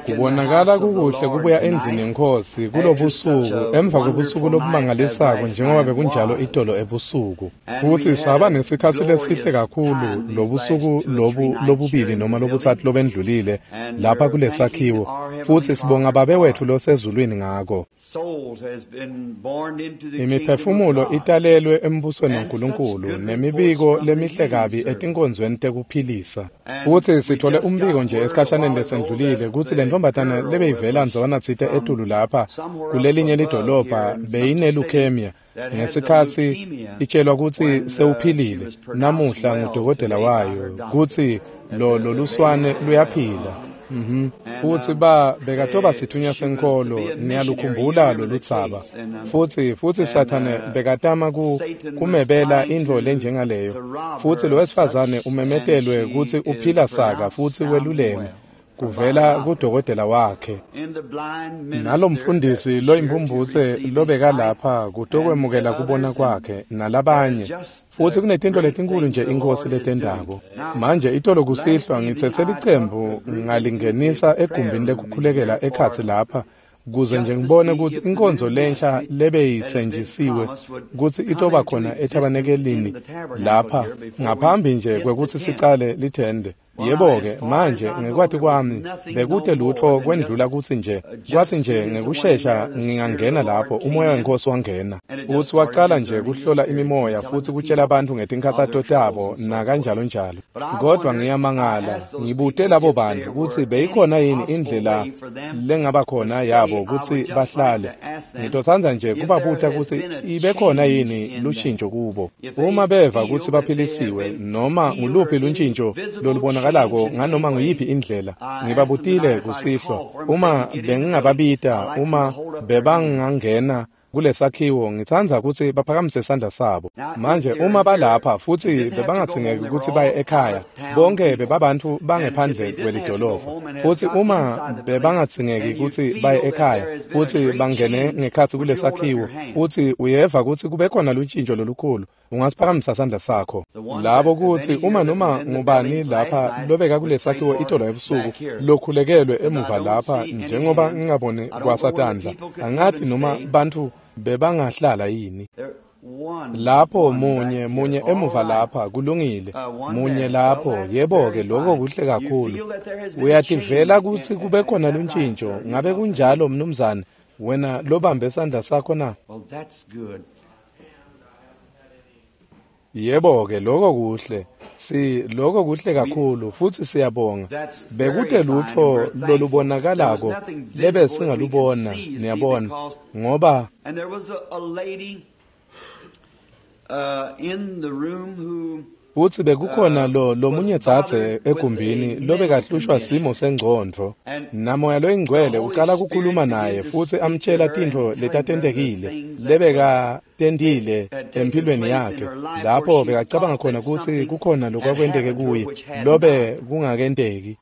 Kubonakala kukuhle kubuya endlini yeNkhosi kulobusuku emva kwebusuku lobumangalisako njengoba bekunjalo itolo ebusuku. Futsi saba nesikhatsi lesihle kakhulu lobusuku lobu lobubili noma lobutsatfu lobendlulile lapha kulesakhiwo, futsi sibonga Babe wetfu losezulwini ngako. Imiphefumulo italelwe embusweni waNkulunkulu nemibiko lemihle kabi etinkonzweni tekuphilisa. Futsi sithole umbiko nje esikhashaneni lesendlulile kutsi le ntombazane lebeyivela ndzawanatsite etulu lapha kulelinye lidolobha beyine-leukemia ngesikhatsi itshelwa kutsi sewuphilile namuhla ngudokotela wayo kutsi lo loluswane luyaphila. Futsi bekatoba sithunywa senkholo, niyalukhumbula loludzaba. Futsi Sathane bekatama kumebela intfo lenjengaleyo. Futsi lo wesifazane umemetelwe kutsi uphila saka futsi weluleme kuvela kudokotela wakhe. Nalomfundisi loyimphumphutse lobekalapha kutokwemukela kubona kwakhe nalabanye. Futsi kunetintfo letinkulu nje iNkhosi letentako. Manje itolo kusihlwa ngitsetse licembu ngalingenisa egumbini lekukhulekela ekhatsi lapha kuze nje ngibone kutsi inkonzo lensha lebeyitsenjisiwe kutsi itoba khona ethabanekelini lapha ngaphambi nje kwekutsi sicale lithende. Yebo-ke manje ngekwati kwami bekute lutfo kwendlula kutsi nje kwathi nje ngekushesha ngingangena lapho umoya weNkhosi wangena. Futsi wacala nje kuhlola imimoya futsi kutshela abantu ngetinkhatsato tabo nakanjalo njalo. Kodwa ngiyamangala ngibute labo bantu kutsi beyikhona yini indlela lengaba khona yabo kutsi bahlale. Ngitotsandza nje kubabuta kutsi ibe khona yini lushintjo kubo. Uma beva kutsi baphilisiwe noma nguluphi luntjintjo lolubonakalako nganoma nguyiphi indlela, ngibabutile kusihlwa uma bengingababita, uma bebangangena kulesakhiwo, ngitsandza kutsi baphakamise sandla sabo. Manje uma balapha futsi bebangadzingeki kutsi baye ekhaya, bonke bebabantfu bangephandle kwelidolobha. Futsi uma bebangadzingeki kutsi baye ekhaya futsi bangene ngekhatsi kulesakhiwo, futsi uyeva kutsi kube khona luntjintjo lolukhulu, ungasiphakamisa sandla sakho. Labo kutsi uma noma ngubani lapha lobeka kulesakhiwo itolo ebusuku lokhulekelwe emuva lapha, njengoba ngingaboni kwasatandla, angathi noma bantfu bebangahlala yini lapho. Munye emuva lapha, kulungile, munye lapho. Yebo-ke, lokho kuhle kakhulu. Uyativela kutsi kube khona luntjintjo. Ngabe kunjalo, mnumzane, wena lobambe sandla sakho na? Yebo-ke, lokho kuhle. Lokho kuhle kakhulu futsi siyabonga. Bekute lutfo lolubonakalako lebesingalubona, niyabona, ngoba futsi bekukhona lomunye dzadze egumbini lobekahlushwa simo sengcondvo, naMoya loyiNgcwele ucala kukhuluma naye futsi amtshela tintfo letatentekile lebekatentile empilweni yakhe, lapho bekacabanga khona kutsi kukhona lokwakwenteke kuye lobe kungakenteki.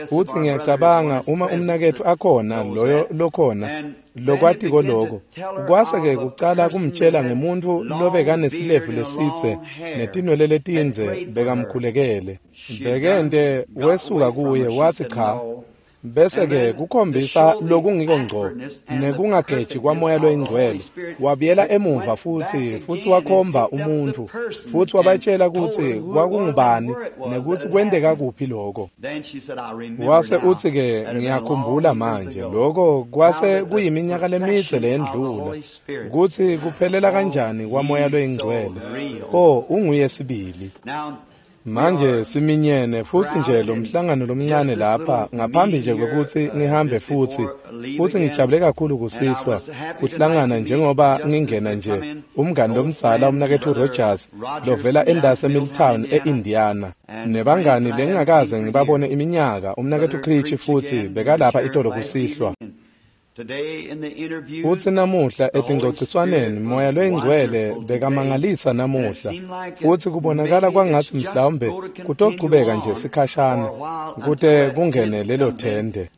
Futsi ngiyacabanga uma umnaketfu akhona loyo lokhona lokwatiko loko, kwase-ke kucala kumtshela ngemuntfu lobekanesilevu lesidze netinwele letindze bekamkhulekele. Bekente wesuka kuye wathi cha. Bese-ke kukhombisa lokungiko ngco nekungageji kwaMoya loyiNgcwele. Wabuyela emuva futsi wakhomba umuntfu futsi wabatshela kutsi kwakungubani nekutsi kwenteka kuphi lokho. Wase utsi-ke, ngiyakhumbula manje, lokho kwase kuyiminyaka lemidze leyendlula, kutsi kuphelela kanjani kwaMoya loyiNgcwele. Oh, unguye sibili. Manje siminyene futsi nje lo mhlangano lomncane lapha ngaphambi nje kwekutsi ngihambe futsi ngijabule kakhulu kusihlwa kuhlangana njengoba ngingena nje umngani lomdzala umnaketfu Rogers lovela endase Milltown e-Indiana, nebangani lengingakaze ngibabone iminyaka, umnaketfu Creech futhi bekalapha itolo kusihlwa. Futsi namuhla etingcociswaneni Moya loyiNgcwele bekamangalisa namuhla, futsi kubonakala kwangatsi mhlawumbe kutochubeka nje sikhashana kute kungene lelo thende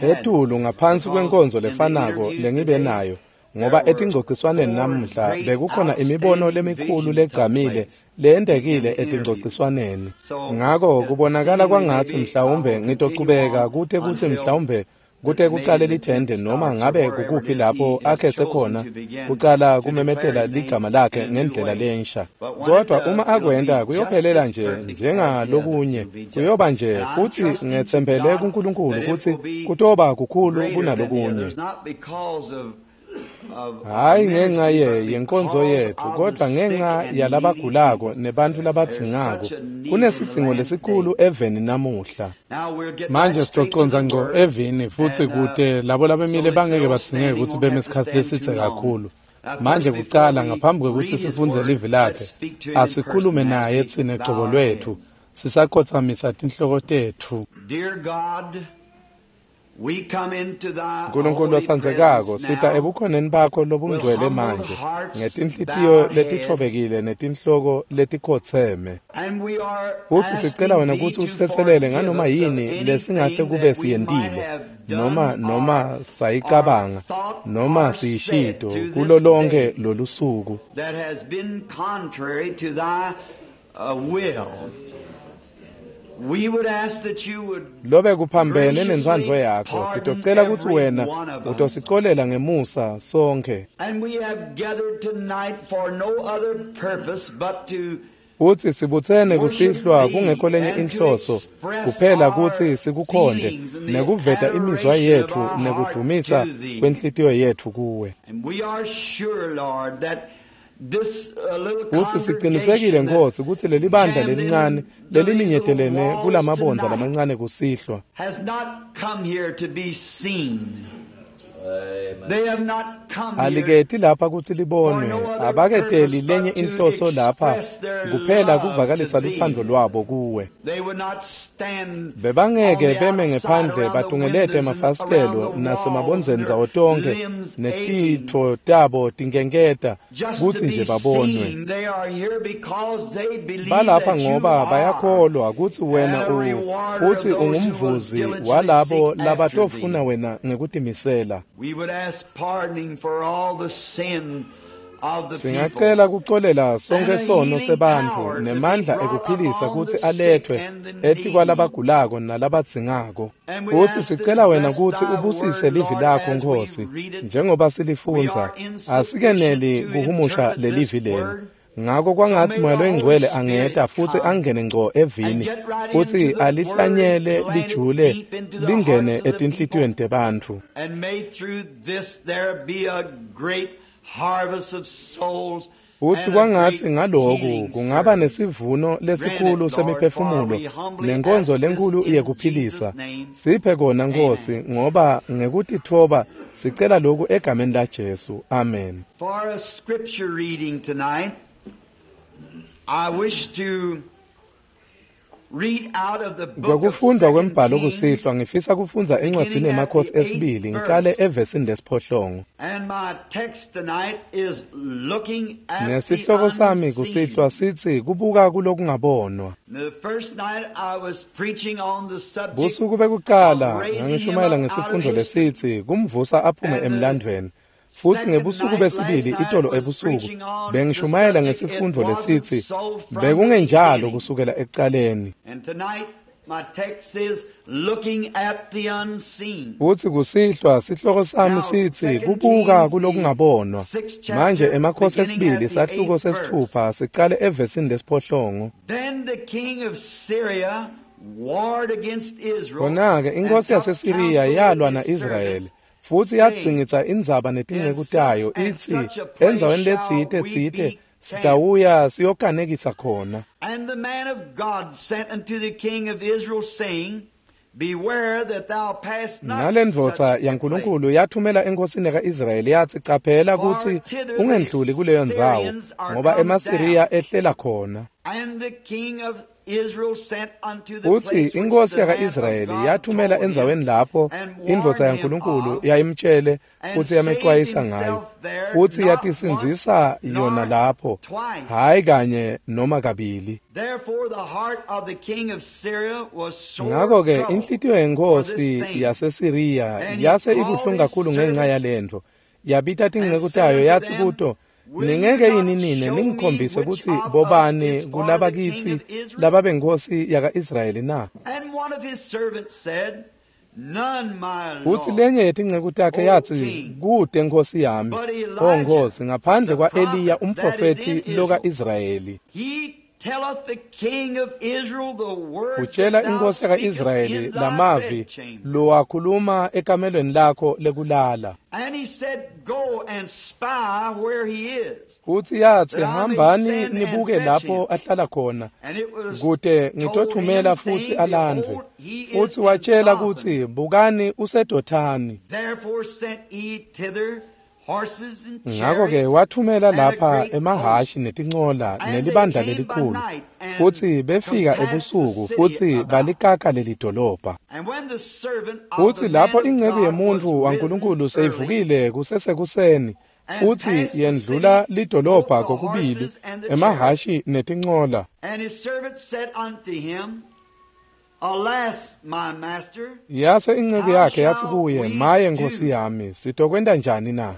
etulu ngaphansi kwenkonzo lefanako lengibe nayo, Ngoba etingcociswaneni namuhla bekukhona imibono lemikhulu legcamile leyendekile etingcociswaneni. Ngako kubonakala kwangatsi mhlawumbe ngitochubeka kute kutsi mhlawumbe kute kucale lithende noma ngabe kukuphi lapho akhetse khona kucala kumemetela ligama lakhe ngendlela lensha. Kodwa uma akwenta kuyophelela nje njengalokunye, kuyoba nje futhi ngetsembele kuNkulunkulu kutsi kutoba kukhulu kunalokunye. Hayi ngenxa yenkonzo yetfu, kodwa ngenxa yalabagulako nebantu labadzingako. Kunesidzingo lesikhulu eveni namuhla. Manje sitocondza ngco evini futsi kute labo labemile bangeke badzingeke kutsi beme isikhatsi lesidze kakhulu. Manje kucala ngaphambi kwekutsi sifundze livi lakhe, asikhulume naye tsine cobo lwetfu, sisakhotsamisa tinhloko tetfu. Nkulunkulu lotsandzekako, sita ebukhoneni bakho lobungcwele manje ngetinhlitiyo letitfobekile netinhloko letikhotseme. Futsi sicela wena kutsi usitsetselele nganoma yini lesingahle kube siyentile noma sayicabanga noma siyishito kulo lonke lolusuku. Lobe kuphambene nentsandvo yakho, sitocela kutsi wena utosicolela ngemusa sonke. Futsi sibutsene kusihlwa kungekho lenye inhloso kuphela kutsi sikukhonde nekuveta imizwa yetfu nekudvumisa kwenhlitiyo yetfu kuwe. Futsi sicinisekile Nkhosi kutsi leli bandla lelincane leliminyetelene kulamabondza lamancane kusihlwa aliketi lapha kutsi libonwe, abaketeli lenye inhloso lapha kuphela kuvakalisa lutsandvo lwabo kuwe. Bebangeke beme ngephandle batungelete emafasitelo nasemabondzeni ndzawo tonkhe netitfo tabo tinkenketa kutsi nje babonwe. Balapha ngoba bayakholwa kutsi wena futhi ungumvuzi walabo labatofuna wena ngekutimisela. Singacela kucolela sonke sono sebantfu nemandla ekuphilisa kutsi aletfwe etikwalabagulako nalabadzingako. Futsi sicela wena kutsi ubusise livi lakho Nkhosi njengoba silifundza. Asikeneli kuhumusha lelivi leli. Ngako kwangatsi Moya Loyingcwele angeta futsi angene ngco evini futsi alihlanyele lijule lingene etinhlitiyweni tebantfu. Futsi kwangatsi ngaloku kungaba nesivuno lesikhulu semiphefumulo nenkonzo lenkhulu yekuphilisa. Siphe kona Nkhosi, ngoba ngekutitfoba sicela lokhu egameni la Jesu. Amen. For a scripture reading tonight, I wish to read out of the book of Kwekufundza kwembhalo Kings, kusihlwa ngifisa kufundza encwadzini yeMakhosi esibili ngicale evesini lesiphohlongo. And my text tonight is looking at Nesihloko the sami kusihlwa unseen. sithi kubuka kulokungabonwa. The first night I was preaching on the subject Busuku bekucala of raising him ngangishumayela up out of ngesifundo history. lesithi kumvusa aphume emlandvweni. Futhi ngebusuku besibili itolo ebusuku bengishumayela ngesifundo lesithi bekungenjalo kusukela ekucaleni. And tonight my text is looking at the unseen. Futhi kusihlwa sihloko sami sithi kubuka kulokungabonwa. Manje emakhosi esibili sahluko sesithupha sicale evesini lesiphohlongo. Then the king of Syria warred against Israel. Khona-ke and inkosi took yaseSiriya counsel yalwa with his na-Israyeli servants, futhi saying, yadzingidza indzaba netinceku In tayo such and ithi such a place endzaweni shall letsite we tsite be camped. sitawuya siyokanekisa khona. And the man of God sent unto the king of Israel, saying, Beware that thou pass not Nalendvodza such a place. yaNkulunkulu yathumela enkosini ka-Israyeli yathi caphela kutsi ungendluli kuleyo ndzawo ngoba emaSiriya ehlela khona. And the king of Israel sent unto the Futhi place which inkosi the man of yaka-Israyeli God yathumela told him, endzaweni lapho and warned indvodza him yaNkulunkulu of, yayimtshele and futhi saved yamexwayisa ngayo. himself there Futhi not yatisindzisa once yona nor lapho, twice. hhayi kanye noma kabili. Therefore the heart of the king of Syria was sore Ngakho-ke troubled inhlitiyo for yenkosi this thing. yaseSiriya And he yase called ibuhlungu his kakhulu ngenxa servants yalentfo. Yabita tinceku tayo yatsi kuto, ningeke yini nine ningikhombise kutsi bobani kulaba kitsi lababenkhosi yaka-Israyeli na? Utsi lenye yetinceku takhe yatsi, kute nkhosi yami, o nkhosi, ngaphandle kwa-Eliya umprofethi loka-Israyeli. Utshela inkosi yaka-Israyeli lamavi lowakhuluma ekamelweni lakho lekulala. Utsi yatsi, hambani nibuke lapho ahlala khona, kute ngitothumela futsi alandvwe. Futsi watshela kutsi, bukani useDothani. Ngakho-ke wathumela lapha emahashi netincola nelibandla lelikhulu, futsi befika ebusuku futsi balikaka lelidolobha. Futsi lapho inceku yemuntfu waNkulunkulu seyivukile kusesekuseni, futsi yendlula lidolobha kokubili, emahashi netincola. Yase inceku yakhe yatsi kuye, maye nkhosi yami, sitokwenta njani na?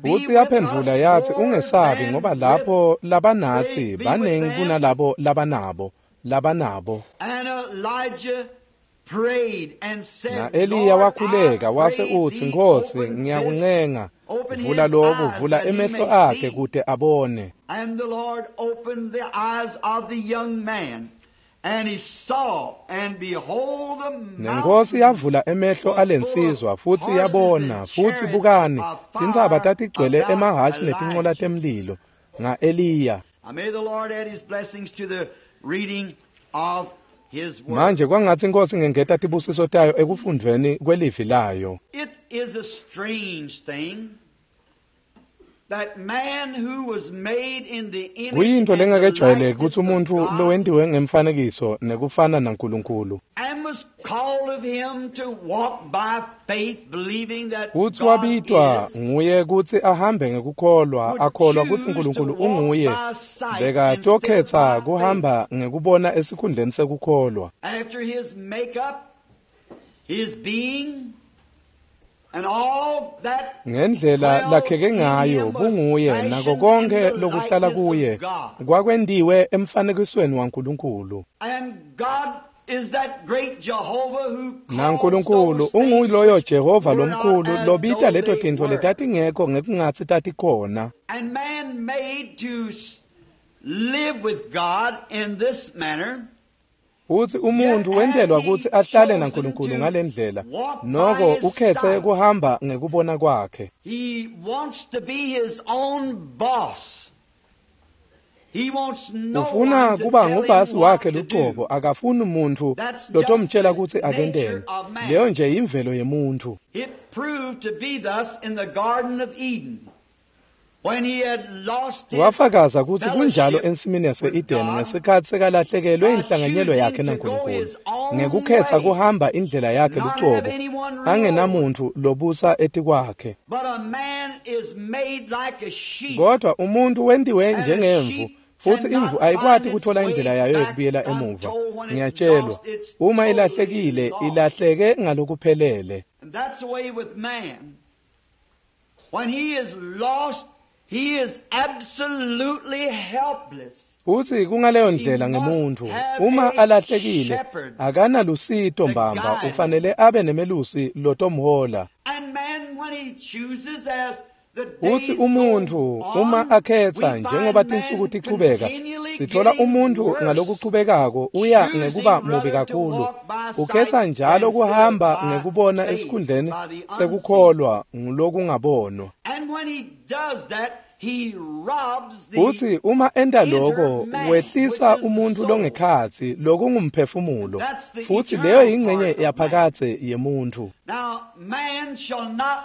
Utsi yaphendvula yatsi, ungesabi, ngoba lapho labanatsi banengi kunalabo labanabo labanabo. Na-Eliya wakhuleka wase utsi, Nkhosi, ngiyakuncenga, vula loku, vula emehlo akhe kute abone. Nenkosi yavula emehlo alensizwa futsi yabona, futsi bukani, tintsaba tatigcwele emahhashi netincola temlilo nga-Eliya. Manje kwangatsi iNkhosi ingengeta tibusiso tayo ekufundvweni kwelivi layo. It is a strange thing that man who was made in the image Kuyintfo and the lengakejwayeleki likeness kutsi of umuntfu God lowentiwe ngemfanekiso nekufana naNkulunkulu and was called of him to walk by faith, believing that kutsi God wabitwa is, nguye kutsi ahambe ngekukholwa, would akholwa kutsi choose to Nkulunkulu walk unguye, by sight instead of bekatokhetsa by faith. kuhamba ngekubona esikhundleni sekukholwa. After his makeup, his being, and all that Ngendlela dwells lakheke in ngayo him was bunguye nako fashioned in konke the lokuhlala likeness kuye of God. kwakwentiwe emfanekisweni waNkulunkulu. And God is that great Jehovah who calls NaNkulunkulu those things unguloyo which Jehova were not lomkhulu as lobita though leto they tintfo were. letatingekho ngekungatsi tatikhona. And man made to live with God in this manner, Utsi umuntfu yet wentelwa has he kutsi ahlale chosen naNkulunkulu to ngalendlela, walk by noko his ukhetse sight. kuhamba ngekubona kwakhe. He wants to be his own boss. He wants no Ufuna one to kuba tell him ngubasi what wakhe to lucobo, do. akafuni muntfu That's just lotomtshela the kutsi nature akenteni. of man. Leyo nje yimvelo yemuntfu. It proved to be thus in the Garden of Eden, when he had lost his Wafakaza kutsi kunjalo fellowship ensimini with yase-Edeni God ngesikhatsi sekalahlekelwe by inhlanganyelo yakhe choosing to go naNkulunkulu, his own ngekukhetsa way, kuhamba indlela yakhe not have lucobo, anyone rule over him. angenamuntfu lobusa etikwakhe. But a man is made like a sheep, Kodwa umuntfu wentiwe and a njengemvu, sheep futsi imvu cannot ayikwati find its kutfola indlela way yayo back yekubuyela emuva. untold when it's Ngiyatshelwa, lost, it's uma totally ilahlekile, lost. ilahleke ngalokuphelele. And that's the way with man. When he is lost, he is absolutely helpless. Futsi kungaleyo He ndlela must ngemuntfu, have uma a alahlekile, shepherd akanalusito to mbamba, guide him. ufanele abe nemelusi lotomhola. And man, when he chooses as the Utsi days go umuntfu uma on, akhetsa we njengoba find tinsuku man tichubeka, continually sithola getting umuntfu worse, ngalokuchubekako uya choosing ngekuba mubi rather to kakhulu. walk by Ukhetsa sight njalo instead of kuhamba by ngekubona faith, esikhundleni by the unseen. sekukholwa ngulokungabonwa. And when he does that, he robs the Utsi uma enta inner loko man, which wehlisa is the umuntfu soul. longekhatsi lokungumphefumulo, That's the futsi leyo eternal yingcenye part of man. yaphakadze yemuntfu. Now, man shall not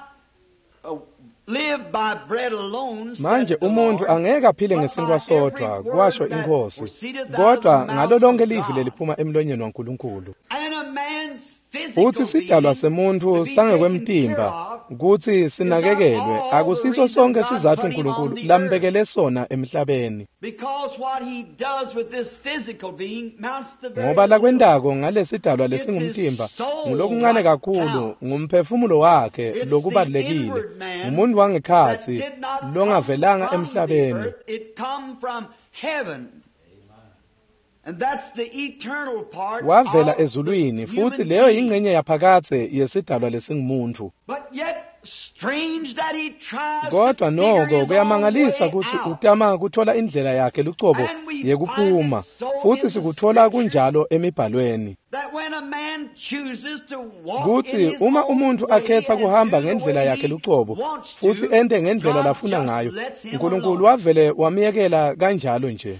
live by bread alone, Manje said the umuntfu Lord, angeke aphile but ngesinkwa by every sodvwa, kwasho word that iNkhosi, proceedeth out of the kodwa ngalo mouth lonke of livi God. leliphuma emlonyeni waNkulunkulu. And a man's physical Futsi sidalwa being semuntfu to be taken care sangekwemtimba of Kutsi sinakekelwe akusiso sonke sizatfu uNkulunkulu lambekele sona emhlabeni. Ngoba lakwentako ngalesidalwa lesingumtimba ngulokuncane kakhulu, ngumphefumulo wakhe lokubalulekile, ngumuntu wangekhatsi longavelanga emhlabeni. Wavela ezulwini, futhi leyo yingxenye yaphakadze yesidalwa lesingumuntfu. Kodwa noko kuyamangalisa kutsi utama kuthola indlela yakhe lucobo yekuphuma, futhi sikuthola kunjalo emibhalweni. Kutsi uma umuntfu akhetha kuhamba ngendlela yakhe lucobo futhi ente ngendlela lafuna ngayo, uNkulunkulu wavele wamyekela kanjalo nje.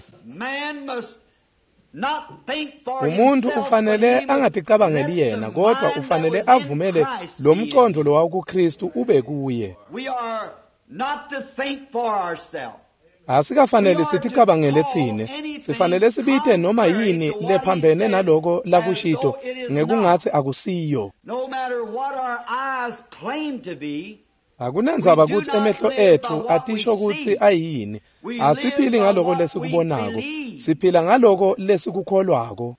Umuntu ufanele angaticabangeli yena, kodwa ufanele avumele lo mqondo lowawukuKristu ube kuye. Asikafanele siticabangele tsine, sifanele sibite noma yini lephambene naloko lakushito ngekungatsi akusiyo. Akunandzaba kutsi emehlo etfu atisho kutsi ayini, asiphili ngaloko lesikubonako, siphila ngaloko lesikukholwako.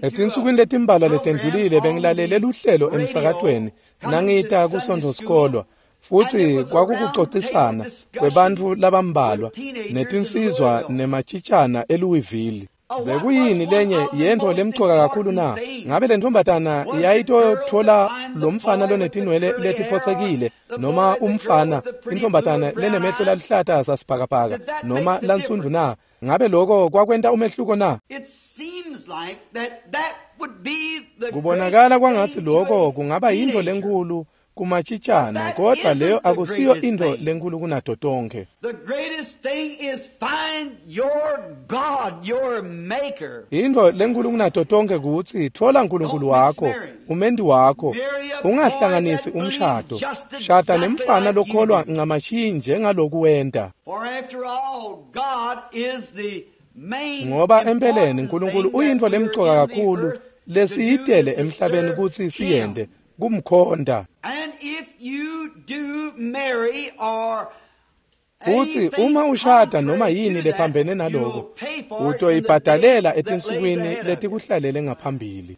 Etinsukwini letimbalwa letendlulile bengilalele luhlelo emsakatweni nangita kuSontfo sikolwa, futhi kwakukucocisana kwebantfu labambalwa netinsizwa nematshitshana eLouisville. Bekuyini lenye yentfo lemcoka kakhulu na? Ngabe le ntombazana yayitotfola lo mfana lonetinwele letiphotsekile, noma umfana intombazana lenemehlo laluhlata sasibhakabhaka noma lansundvu na? Ngabe lokho kwakwenta umehluko na? Kubonakala kwangatsi lokho kungaba yintfo lenkhulu kumatshitshana, kodwa leyo akusiyo intfo lenkhulu kunato tonkhe. Intfo lenkhulu kunato tonkhe kutsi tfola uNkulunkulu wakho, umendi wakho, ungahlanganisi umshado. Shada nemfana lokholwa ncamashi njengaloku wenta. Ngoba empeleni uNkulunkulu uyintfo lemcoka kakhulu lesiyitele emhlabeni kutsi siyente, kumkhonta. Futsi uma ushada noma yini lephambene naloko, utoyibhadalela etinsukwini letikuhlalele ngaphambili.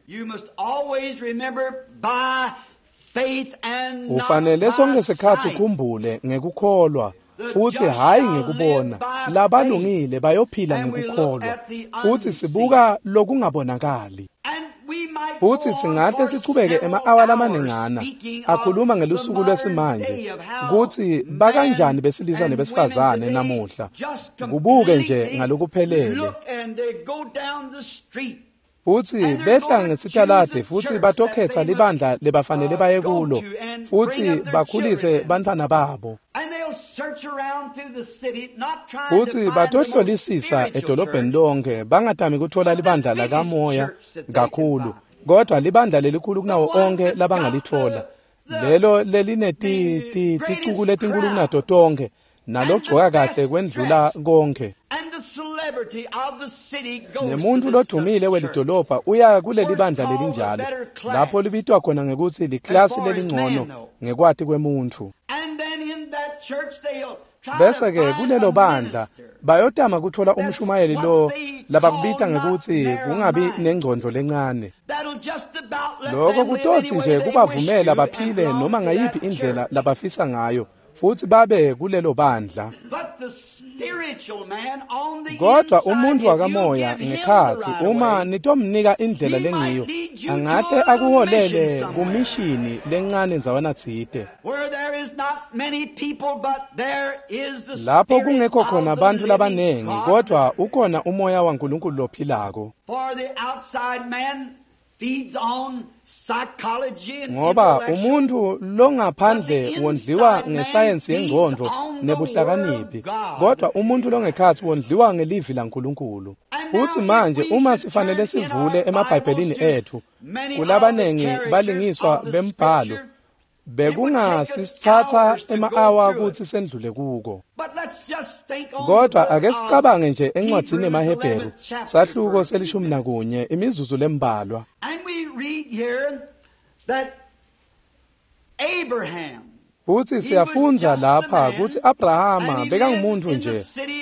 Ufanele sonke sikhatsi ukhumbule ngekukholwa, futhi hhayi ngekubona. Labalungile bayophila ngekukholwa, futhi sibuka lokungabonakali. Futhi singahle sichubeke ema-awa lamaningana akhuluma ngelusuku lwesimanje kutsi bakanjani besilisa nebesifazane namuhla, kubuke nje ngalokuphelele. Futhi behla ngesitaladi futhi batokhetha libandla lebafanele baye kulo, futhi bakhulise bantfwana babo. Futhi batohlolisisa edolobheni lonke, bangatami kutfola libandla lakamoya kakhulu, kodwa libandla lelikhulu kunawo onke labangalitfola, lelo lelineticuku letinkulu kunato tonkhe, nalogcoka kahle kwendlula konke. Nemuntu lodumile welidolobha uya kuleli bandla lelinjalo, lapho libitwa khona ngekutsi liklasi lelingcono ngekwati kwemuntfu. Bese-ke kulelo bandla bayotama kutfola umshumayeli lo labakubita ngekutsi kungabi nengcondvo lencane. Lokho kutotsi nje kubavumela baphile noma ngayiphi indlela labafisa ngayo, futhi babe kulelo bandla. Kodwa umuntu wakamoya ngekhatsi, uma nitomnika indlela lengiyo, angahle akuholele kumishini lencane ndzawana tsite, lapho kungekho khona bantfu labanengi, kodwa ukhona umoya waNkulunkulu lophilako. Ngoba umuntu longaphandle wondliwa ngesayensi yengqondo nebuhlakaniphi, kodwa umuntu longekhatsi wondliwa ngelivi laNkulunkulu. Futhi manje uma sifanele sivule emaBhayibhelini ethu, kulabanengi balingiswa bembhalo, bekungasisithatha ema-awa kutsi sendlule kuko. Kodwa ake sicabange nje encwadzini yemaHebheru, sahluko se-11, imizuzu lembalwa. Abraham, Futsi siyafundza lapha kutsi Abrahama bekangumuntu nje,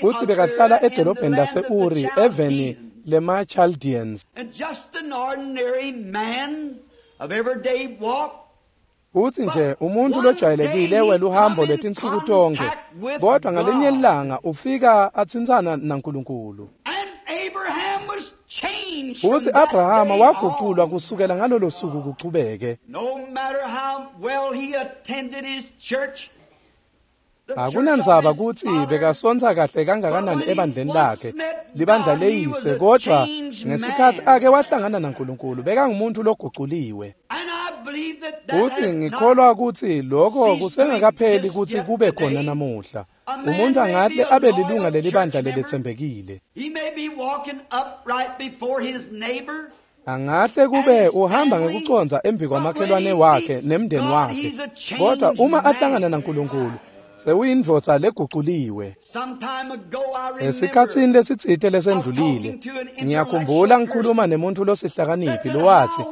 futsi bekahlala edolobheni lase-Uri eveni lema-Chaldeans. and just an ordinary man of everyday walk, Futsi nje umuntu lojwayelekile weluhambo lwetinsuku tonkhe, kodwa ngalinye ilanga ufika atsintsana naNkulunkulu. and Abraham was changed. from Futsi that Abrahama day waguculwa on. kusukela ngalolo suku kuchubeke. No matter how well he attended his church, the church of Akunandzaba his kutsi father, bekasontsa kahle kangakanani ebandleni lakhe, libandla leyise, kodwa ngesikhatsi ake wahlangana naNkulunkulu bekangumuntu loguculiwe. and I believe that that Futsi has not ngikholwa kutsi lokho kusengakapheli kutsi kube khona namuhla. Umuntu angahle abe lilunga lelibandla leletsembekile. He may be walking upright before his neighbor, Angahle kube uhamba ngekucondza embi kwamakhelwane wakhe nemndeni wakhe, kodwa uma ahlangana naNkulunkulu sewuyindvodza leguculiwe. Some time ago, I remember Esikhatsini lesitsite lesendlulile, ngiyakhumbula ngikhuluma nemuntu losihlakaniphi lowatsi,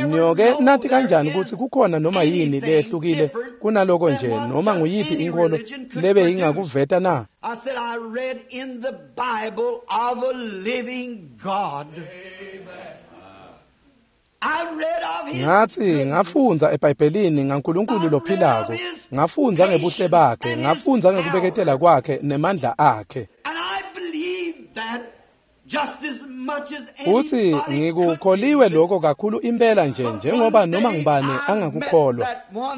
"Niyoke nathi kanjani kutsi kukhona noma yini leyehlukile kunaloko nje noma nguyiphi inkholo lebe ingakuveta na?" I said, I read in the Bible of a living God. I read of his Ngathi ngafundza eBhayibhelini ngaNkulunkulu lophilako, ngafundza ngebuhle bakhe, ngafundza ngekubeketela kwakhe nemandla akhe. And I believe that just as much as Futsi anybody could ngikukholiwe believe it. lokho kakhulu impela nje njengoba noma ngubani angakukholwa.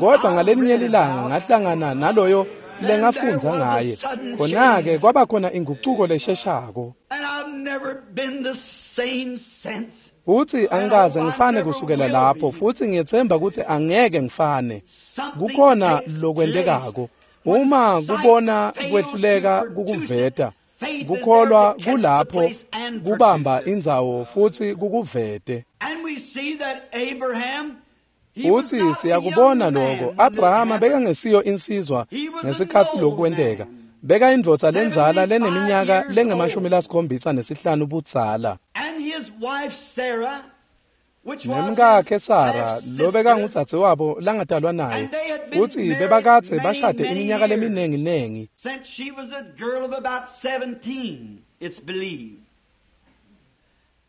Kodwa ngalelinye lilanga ngahlangana naloyo lengafundza ngaye. Khona-ke kwaba khona ingucuko lesheshako. And I've never been the same since. Futsi angikaze ngifane kusukela lapho, futhi ngiyethemba ukuthi angeke ngifane. Something Kukhona takes lokwentekako. place when Uma sight kubona fails kwehluleka to produce it, kukuveta, faith is kukholwa there to catch the kulapho place and kubamba produce it. indzawo futhi kukuvete. And we see that Abraham, he was Futsi not a siyakubona young man lokho. when this Abrahama happened. bekangesiyo insizwa He was an ngesikhatsi old lokhu kwenteka. man, Bekayindvodza lendzala 75 leneminyaka years lengemashumi old. lasikhombisa nesihlanu budzala. And his wife Sarah, which was Nemkakhe his Sara half-sister, lobekangudzadzewabo langatalwa naye. and they had been Futsi married bebakadze many, bashade many iminyaka years. leminenginengi. Since she was a girl of about 17, it's believed.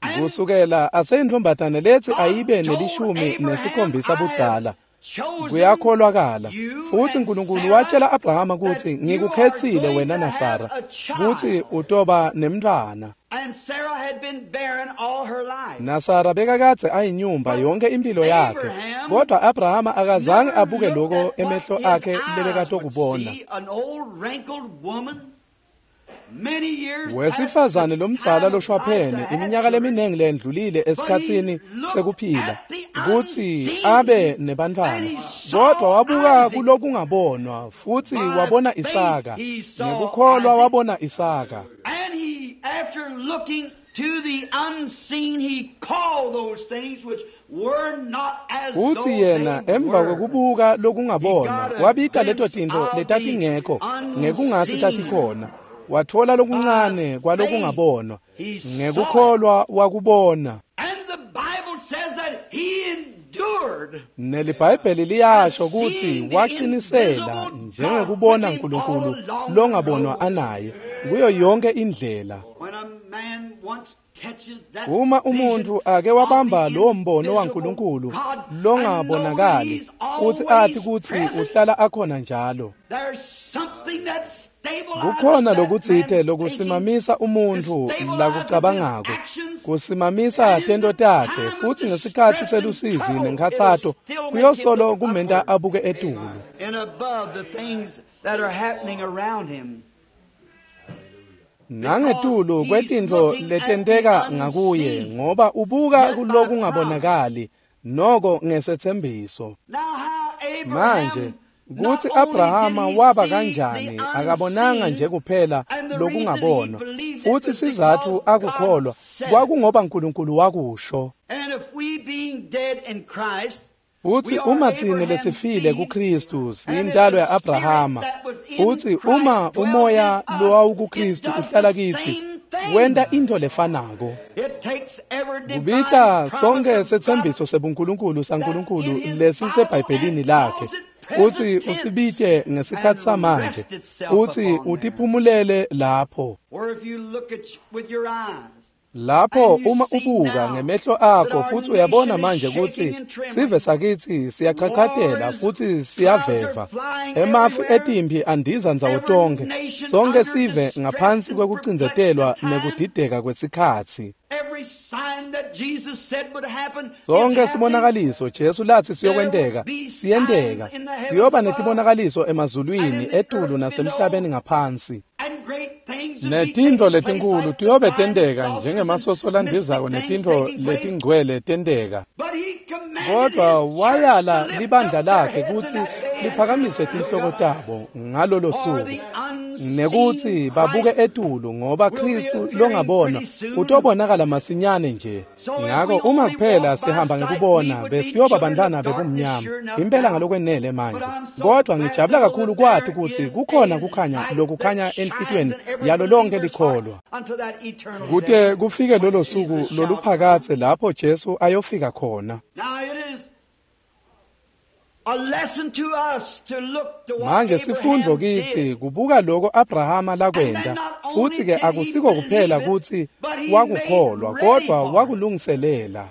And Kusukela aseyintfombatane letsi God ayibe told nelishumi Abraham, nesikhombisa I have budzala. chosen Kuyakholwakala. you Futsi and uNkulunkulu Sarah watshela Abrahama that kutsi you are ngikukhetsile going wena to have naSara a kutsi child. utoba nemntfwana. And Sarah had been barren all her life. NaSara bekakadze ayinyumba But yonke impilo yakhe. Abraham Kodwa Abrahama akazange never abuke looked lokho at what emehlo his akhe eyes would lebekatokubona. see, an old wrinkled woman, many years past the Wesifazane lomdzala time of life to loshwaphene have iminyaka children, leminingi lendlulile but he esikhatsini looked sekuphila at the kutsi unseen abe and nebantfwana. he Kodwa saw wabuka Isaac. kulokungabonwa futhi By wabona faith Isaka. he saw Ngekukholwa Isaac. wabona Isaka. And he, after looking to the unseen, he called those things which were not as Futsi though yena they emva were. kwekubuka He lokungabonwa got a wabita leto glimpse tintfo of the letatingekho ngekungasi unseen. tatikhona. Watfola By lokuncane faith, kwalokungabonwa. he saw it. Ngekukholwa wakubona. And the Bible says that he endured NeliBhayibheli as liyasho kutsi seeing the waqinisela invisible God with njengekubona him all uNkulunkulu along the longabonwa road. anaye kuyo yonke indlela. When a man once catches that Uma vision umuntu ake of wabamba the lowo mbono invisible waNkulunkulu God and know that longabonakali he's futhi athi always kutsi present, uhlala akhona njalo. there's something that stabilizes Kukhona that lokutsite man's thinking, lokusimamisa that umuntu stabilizes his lakucabangako, actions, kusimamisa and in tento the takhe time of futhi ngesikhatsi distress and selusizi trouble, it'll nenkhatsato still make him kuyosolo look kumenta upward abuke etulu. and above the things that are happening around him. Because Nangetulu he's kwetintfo looking at the letenteka ngakuye unseen, ngoba ubuka yet by promise. kulokungabonakali noko ngesetsembiso. Now, how Manje Abraham, not kutsi only did Abrahama he waba see the kanjani akabonanga nje unseen, kuphela and the reason he lokungabonwa believed it futhi was sizatfu because God akukholwa said it. kwakungoba uNkulunkulu wakusho. And if we being dead in Christ, Futsi we are uma tsine Abraham's lesifile seed, kuKristu and if siyintalo the spirit ya-Abrahama. that was in Futsi Christ uma dwells in umoya us, it lowawukuKristu does uhlala the kitsi same thing. wenta intfo lefanako. It takes every divine Kubita promise sonke of God setsembiso sebuNkulunkulu that's in saNkulunkulu his Bible lesisebhayibhelini and lakhe calls it Futsi usibite ngesikhatsi samanje, futsi utiphumulele lapho. Lapho uma ubuka ngemehlo akho futhi uyabona manje ukuthi sive sakitsi siyachachatela futhi siyaveva. Emafu etimpi andiza ndzawo tonkhe, sonke sive ngaphansi kwekucindzetelwa nekudideka kwesikhatsi. Sonke sibonakaliso Jesu lathi siyokwenteka, siyenteka. Kuyoba netibonakaliso emazulwini, etulu nasemhlabeni ngaphansi. Netintfo letinkulu tiyobe tenteka njengemasoso landizako netintfo letingcwele tenteka. Kodwa wayala libandla lakhe kutsi liphakamise tinhloko tabo ngalolo suku, nekutsi babuke etulu, ngoba Khristu longabonwa utobonakala masinyane nje. Ngako uma kuphela sihamba ngekubona, besiyoba bantwana bebumnyama impela ngalokwenele manje. Kodwa ngijabula kakhulu kwati kutsi kukhona kukhanya lokukhanya enhlitiyweni yalo lonke likholwa, kute kufike lolo suku loluphakatse lapho Jesu ayofika khona. Manje sifundvo kitsi kubuka loko Abrahama lakwenta, futsi ke akusiko kuphela kutsi wakukholwa, kodwa wakulungiselela.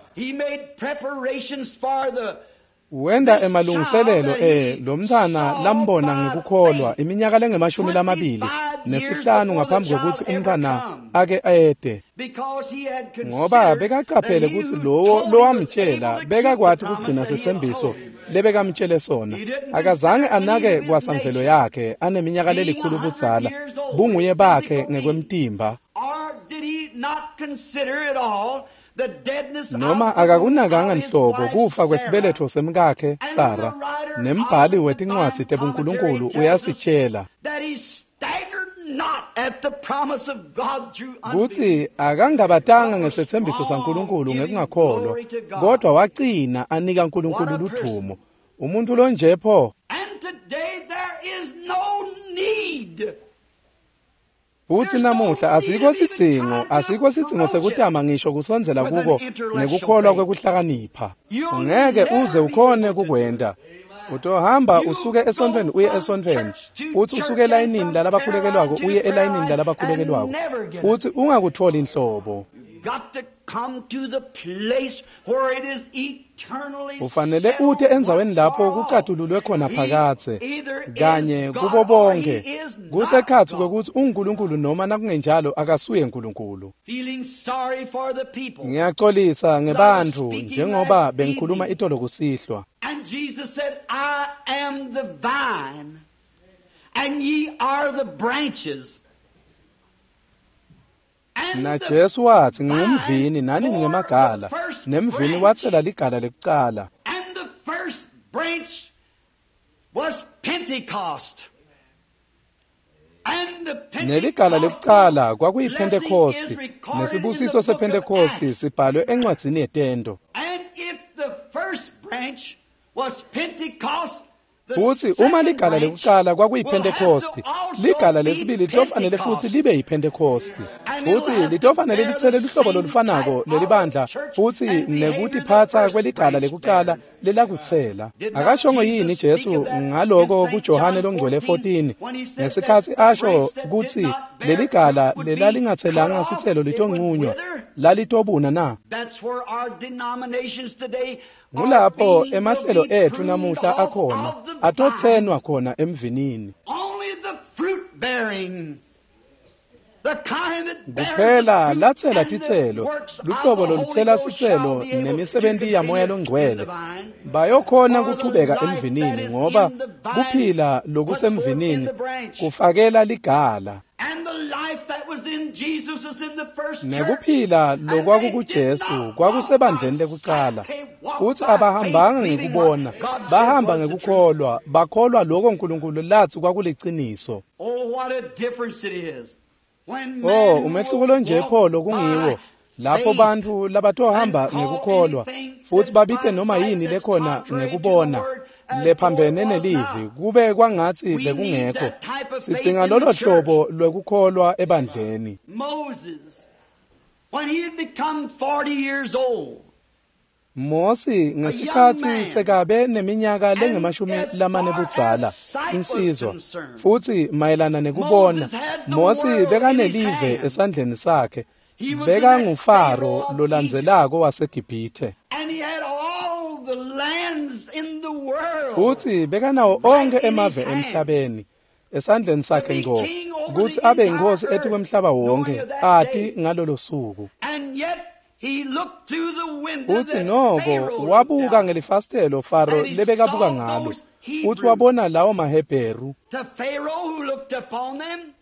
Wenda emalungiselelo lo mntwana lambona ngekukholwa iminyaka lengu-25 ngaphambi kwekutsi umntwana ake ede, ngoba bekacaphele kutsi lowo lowamtshela bekakwati kugcina setsembiso lebekamtshele sona. Akazange anake kwasamvelo yakhe aneminyaka lelikhulu budzala, bunguye bakhe ngekwemtimba. Noma akakunakanga nhlobo kufa kwesibeletho semkakhe Sara. Nembhali wetincwadzi tebuNkulunkulu uyasitshela kutsi akangabatanga ngesetsembiso saNkulunkulu ngekungakholwa, kodwa wacina anika Nkulunkulu ludvumo. Umuntu lonje pho. Futsi namuhla asikho sidzingo sekutama ngisho kusondzela kuko nekukholwa kwekuhlakanipha. Ungeke uze ukhone kukwenta. Utohamba usuke esontfweni uye esontfweni, futsi usuke elayinini lalabakhulekelwako uye elayinini lalabakhulekelwako, futsi ungakutholi inhlobo. Ufanele ute endzaweni lapho kucatululwe khona phakatse kanye kubo bonke, kusekhatsi kwekutsi unguNkulunkulu noma nakungenjalo akasuye Nkulunkulu. Ngiyacolisa ngebantfu njengoba bengikhuluma itolo kusihlwa. And Jesus said, I am the vine, and ye are the branches. Na Jesu watsi, ngingumvini nani ningemagala, nemvini watsela ligala lekucala. And the first branch was Pentecost. Neligala lekucala kwakuyiPhentekosti, nesibusiso sePhentekosti sibhalwe encwadzini yetento. And if the first branch was Pentecost, Futsi uma ligala lekucala kwakuyiPhentekosti, ligala lesibili litofanele futsi libe yiPhentekosti. Futsi litofanele litsele luhlobo lolufanako lelibandla futsi nekutiphatsa kweligala lekucala lelakutsela. Akashongo yini Jesu ngaloko kuJohane longcwele 14 ngesikhatsi asho kutsi leligala lelalingatselanga sitselo litonqunywa lalitobuna na? Ngulapho emahlelo etfu namuhla akhona, atotsenwa khona emvinini. Kuphela latsela titselo, luhlobo lolutsela sitselo nemisebenti yaMoya loNgcwele, bayokhona kuchubeka emvinini, ngoba kuphila lokusemvinini kufakela ligala. Nekuphila lokwakukuJesu kwakusebandleni lekucala, futsi abahambanga ngekubona, bahamba ngekukholwa, bakholwa loko Nkulunkulu latsi kwakuliciniso. Oh, umehluko lonje pho lokungiwo lapho bantfu labatohamba ngekukholwa futsi babite noma yini lekhona ngekubona lephambene nelivi kube kwangatsi bekungekho. Sidzinga lolo hlobo lwekukholwa ebandleni. Moses, when he had become 40 years old, Mosi ngesikhatsi sekabe neminyaka lengamashumi lamane budzala, insizwa, futsi mayelana nekubona, Mosi bekanelive esandleni sakhe, bekanguFaro lolandzelako waseGibhithe. Futsi bekanawo onkhe emave emhlabeni esandleni sakhe ngco, kutsi abe yinkosi etikwemhlaba wonke, ati ngalolo suku. Futsi noko wabuka ngelifasitelo Faro lebekabuka ngalo, futhi wabona lawo maHebheru.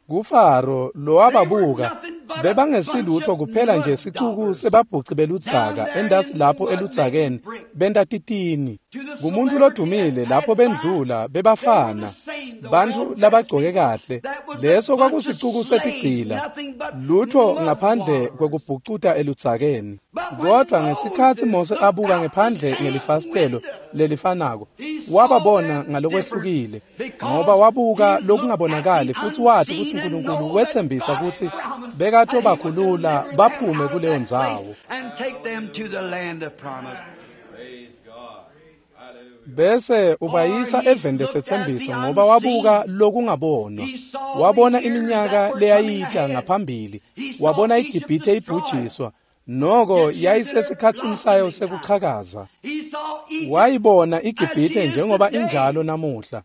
KuFaro lowababuka, bebangesilutho kuphela nje sicuku sebabhuci beludzaka entasi lapho eludzakeni benta titini. Kumuntu lodumile lapho bendlula bebafana, bantfu labagcoke kahle, leso kwakusicuku setigcila, lutho ngaphandle kwekubhucuta eludzakeni. Kodwa ngesikhatsi Mose abuka ngephandle ngelifasitelo lelifanako, wababona ngalokwehlukile, ngoba wabuka lokungabonakali futsi wati kutsi uNkulunkulu wetsembisa kutsi bekatobakhulula baphume kuleyo ndzawo, bese ubayisa eveni lesetsembiso, ngoba wabuka lokungabonwa. Wabona iminyaka leyayita ngaphambili, wabona iGibhithe ibhujiswa, noko yayisesikhatsini sayo sekuchakaza. Wayibona iGibhithe njengoba injalo namuhla,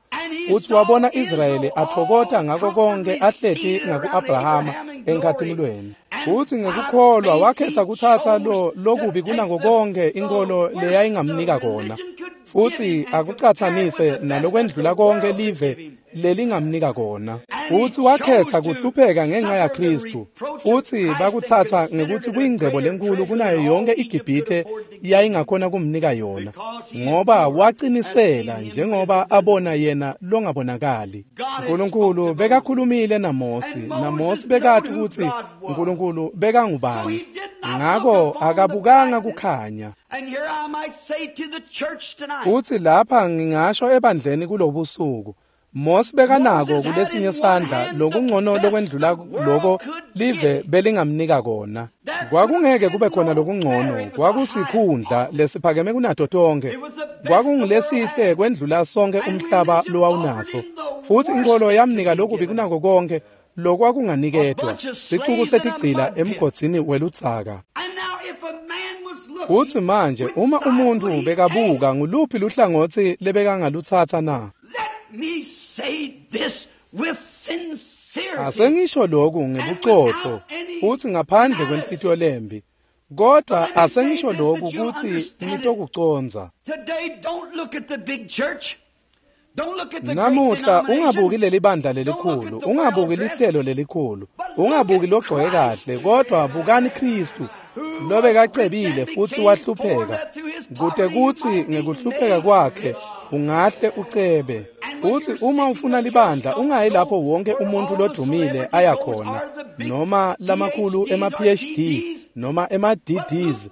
futhi wabona Israyeli athokota ngako konke ahleti ngaku-Abrahama enkhatimulweni. Futhi ngekukholwa wakhetha kuthatha lo lokubi kunako konke inkolo leyayingamnika kona, futhi akucatsanise nalokwendlula konke live lelingamnika kona. Futhi wakhetha kuhlupheka ngenxa yaKristu, futhi bakutsatsa ngekuthi kuyingcebo lenkulu kunayo yonke iGibhithe yayingakhona kumnika yona, ngoba wacinisela njengoba abona yena longabonakali. uNkulunkulu bekakhulumile naMosi, naMosi bekathi ukuthi uNkulunkulu bekangubani, ngako akabukanga kukhanya. Futhi lapha ngingasho ebandleni kulobusuku, Mosi bekanako kulesinye sandla lokungcono lokwendlula loko live belingamnika kona. Kwakungeke kube khona lokungcono, kwakusikhundla lesiphakeme kunato tonke, kwakungulesihle kwendlula sonke umhlaba lowawunaso. Futhi inkolo yamnika lokubi kunako konke lokwakunganiketwa, sicuku setigcila emgodzini weludzaka. Futhi manje uma umuntu bekabuka, nguluphi luhlangotsi lebekangalutsatsa na? Asengisho lokhu ngebuqotho futhi ngaphandle kwenhlitiyo lembi, kodwa asengisho lokhu kutsi nitokucondza. Namuhla ungabuki leli bandla lelikhulu, ungabuki lihlelo lelikhulu, ungabuki logcoke kahle, kodwa bukani Kristu lobekacebile futhi wahlupheka, kute kutsi ngekuhlupheka kwakhe ungahle ucebe. Futhi uma ufuna libandla, ungayi lapho wonke umuntu lodumile aya khona, noma lamakhulu ema-PhD noma ema-DDs,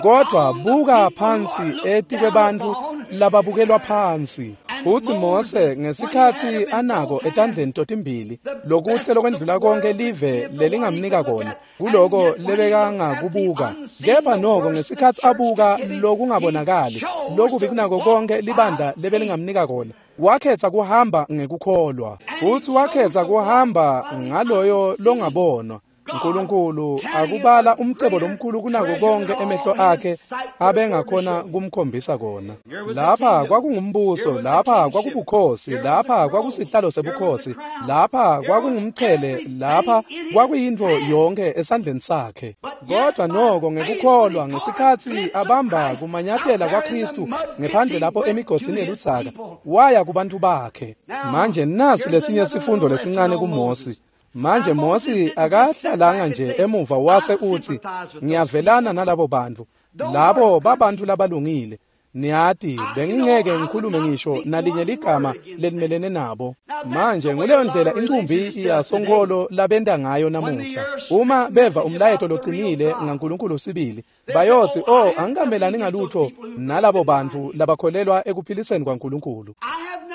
kodwa buka phansi etikwebantfu lababukelwa phansi. Futhi Mose ngesikhatsi anako etandleni totimbili lokuhle lokwendlula konke live lelingamnika kona, kuloko lebekangakubuka, kepha noko ngesikhatsi abuka lokungabonakali, lokubi kunako konke libandla lebelingamnika kona, wakhetha kuhamba ngekukholwa. Futhi wakhetha kuhamba ngaloyo longabonwa, uNkulunkulu, akubala umcebo lomkhulu kunako konke emehlo akhe abengakhona kumkhombisa kona. Lapha kwakungumbuso, lapha kwakubukhosi, lapha kwakusihlalo sebukhosi, lapha kwakungumchele, lapha kwakuyintfo yonke esandleni sakhe. Kodwa noko ngekukholwa ngesikhatsi abamba kumanyathela kwaKristu ngephandle lapho emigodzini yeludzaka, waya kubantu bakhe. Manje nasi lesinye sifundo lesincane kuMosi. Manje Mosi akahlalanga nje emuva wase uthi, ngiyavelana nalabo bantu, labo babantu labalungile, niyati bengingeke ngikhulume ngisho nalinye ligama lelimelene nabo. Manje nguleyo ndlela incumbi yasonkholo labenta ngayo namuhla. Uma beva umlayeto locinile ngaNkulunkulu sibili, bayothi, oh, angikamelani ngalutho nalabo bantu labakholelwa ekuphiliseni kwaNkulunkulu.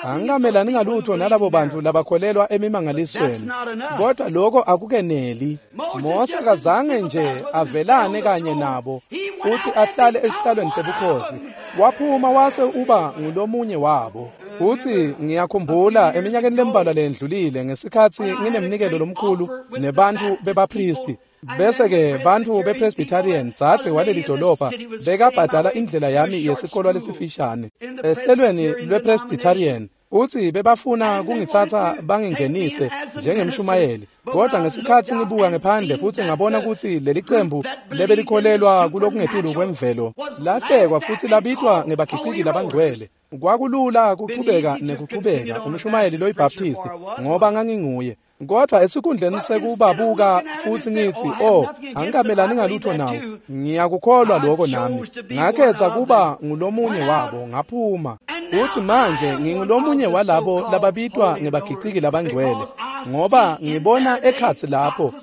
Angikamelani ngalutho nalabo bantu labakholelwa emimangalisweni, kodwa lokho akukeneli. Mose akazange nje avelane kanye nabo futhi ahlale esihlalweni sebukhosi. Waphuma wase uba ngulomunye wabo. Futhi ngiyakhumbula eminyakeni lembalwa lendlulile ngesikhathi nginemnikelo lomkhulu nebantu bebapristi. Bese-ke bantu bePresbyterian dzadze waleli dolobha bekabhadala indlela yami yesikolwa lesifishane ehlelweni lwePresbyterian. Uthi bebafuna kungithatha bangingenise njengemshumayeli, kodwa ngesikhathi ngibuka ngephandle futhi ngabona ukuthi leli qembu lebelikholelwa kulokungetulu kwemvelo lahlekwa futhi labitwa ngebakhiciki labangcwele. Kwakulula kuchubeka nekuchubeka umshumayeli loyiBaptist ngoba nganginguye. Kodwa esikhundleni sekubabuka futhi ngithi, oh, angikamelani ngalutho nawo, ngiyakukholwa lokho nami, ngakhetha kuba ngulomunye wabo, ngaphuma. Futhi manje ngingulomunye walabo lababitwa ngebakhiciki labangcwele, ngoba ngibona ekhatsi lapho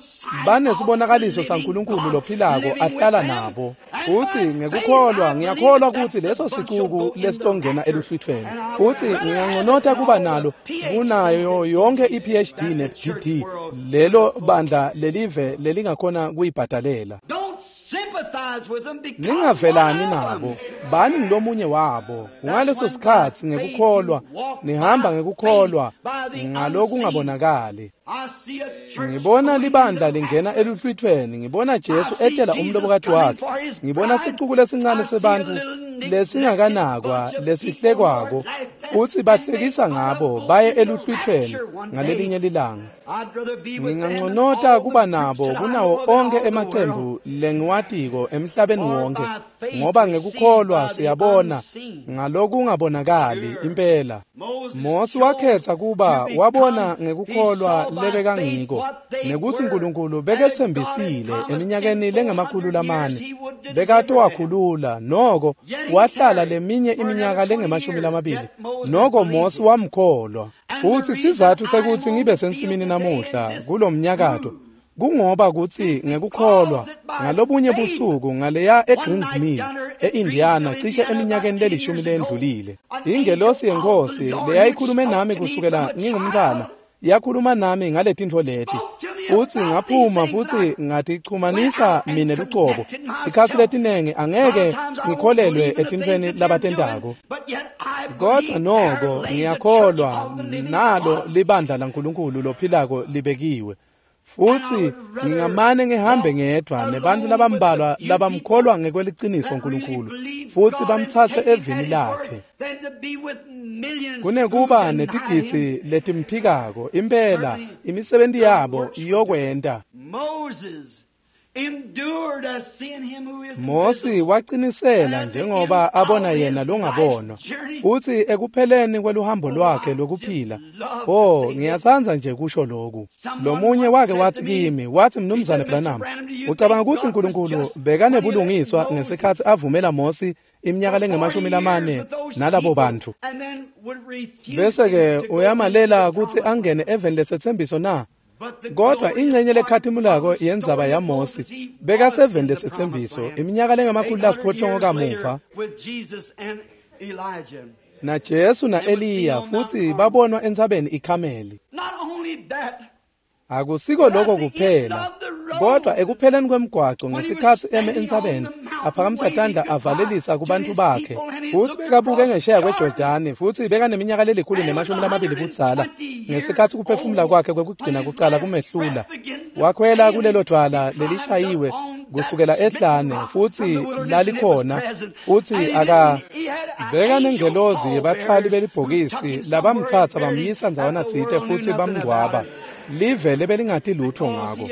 banesibonakaliso saNkulunkulu lophilako ahlala nabo. Futhi ngekukholwa ngiyakholwa ukuthi leso sicuku lesitongena eluhlwithweni, futhi nginganconota kuba nalo kunayo yonke i-PhD ne-GD lelo bandla lelive lelingakhona kuyibhadalela. Ningavelani nabo, bani ngilomunye wabo. Ngaleso sikhathi ngekukholwa nihamba ngekukholwa ngalokungabonakali. Ngibona libandla lingena eluhlwithweni, ngibona Jesu etela umlobokati wakhe, ngibona sicuku lesincane sebantu lesingakanakwa lesihlekwako, futhi bahlekisa ngabo baye eluhlwithweni ngalelinye lilanga. Nginganconota kuba nabo kunawo onke emacembu lengiwatiko emhlabeni wonke, ngoba ngekukholwa siyabona ngalokungabonakali impela. Mose wakhetha kuba wabona ngekukholwa lebekangiko, nekuthi uNkulunkulu bekethembisile eminyakeni lengama-400 bekatowakhulula, noko wahlala leminye iminyaka lengama-20, noko Mose wamkholwa. Futhi sizathu sekuthi ngibe sensimini namuhla kulomnyakato kungoba kuthi ngekukholwa ngalobunye busuku ngaleya eGreens Mill eIndiana cishe eminyakeni lelishumi lendlulile, ingelosi yenkosi leyayikhulume nami kusukela ngingumntwana yakhuluma nami ngaletintfo leti, futhi ngaphuma futhi ngatichumanisa mine lucobo. Ikhathi letinengi angeke ngikholelwe etintfweni labatentako, kodwa noko ngiyakholwa nalo libandla laNkulunkulu lophilako libekiwe. Futhi ngingamane ngihambe ngedwa nebantu labambalwa labamkholwa ngekweliciniso uNkulunkulu futhi bamthathe evini lakhe, kunekuba netigidzi letimphikako. Impela imisebenti yabo iyokwenta. Mose wacinisela njengoba abona yena longabonwa, futhi ekupheleni kweluhambo lwakhe lokuphila. Oh, ngiyatsandza nje kusho lokhu. Lomunye wake wathi kimi, wathi, Mnumzane Branham, ucabanga ukuthi uNkulunkulu bekanebulungiswa ngesikhathi avumela Mose iminyaka lengama-40 nalabo bantu, bese-ke uyamalela ukuthi angene eveni lesethembiso na? Kodwa ingcenye lekhatimulako yenzaba yaMose bekaseveni lesethembiso iminyaka lengama-800 kamuva naJesu na-Eliya, futhi babonwa entsabeni iKhameli. Akusiko lokho kuphela, kodwa ekupheleni kwemgwaco ngesikhathi eme entsabeni aphakamisa tandla avalelisa kubantu bakhe, futhi bekabuke ngesheya kweJordani, futhi bekaneminyaka leli-120 budzala ngesikhathi kuphefumula kwakhe kwekugcina kucala kumehlula. Wakhwela kulelo dwala lelishayiwe kusukela ehlane, futhi lalikhona, futhi beka nengelozi yebathwali belibhokisi labamthatha bamyisa ndzawana tsite futhi bamngcwaba. Live lebelingati lutho ngako,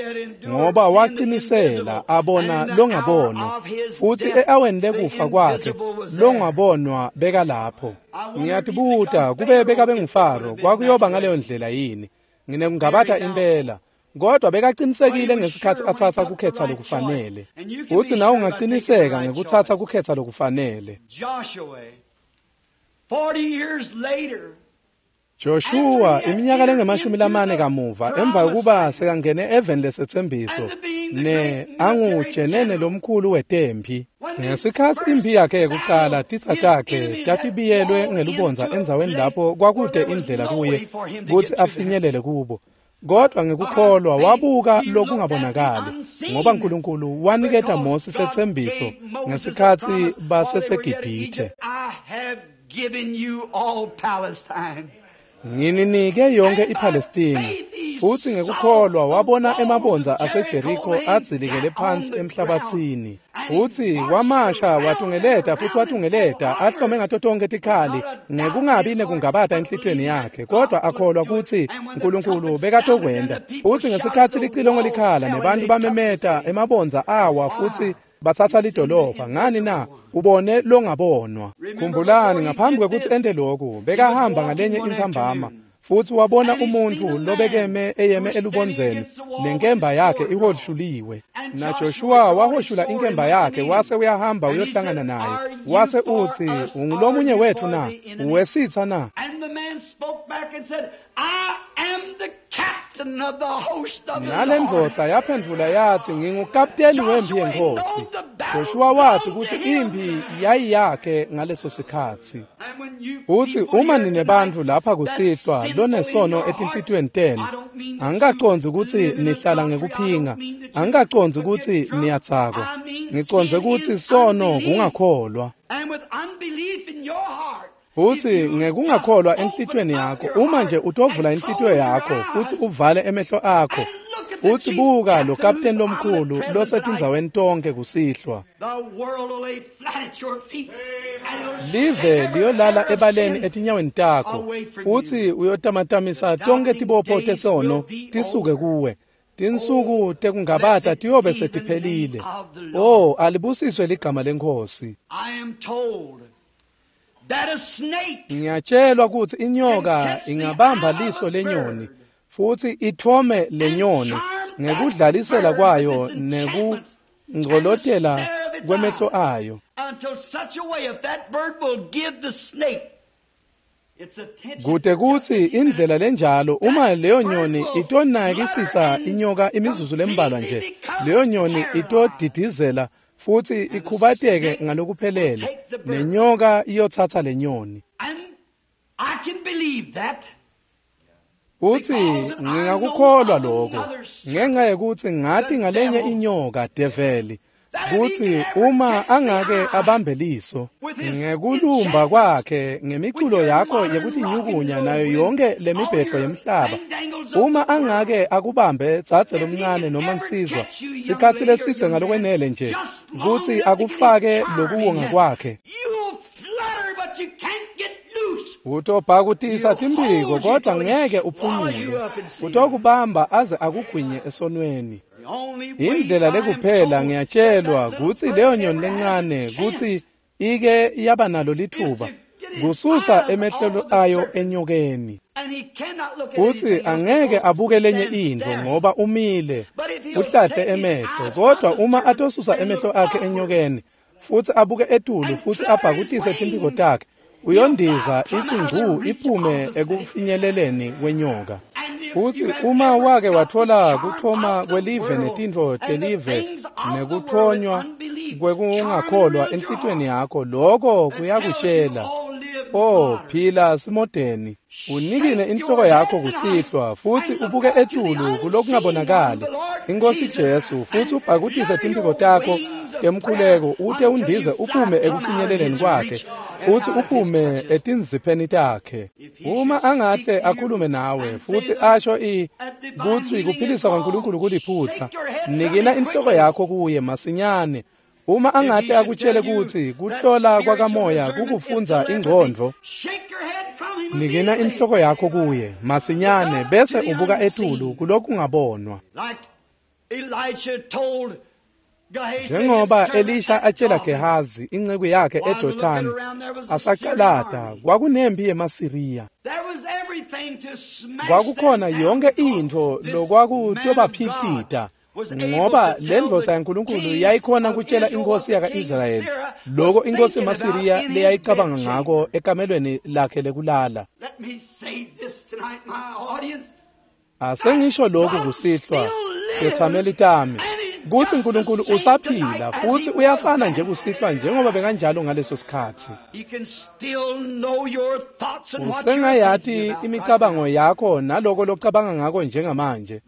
ngoba wacinisela abona longabonwa, futhi e-aweni lekufa kwakhe longabonwa bekalapho. Ngiyatibuta kube bekabe nguFaro kwakuyoba ngaleyo ndlela yini? Nginekungabata impela. Kodwa bekaqinisekile ngesikhathi athatha kukhetha lokufanele, futhi nawe ungaqiniseka ngekuthatha kukhetha lokufanele. Joshua, 40 years later, Joshua iminyaka lengama-40 kamuva emva kokuba sekangene eveni lesetsembiso ne angujenene lomkhulu wetempi ngesikhatsi impi yakhe yekucala titsa takhe tatibiyelwe ngelubondza endzaweni lapho kwakude indlela kuye kutsi afinyelele kubo, kodwa ngekukholwa wabuka lokungabonakali ngoba uNkulunkulu waniketa Mose setsembiso ngesikhatsi baseseGibhithe. Ngininike yonke iPalestina. Futsi ngekukholwa wabona emabondza aseJeriko adzilikele phansi emhlabatsini. Futsi wamasha watungeleta futhi watungeleta ahlome ngato tonke tikhali ngekungabi nekungabata enhlitiyweni yakhe, kodwa akholwa kutsi uNkulunkulu bekatokwenta. Futsi ngesikhatsi licilongo likhala nebantu bamemeta, emabondza awa futsi batsatsa lidolobha. Ngani na? Ubone longabonwa. Khumbulani, ngaphambi kwekutsi ente lokhu, bekahamba ngalenye intsambama futsi wabona umuntfu lobekeme eyeme elubondzeni nenkemba yakhe ihoshuliwe. NaJoshua wahoshula inkemba yakhe wase uyahamba uyohlangana naye, wase utsi, ungulomunye wetfu na? Uwesitsa na? Nalendvodza yaphendvula yathi, ngingukapteni wempi yenkhosi. Joshua wathi kutsi impi yayiyakhe ngaleso sikhatsi. Utsi uma ninebantfu lapha kusihlwa lonesono etinhlitiyweni tenu, angikacondzi kutsi nihlala ngekuphinga, angikacondzi kutsi niyadzakwa, ngicondze kutsi sono kungakholwa. Futsi ngekungakholwa enhlitiyweni yakho, uma nje utovula inhlitiyo yakho futsi uvale emehlo akho, utsi buka lo kapteni lomkhulu losetindzaweni tonke kusihlwa. Live liyolala ebaleni etinyaweni takho, futsi uyotamatamisa tonke tibopho tesono tisuke kuwe. Tinsuku tekungabata tiyobe setiphelile. Oh, alibusiswe ligama leNkhosi. Ngiyatshelwa kutsi inyoka ingabamba liso lenyoni futsi ithome lenyoni ngekudlalisela kwayo nekungcolotela kwemehlo ayo, kute kutsi indlela lenjalo uma leyo nyoni itonakisisa inyoka imizuzu lembalwa nje, leyo nyoni itodidizela futsi ikhubateke ngalokuphelele, nenyoka iyotsatsa lenyoni. Utsi ngingakukholwa lokho ngenxa yekutsi ngati ngalenye inyoka develi, kutsi uma angake abambe liso ngekulumba kwakhe ngemiculo yakho yekutinyukunya nayo yonke lemibhetho yemhlaba, uma angake akubambe dzadze lomncane noma nsizwa sikhatsi lesidze ngalokwenele nje kutsi akufake lokuwonga kwakhe, utobhakutisa timphiko kodwa ngeke uphunyule, utokubamba aze akugwinye esonweni. Indlela lekuphela ngiyatshelwa kutsi leyo nyoni lencane kutsi ike yaba nalo lithuba kususa emehlo ayo enyokeni, utsi angeke abuke lenye intfo ngoba umile uhlahle emehlo, kodwa uma atosusa emehlo akhe enyokeni futsi abuke etulu futsi abhakutise timphiko takhe, uyondiza itsi ngcu iphume ekufinyeleleni kwenyoka. Futsi uma wake watfola kuthoma kwelive netintfo telive nekuthonywa kwekungakholwa enhlitiyweni yakho, lokho kuyakutshela, oh, phila simodeni, unikine inhloko yakho kusihlwa futsi ubuke etulu kulokungabonakali iNkhosi Jesu, futsi ubhakutise timphiko takho temkhuleko ute undize uphume ekufinyeleleni kwakhe futsi uphume etinzipheni takhe. Uma angahle akhulume nawe futsi asho kutsi kuphilisa kwaNkulunkulu kuliphutsa, nikina inhloko yakho kuye masinyane. Uma angahle akutshele kutsi kuhlola kwakamoya kukufundza ingcondvo, nikina inhloko yakho kuye masinyane bese ubuka etulu kulokungabonwa. Njengoba Elisha atshela Gehazi inceku yakhe eDothani asacalata, kwakunempi yemaSiriya. Kwakukhona yonke intfo lokwakutobaphihlita, ngoba lendvodza yaNkulunkulu yayikhona kutshela inkosi yaka-Israyeli lokho inkosi yemaSiriya leyayicabanga ngako ekamelweni lakhe lekulala. Asengisho lokhu kusihlwa tethameli tami kutsi uNkulunkulu usaphila futhi uyafana nje kusihlwa njengoba bekanjalo ngaleso sikhatsi. Usengayati imicabango yakho naloko locabanga ngako njengamanje.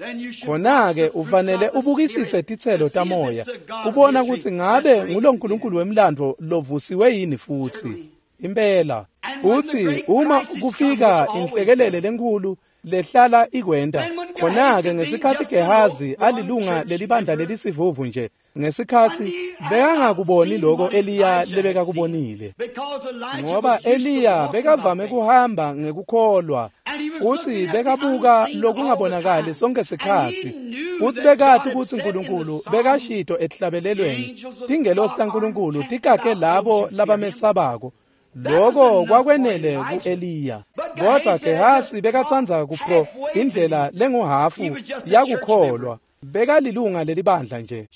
Khona-ke ufanele ubukisise titselo tamoya ubona kutsi ngabe ngulo nkulunkulu wemlandvo lovusiwe yini futhi. Impela uthi uma kufika inhlekelele lenkulu lehlala ikwenta, khona-ke ngesikhatsi Gehazi alilunga lelibandla lelisivuvu nje, ngesikhatsi bekangakuboni loko Eliya lebekakubonile, ngoba Eliya bekavame kuhamba ngekukholwa futsi bekabuka lokungabonakali sonke sikhatsi, futsi bekati kutsi uNkulunkulu bekashito etihlabelelweni tingelosi taNkulunkulu tikakhe labo labamesabako. Loko kwakwenele ku-Eliya. Kodwa Gehazi bekatsandza kupro indlela lenguhafu yakukholwa, bekalilunga lelibandla nje.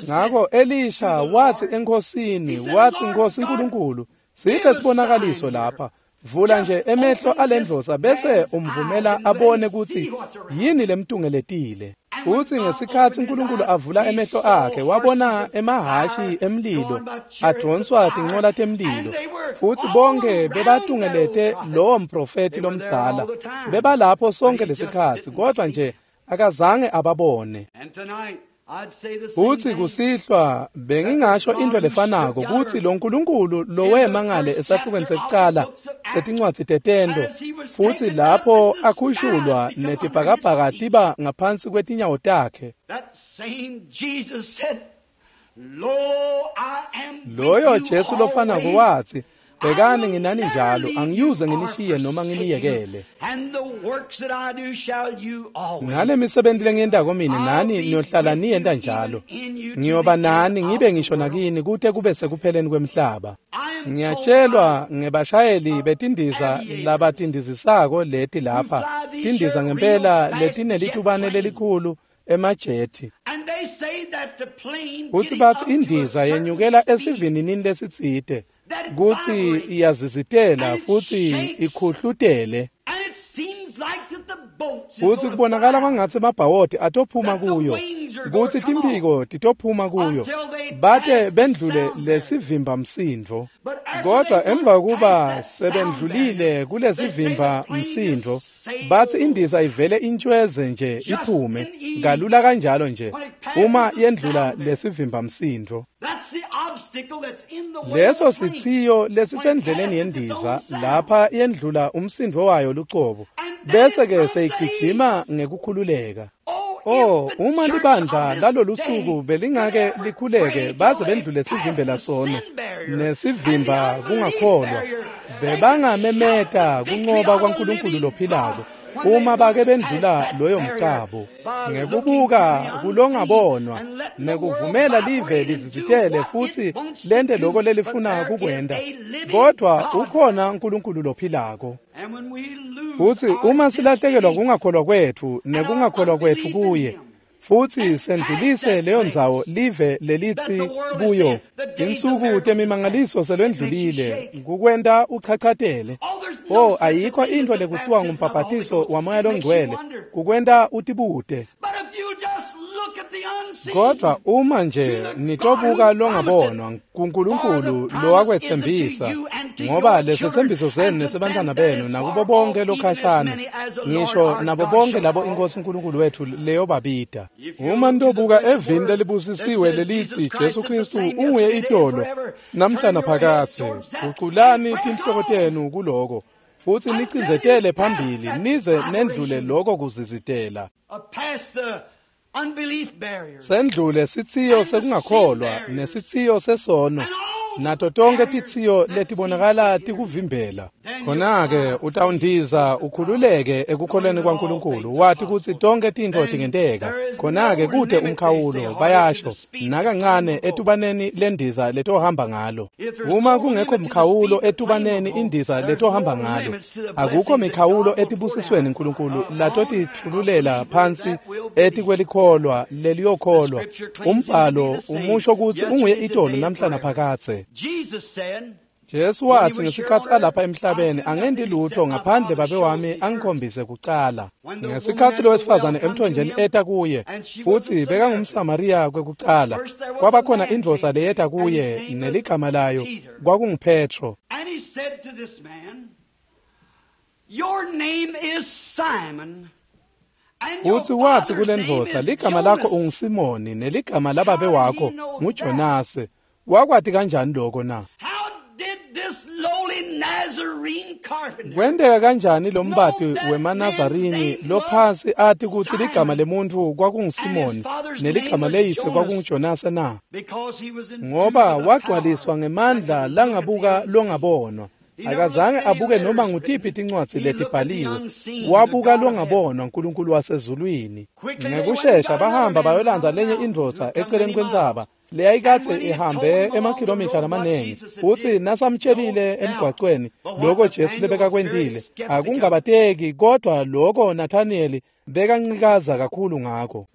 Ngako Elisha wathi enkhosini, wathi, Nkosi Nkulunkulu, siphe sibonakaliso lapha. Vula nje emehlo alendvodza bese umvumela abone kutsi yini lemtungeletile. Uthi ngesikhatsi uNkulunkulu avula emehlo akhe wabona emahhashi emlilo advonswa tincola temlilo, futsi bonke bebatungelete lowo mprofethi lomdzala. Bebalapho sonke lesikhatsi, kodwa nje akazange ababone. Uthi kusihlwa bengingasho into lefanako kutsi lo nkulunkulu lowema ngale esahlukweni sekucala setincwadzi tetento, futsi lapho akhushulwa netibhakabhaka tiba ngaphansi kwetinyawo takhe, loyo Jesu lofanako wathi, bhekani nginani njalo, angiyuze nginishiye noma nginiyekele. Ngale misebenti lengiyentako mine nani niyohlala niyenta njalo. Ngiyoba nani ngibe ngisho nakini kute kube sekupheleni kwemhlaba. Ngiyatshelwa ngebashayeli betindiza labatindizisako leti lapha, tindiza ngempela letinelitubane lelikhulu emajethi. Futsi batsi indiza yenyukela esivininini lesitsite, kutsi iyazizitela futsi ikhuhlutele, futsi kubonakala kwangatsi emabhawodi atophuma kuyo, kutsi timphiko titophuma kuyo, bate bendlule lesivimba msindvo. Kodwa emva kuba sebendlulile kulesivimba msindvo, batsi indiza ivele intshweze nje iphume kalula kanjalo nje uma yendlula lesivimba msindvo. Leso sithiyo lesisendleleni yendiza lapha yendlula umsindvo wayo lucobo, bese ke seyigijima ngekukhululeka. Oh, uma libandla lalolusuku belingake likhuleke baze bendlule sivimbela sono nesivimba kungakholwa, bebangamemeta kunqoba kwaNkulunkulu lophilako uma bake bendlula loyo mcabo ngekubuka kulongabonwa nekuvumela live lizizitele futhi lente loko lelifuna kukwenta. Kodwa ukhona uNkulunkulu lophilako. Futhi uma silahlekelwa kungakholwa kwethu nekungakholwa kwethu kuye, futhi sendlulise leyo ndzawo live lelithi kuyo insuku temimangaliso selwendlulile, kukwenta uchachatele. Oh, ayikho into lekuthiwa ngumbhabhatiso wamoya longcwele, kukwenta utibute. Kodwa uma nje nitobuka longabonwa kuNkulunkulu lowakwetsembisa, ngoba lesetsembiso senu nesebantwana benu nakubo bonke lokhashana, ngisho nabo bonke labo iNkosi uNkulunkulu wethu leyobabida. Uma nitobuka evini lelibusisiwe lelithi Jesu Kristu unguye itolo namhla naphakadze, guculani tinhloko tenu kuloko futhi nicindzetele phambili nize nendlule loko kuzizitela. Sendlule sithiyo sekungakholwa nesithiyo sesono nato tonke tithiyo letibonakala tikuvimbela. Khona-ke utawundiza ukhululeke ekukholweni kwaNkulunkulu, wati kutsi tonke tintfo tingenteka. Khona-ke kute umkhawulo, bayasho nakancane etubaneni lendiza letohamba ngalo. Uma kungekho mkhawulo etubaneni indiza letohamba ngalo, akukho mikhawulo etibusisweni uNkulunkulu latotitfululela phansi etikwelikholwa leliyokholwa. Umbhalo umusho kutsi unguye itolo namhla naphakadze. Jesu wathi ngesikhathi alapha emhlabeni, angendi lutho ngaphandle babe wami angikhombise kucala. Ngesikhathi lowesifazane emthonjeni eta kuye, futhi bekangumSamariya kwekucala, kwabakhona indvodza leyeta kuye neligama layo kwakunguPetro. And he said to this man, "Your name is Simon." Futhi wathi kule ndvodza, ligama lakho unguSimoni neligama lababe wakho nguJonase. Wakwati kanjani lokho na? Kwenteka kanjani lo mbati wemaNazarini lophasi ati kutsi ligama lemuntfu kwakunguSimoni neligama leyise kwakunguJonase na? Ngoba wagcwaliswa ngemandla langabuka longabonwa. Akazange abuke noma ngutiphi tincwadzi letibhaliwe, wabuka longabonwa uNkulunkulu wasezulwini. Ngekushesha bahamba bayolandza lenye indvodza eceleni kwentsaba leyayikadze ihambe emakhilomitha lamaningi. Futsi nasamtshelile emgwacweni loko Jesu lebekakwentile, akungabateki kodwa loko Nathanieli bekancikaza kakhulu ngako.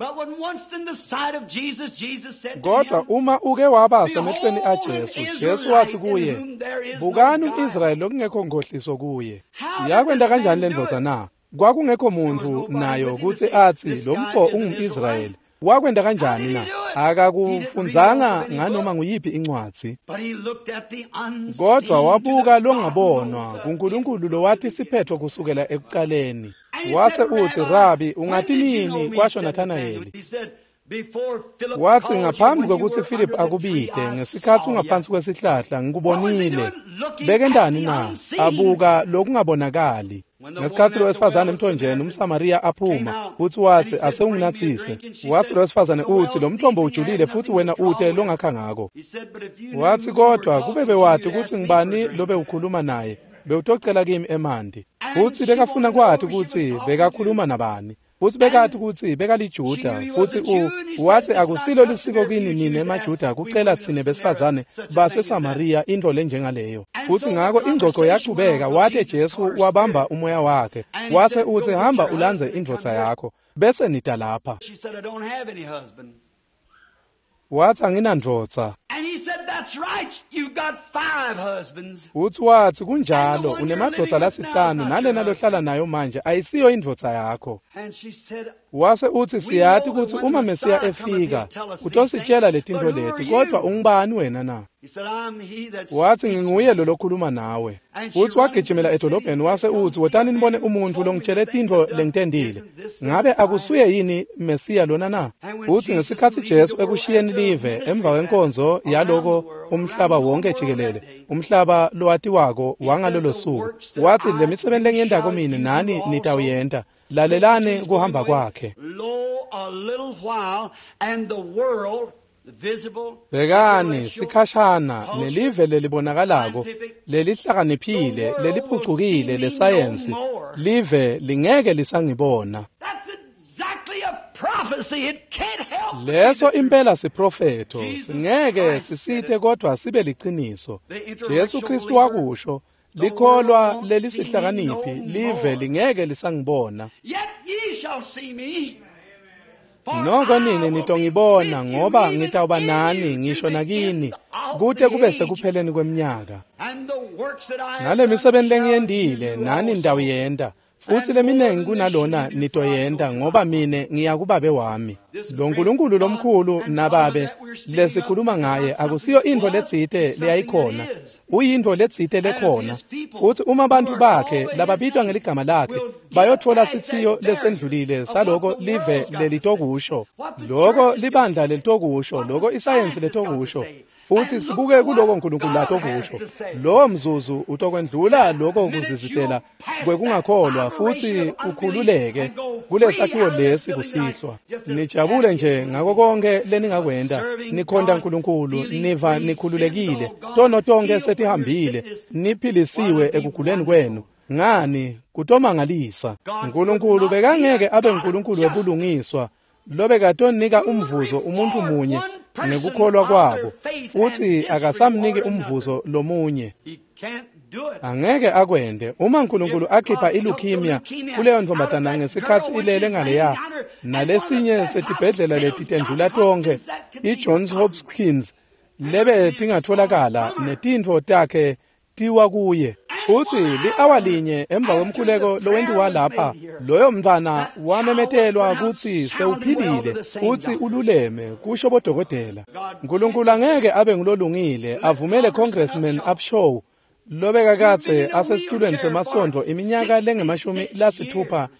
Kodwa uma uke waba semehlweni aJesu, Jesu wathi kuye, bukani umIsrayeli lokungekho nghohliso kuye. Yakwenta kanjani le ndvodza na? Kwakungekho muntfu nayo kutsi atsi lo mfo ungumIsrayeli. Wakwenta kanjani na? Akakufundzanga nganoma nguyiphi incwadzi, kodwa wabuka longabonwa kuNkulunkulu lowati siphetho kusukela ekucaleni. Wase utsi, Rabi, ungati nini? Kwasho Nathanayeli. Wathi, ngaphambi kwekutsi Philip akubite, ngesikhathi ungaphansi kwesihlahla ngikubonile. Bekentani na? Abuka lokungabonakali. Ngesikhathi lowesifazane emthonjeni umSamariya aphuma, futhi wathi, asewunginathise. Wathi lowesifazane uthi, lo mthombo ujulile futhi wena ute longakha ngako. Wathi, kodwa kube bewati ukuthi ngibani lobe ukhuluma naye, bewutocela kimi emanti. Futhi bekafuna kwati ukuthi bekakhuluma nabani. Futhi bekathi ukuthi bekaliJuda, futhi wathi akusilo lisiko kini nina emaJuda kucela thine besifazane baseSamariya into lenjengaleyo. Futhi ngako ingxoxo yaqhubeka, wathi Jesu wabamba umoya wakhe, wase uthi, hamba ulandze indvodza yakho bese nida lapha. Wathi, anginandvodza. Uthi wathi, kunjalo, unemadvodza lasihlanu nalena lohlala nayo manje ayisiyo indvodza yakho. Wase uthi, siyati ukuthi uma Mesiya efika utositshela letintfo leti, kodwa ungubani wena na? Wathi, nginguye lo lokhuluma nawe. Uthi wagijimela edolobheni wase uthi, wotani nibone umuntfu longitshele tintfo lengitendile. Ngabe akusuye yini Mesiya lona na? Uthi ngesikhathi Jesu ekushiyeni live emva kwenkonzo yaloko umhlaba wonke jikelele, umhlaba lowatiwako wangalolo suku, wathi, le misebenzi lengiyentako mine nani nitawuyenta. Lalelani kuhamba kwakhe. Bhekani sikhashana nelive lelibonakalako, lelihlakaniphile, leliphucukile lesayensi, live lingeke lisangibona. Leso impela siprofetho, singeke sisite kodwa sibe liciniso. Jesu Kristu wakusho, likholwa lelisihlakaniphi, live lingeke lisangibona. Noko nini nitongibona, ngoba ngitawuba nani ngisho nakini kute kube sekupheleni kweminyaka. Nale misebenzi lengiyendile nani nitawuyenta, futhi leminengi kunalona nitoyenta, ngoba mine ngiya kubabe wami. Lo Nkulunkulu lomkhulu nababe lesikhuluma ngaye akusiyo intfo letsite leyayikhona, uyintfo letsite lekhona. Futhi uma abantu bakhe lababitwa ngeligama lakhe bayotfola sithiyo lesendlulile saloko live lelitokusho, loko libandla lelitokusho, loko isayensi letokusho, futhi sibuke kuloko uNkulunkulu latokusho, lowo mzuzu utokwendlula loko kuzizitela kwekungakholwa futhi ukhululeke kulesakhiwo lesi kusihlwa. Nijabule nje ngako konke leningakwenta, nikhonta uNkulunkulu, niva nikhululekile, tono tonke setihambile, niphilisiwe ekuguleni kwenu. Ngani kutomangalisa. uNkulunkulu bekangeke abe uNkulunkulu webulungiswa lobekatonika umvuzo umuntu munye ngekukholwa kwabo, futhi akasamniki umvuzo lomunye. Angeke akwende. Uma uNkulunkulu akhipha ileukemia kuleyo ntombazana ngesikhathi ilele ngaleya, nalesinye setibhedlela letitendlula tonke iJohns Hopkins lebe tingatholakala netintfo takhe tiwa kuye. Futsi li-awa linye emva kwemkhuleko lowentiwa lapha, loyo mntfwana wamemetelwa kutsi sewuphilile futsi ululeme, kusho bodokotela. Nkulunkulu angeke abe ngulolungile avumele Congressman Upshaw lobekakadze asesitulweni semasontfo iminyaka lengu-66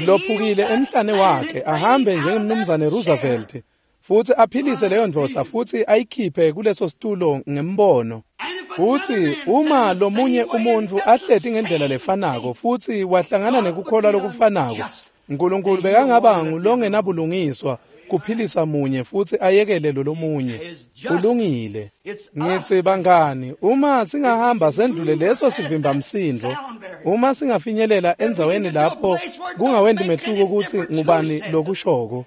lophukile emhlane wakhe ahambe njengemnumzane Roosevelt futsi aphilise leyo ndvodza futsi ayikhiphe kuleso situlo ngembono. Futsi uma lomunye umuntfu ahleti ngendlela lefanako futsi wahlangana nekukholwa lokufanako, Nkulunkulu bekangaba ngulongenabulungiswa kuphilisa munye futsi ayekele lolomunye. Kulungile. Ngitsi bangani, uma singahamba sendlule leso sivimbamsindvo, uma singafinyelela endzaweni lapho kungawendi mehluko kutsi ngubani lokushoko,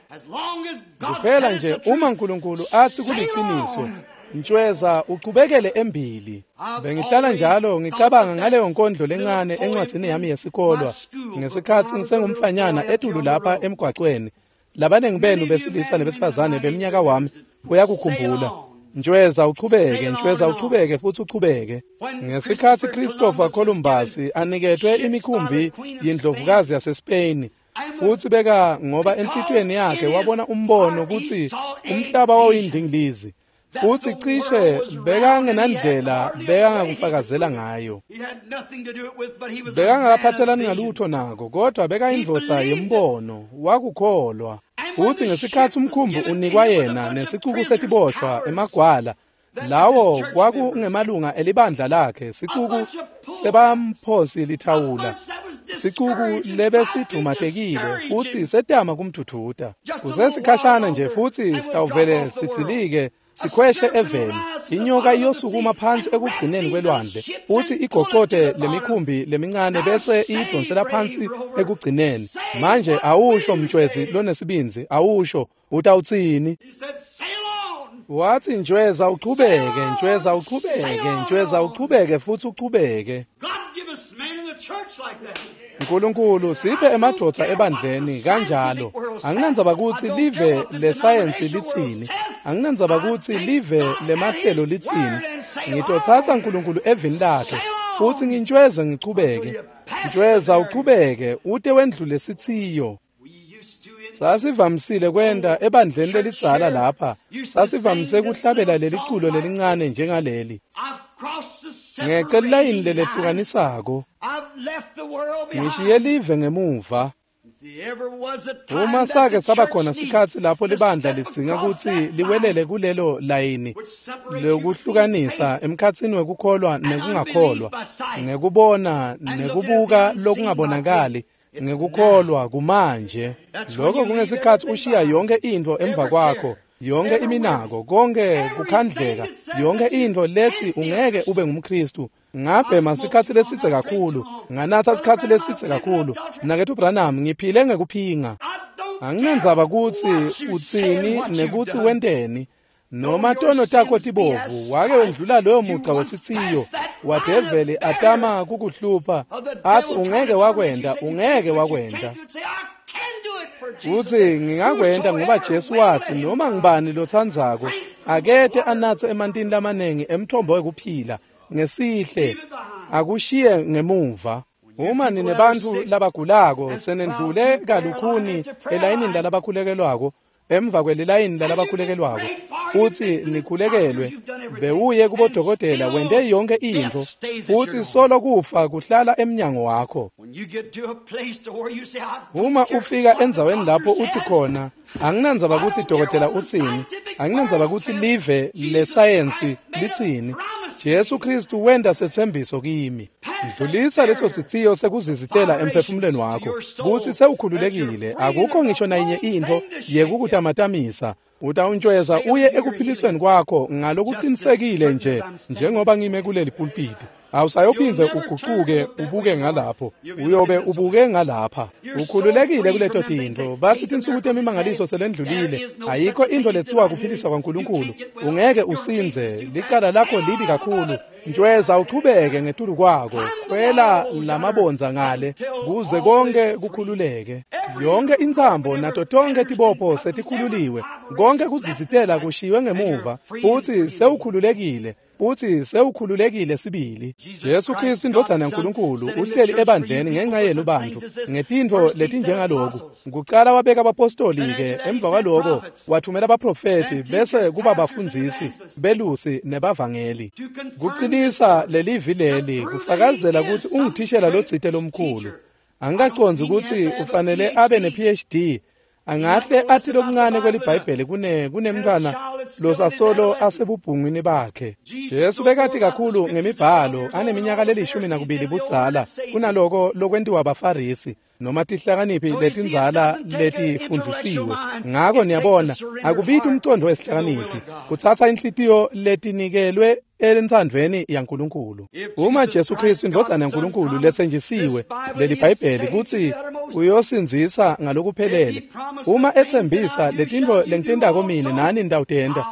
kuphela nje uma Nkulunkulu atsi kuliciniso, ntshweza uchubekele embili. Bengihlala njalo ngicabanga ngaleyo nkondlo lencane encwadzini yami yesikolwa ngesikhatsi ngisengumfanyana etulu lapha emgwacweni. Labanengi benu besilisa nebesifazane beminyaka wami uyakukhumbula. Ntshweza uchubeke, ntshweza uchubeke futsi uchubeke. Ngesikhatsi Christopher Columbus aniketwe imikhumbi yindlovukazi yaseSpain, futsi beka ngoba enhlitiyweni yakhe wabona umbono kutsi umhlaba wawuyindingilizi, futsi cishe bekangenandlela bekangakufakazela ngayo. Bekangakaphathelani ngalutho nako, kodwa bekayindvodza yembono, wakukholwa. Futsi ngesikhatsi umkhumbi unikwa yena nesicuku setiboshwa emagwala, lawo kwakungemalunga elibandla lakhe, sicuku sebamphosi lithawula, sicuku lebesidumatekile futsi setama kumdvudvuta. Kusesikhashana nje futsi sitawuvele sidzilike sikhweshe eveni. Inyoka iyosukuma phansi ekugcineni kwelwandle futsi igoqote lemikhumbi lemincane bese iyidonsela phansi ekugcineni. Manje awusho mtshwezi lonesibindzi, awusho utawutsini? Wathi ntshweza uchubeke, ntshweza uchubeke, ntshweza uchubeke futsi uchubeke. Nkulunkulu siphe emadvodza ebandleni kanjalo. Anginandzaba kutsi live lesayensi litsini, anginandzaba kutsi live lemahlelo litsini. Ngitotsatsa Nkulunkulu evini lakhe futsi ngintshweze ngichubeke. Ntshweza uchubeke ute wendlule sithiyo. Sasivamisile kwenta ebandleni lelidzala lapha, sasivamise kuhlabela leliculo lelincane njengaleli. Ngece lilayini lelehlukanisako, ngishiye live ngemuva. Uma sake saba khona sikhatsi lapho libandla lidzinga kutsi liwelele kulelo layini lokuhlukanisa emkhatsini wekukholwa nekungakholwa, ngekubona nekubuka lokungabonakali, ngekukholwa kumanje. Lokho kungesikhatsi ushiya yonke intfo emva kwakho, yonke iminako, konke kukhandleka, yonke intfo lethi ungeke ube ngumKristu. Ngabhema sikhatsi lesitse kakhulu, nganatha sikhatsi lesitse kakhulu. Mnaketfu Branham, ngiphile ngekuphinga. Anginandzaba kutsi utsini nekutsi wenteni, noma tono takho tibovu, wake wendlula loyo mugca wesithiyo wadeveli atama kukuhlupha, athi ungeke wakwenta, ungeke wakwenta. Utsi ngingakwenta ngoba Jesu wathi noma ngubani lotsandzako akete anatse emantini lamanengi emthombo wekuphila ngesihle, akushiye ngemuva. Uma ninebantfu labagulako senendlule kalukhuni elayinini lalabakhulekelwako, emva kwelilayini lalabakhulekelwako, futsi nikhulekelwe, bewuye kubodokotela wente yonke intfo, futsi solo kufa kuhlala emnyango wakho. Uma ufika endzaweni lapho uthi khona, anginandzaba kutsi dokotela utsini, anginandzaba kutsi live lesayensi litsini, Jesu Kristu wenta setsembiso kimi. Dlulisa leso sithiyo sekuzizitela emphefumulweni wakho kutsi sewukhululekile, akukho ngisho nayinye intfo yekukutamatamisa. Utawuntshweza uye ekuphilisweni kwakho ngalokuqinisekile nje njengoba ngime kuleli pulpiti. Awusayophindze uguquke ubuke ngalapho, uyobe ubuke ngalapha. Ukhululekile kuleto tintfo. Bathi tinsuku temimangaliso selendlulile, ayikho intfo letsiwa kuphilisa kwaNkulunkulu. Ungeke usindze, licala lakho libi kakhulu. Ntshweza uchubeke ngetulu kwako, khwela lamabondza ngale kuze konke kukhululeke. Yonke intsambo nato tonke tibopho setikhululiwe. Konke kuzizitela kushiywe ngemuva, futhi sewukhululekile. Uthi sewukhululekile sibili. Jesu Kristu indvodzana yaNkulunkulu uhleli ebandleni ngenxa yenu bantu ngetintfo letinjengaloku. Kucala wabeka abapostoli-ke, emva kwaloko wathumela abaprofethi, bese kuba bafundzisi, belusi nebavangeli. Kucinisa lelivi leli, kufakazela kutsi unguthishela lotsite lomkhulu. Angikacondzi kutsi ufanele abe ne-PhD. Angahle athi lokuncane kweliBhayibheli kunemntfwana losasolo asebubhungwini bakhe. Jesu bekati kakhulu ngemibhalo aneminyaka le-12 budzala kunaloko lokwentiwa baFarisi noma tihlakaniphi letindzala letifundzisiwe. Ngako niyabona, akubiti umcondo wesihlakaniphi, kutsatsa inhlitiyo letinikelwe entsandvweni yaNkulunkulu. Uma Jesu Kristu indvodzana yaNkulunkulu letsenjisiwe leli Bhayibheli kutsi uyosindzisa ngalokuphelele, uma etsembisa letintfo lengitentako mine nani nitawutenta,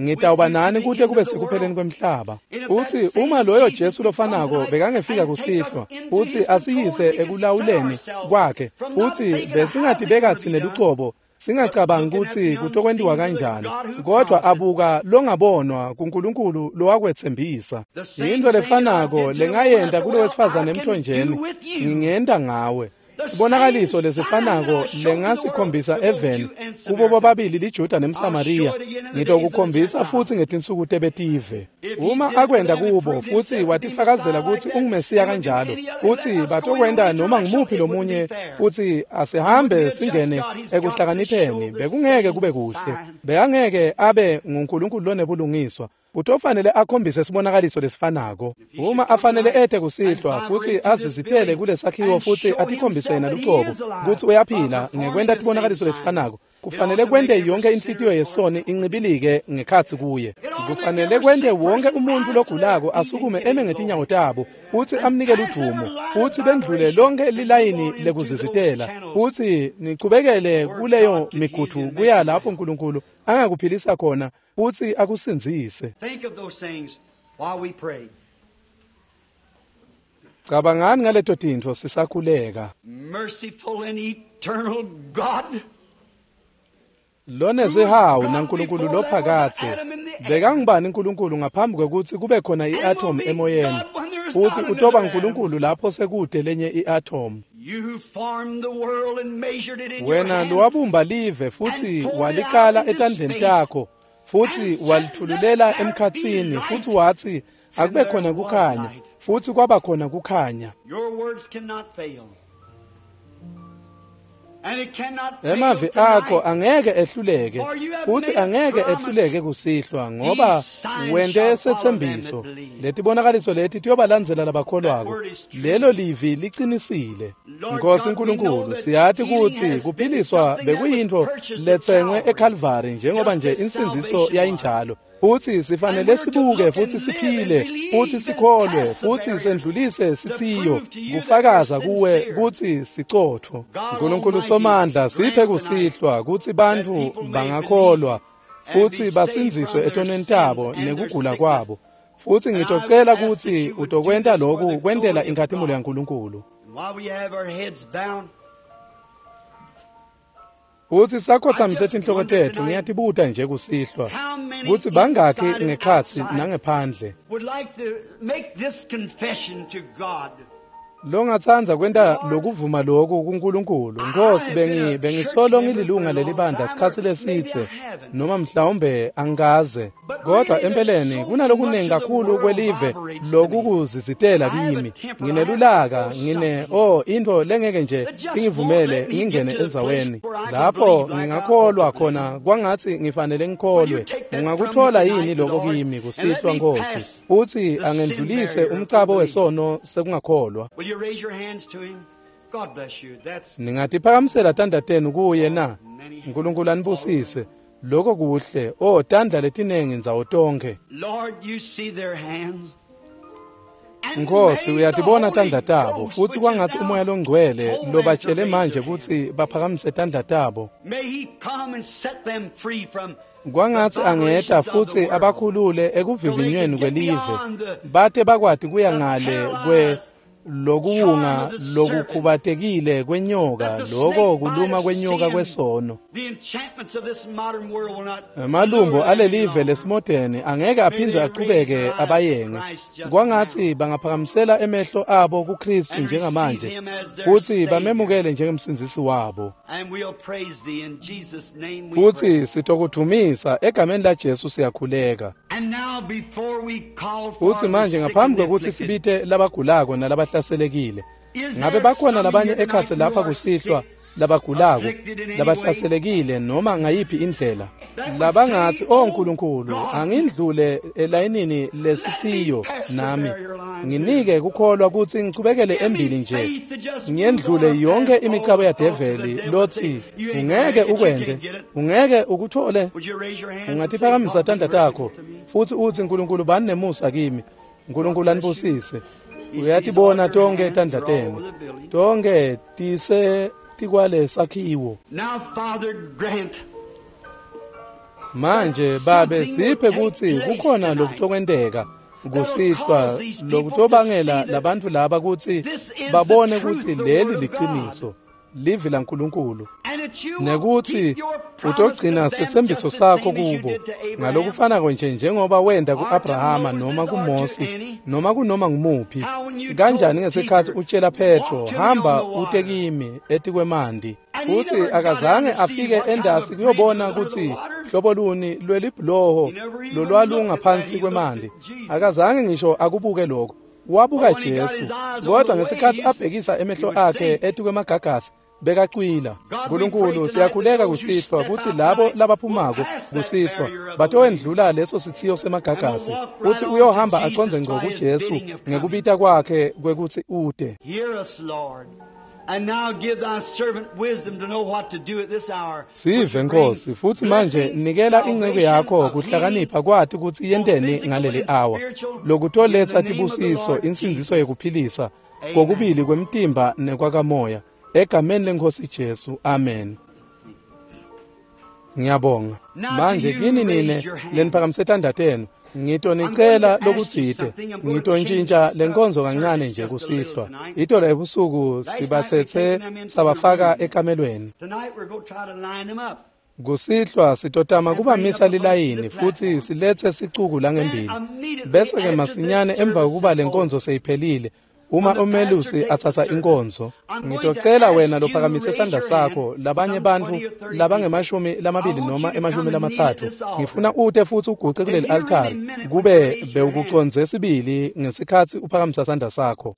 ngitawuba nani kute kube sekupheleni kwemhlaba. Utsi uma loyo Jesu lofanako bekangefika kusihlwa utsi asiyise ekulawuleni kwakhe, utsi besingatibeka tsine lucobo, singacabangi kutsi kutokwentiwa kanjani, kodwa abuka longabonwa kuNkulunkulu lowakwetsembisa. Yintfo lefanako lengayenta kulo wesifazane emthonjeni, ngingenta ngawe. Sibonakaliso lesifanako lengasikhombisa eveni kubo bobabili liJuda nemSamariya, ngitokukhombisa futsi ngetinsuku tebetive. Uma akwenta kubo futsi watifakazela kutsi unguMesiya kanjalo, futsi batokwenta noma ngumuphi lomunye, futsi asihambe singene ekuhlakanipheni, bekungeke kube kuhle. Bekangeke abe nguNkulunkulu lonebulungiswa. Utofanele akhombise sibonakaliso lesifanako. Uma afanele ete kusihlwa futsi azizitele kulesakhiwo futsi atikhombise yena lucobo kutsi uyaphila ngekwenta tibonakaliso letifanako, kufanele kwente yonke inhlitiyo yesoni incibilike ngekhatsi kuye. Kufanele kwente wonke umuntfu logulako asukume eme ngetinyawo tabo futsi amnike ludvumo, futsi bendlule lonke lilayini lekuzizitela, futsi nichubekele kuleyo migudu kuya lapho Nkulunkulu angakuphilisa khona futsi akusindzise. Think of those things while we pray. Cabangani ngaleto tintfo sisakhuleka. Merciful and eternal God, Lonezihawu naNkulunkulu lophakathe, bekangubani uNkulunkulu ngaphambi kwekutsi kube khona i-atom emoyeni, futsi utoba uNkulunkulu lapho sekude lenye i-atom. you who formed the world and measured it in your Wena hands, lowabumba live futsi walikala etandleni takho, futsi walithululela emkhatsini, futsi watsi akube khona kukhanya, futsi kwaba khona kukhanya. your words cannot fail. And it cannot fail Emavi akho tonight. angeke ehluleke, futhi angeke ehluleke kusihlwa, ngoba wente setsembiso. Letibonakaliso leti tiyobalandzela labakholwako. Lelo livi licinisile. Nkosi Nkulunkulu, siyati kutsi kuphiliswa bekuyintfo letsengwe eKalvari njengoba nje insindziso yayinjalo. Futsi sifanele sibuke futsi siphile futsi sikholwe futsi sendlulise sitsiyo kufakaza kuwe kutsi sicotfo. Nkulunkulu Somandla, siphe kusihlwa kutsi bantfu bangakholwa futsi basindziswe etonweni tabo nekugula kwabo. Futsi ngitocela kutsi utokwenta loku kwentela inkhatimulo yaNkulunkulu. And while we have our heads bound, Futsi sakhotsamise tinhloko tetfu, ngiyatibuta nje kusihlwa kutsi bangakhi ngekhatsi nangephandle would like to make this confession to God. longatsandza kwenta lokuvuma loku kuNkulunkulu. Nkosi, bengisolo ngililunga lelibandla sikhatsi lesitse, noma mhlawumbe angikaze, kodwa empeleni kunalokunengi kakhulu kwelive lokukuzizitela kimi. Nginelulaka, intfo lengeke nje ingivumele ngingene endzaweni lapho ngingakholwa khona kwangatsi ngifanele ngikholwe. Ungakutfola yini loko kimi kusihlwa, Nkosi? Futsi angendlulise umcabo wesono sekungakholwa. Will you raise your hands to him? God bless you. That's Ningatiphakamisela tandla tenu kuye na? Nkulunkulu anibusise. Lokho kuhle. O, tandla letinengi ndzawo tonkhe. Lord, you see their hands. And Nkosi, may the uyatibona Holy tandla tabo, Ghost, futhi which is kwangatsi now umoya longcwele told them to lobatshele raise manje their kutsi hands. baphakamise tandla tabo. May he come and set them free from Kwangatsi the angeta vibrations of the futsi world. abakhulule ekuvivinyweni kwelive, bate bakwati kuya ngale Lokuwunga lokukhubatekile kwenyoka, loko kuluma kwenyoka kwesono. Emalumbo alelive lesimodeni angeke aphindze achubeke abayenge. Kwangatsi bangaphakamisela emehlo abo kuKristu njengamanje futsi bamemukele njengemsindzisi wabo. Futsi sitokudvumisa egameni laJesu siyakhuleka. Futsi manje ngaphambi kwekutsi sibite labagulako nalabahlaselekile, ngabe bakhona labanye ekhatsi lapha kusihlwa labagulako, labahlaselekile noma ngayiphi indlela, labangatsi, "Oh Nkulunkulu, angindlule elayinini lesithiyo nami, nginike kukholwa kutsi ngichubekele embili nje, ngiyendlule yonke imicabo yadeveli lotsi ungeke ukwente, ungeke ukuthole." Ungatiphakamisa tandla takho futsi utsi, "Nkulunkulu, bani nemusa kimi. Nkulunkulu anibusise." Uyatibona tonke tandla tenu, tonke tise tikwale sakhiwo. Manje Babe, siphe kutsi kukhona lokutokwenteka kusihlwa lokutobangela labantfu laba kutsi babone kutsi leli liciniso, livi laNkulunkulu, nekutsi utogcina setsembiso sakho kubo ngalokufanako nje njengoba wenta ku-Abrahama noma kuMose noma kunoma ngumuphi. Kanjani ngesikhatsi utshela Petro, "Hamba ute kimi etikwemandi," futsi akazange afike endasi kuyobona kutsi hlobo luni lwelibhuloho lolwalungaphansi kwemanti. Akazange ngisho akubuke lokho, wabuka Jesu. Kodwa ngesikhatsi abhekisa emehlo akhe etikwemagagasi, bekacwila. Nkulunkulu, siyakhuleka kusihlwa kutsi labo labaphumako kusihlwa batowendlula leso sithiyo semagagasi, kutsi uyohamba acondze ngco kuJesu ngekubita kwakhe kwekutsi ute. Sive Nkosi, futsi manje nikela inceku yakho kuhlakanipha kwati kutsi yenteni ngaleli awa, lokutoletsa tibusiso, insindziso yekuphilisa kokubili kwemtimba nekwakamoya, egameni leNkhosi Jesu, amen. Ngiyabonga. Manje kini nine leniphakamise tandla tenu, ngitonicela lokutsite. Ngitontjintja lenkonzo kancane nje kusihlwa. Itolo ebusuku sibatsetse sabafaka ekamelweni. Kusihlwa sitotama kubamisa lilayini futsi siletse sicuku langembili. Bese-ke masinyane emva kokuba lenkonzo seyiphelile, uma umelusi atsatsa inkonzo, ngitocela wena lophakamise sandla sakho, labanye bantfu labangemashumi lamabili noma emashumi lamatsatfu, ngifuna ute futsi uguce kuleli altari kube bewukucondze sibili ngesikhatsi uphakamisa sandla sakho.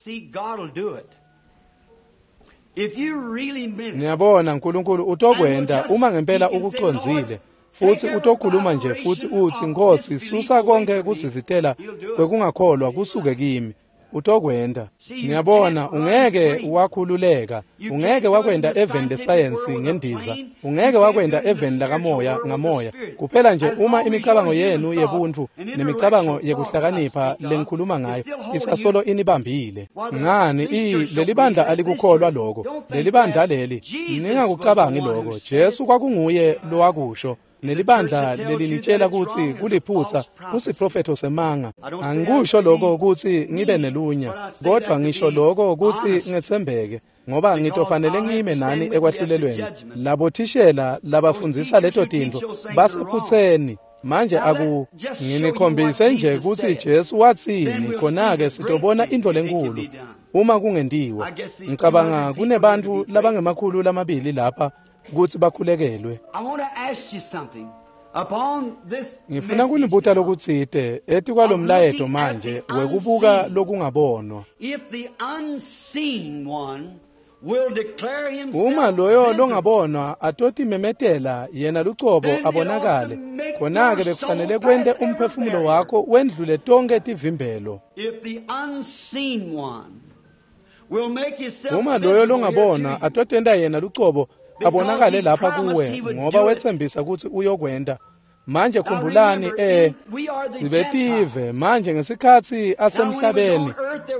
Niyabona, Nkulunkulu utokwenta uma ngempela ukucondzile, futsi utokhuluma nje futsi utsi, "Nkosi, susa konke kuzizitela kwekungakholwa kusuke kimi." Utokwenta. Niyabona, ungeke wakhululeka, ungeke wakwenta eveni lesayensi ngendiza, ungeke wakwenta eveni lakamoya ngamoya. Kuphela nje uma imicabango yenu yebuntfu nemicabango yekuhlakanipha lengikhuluma ngayo isasolo inibambile. Ngani, lelibandla alikukholwa loko. Lelibandla leli, ningakucabangi loko. Jesu kwakunguye lowakusho. Nelibandla lelinitshela kutsi kuliphutsa kusiprofetho semanga. Angikusho lokho kutsi ngibe nelunya, kodwa ngisho lokho kutsi ngetsembeke, ngoba ngitofanele ngime nani ekwahlulelweni. Labothishela labafundzisa leto tintfo basephutseni. Manje aku nginikhombise nje kutsi Jesu watsini, khona-ke sitobona intfo lenkulu uma kungentiwa. Ngicabanga kunebantfu labangemakhulu lamabili lapha kutsi bakhulekelwe. Ngifuna kunibuta lokutsite etikwalomlayeto manje wekubuka lokungabonwa. Uma loyo longabonwa atotimemetela yena lucobo abonakale, khona-ke bekufanele kwente umphefumulo wakho wendlule tonke tivimbelo. Uma loyo longabonwa atotenta yena lucobo abonakale lapha kuwe, ngoba wetsembisa kutsi uyokwenta. Manje khumbulani, sibetive manje ngesikhatsi asemhlabeni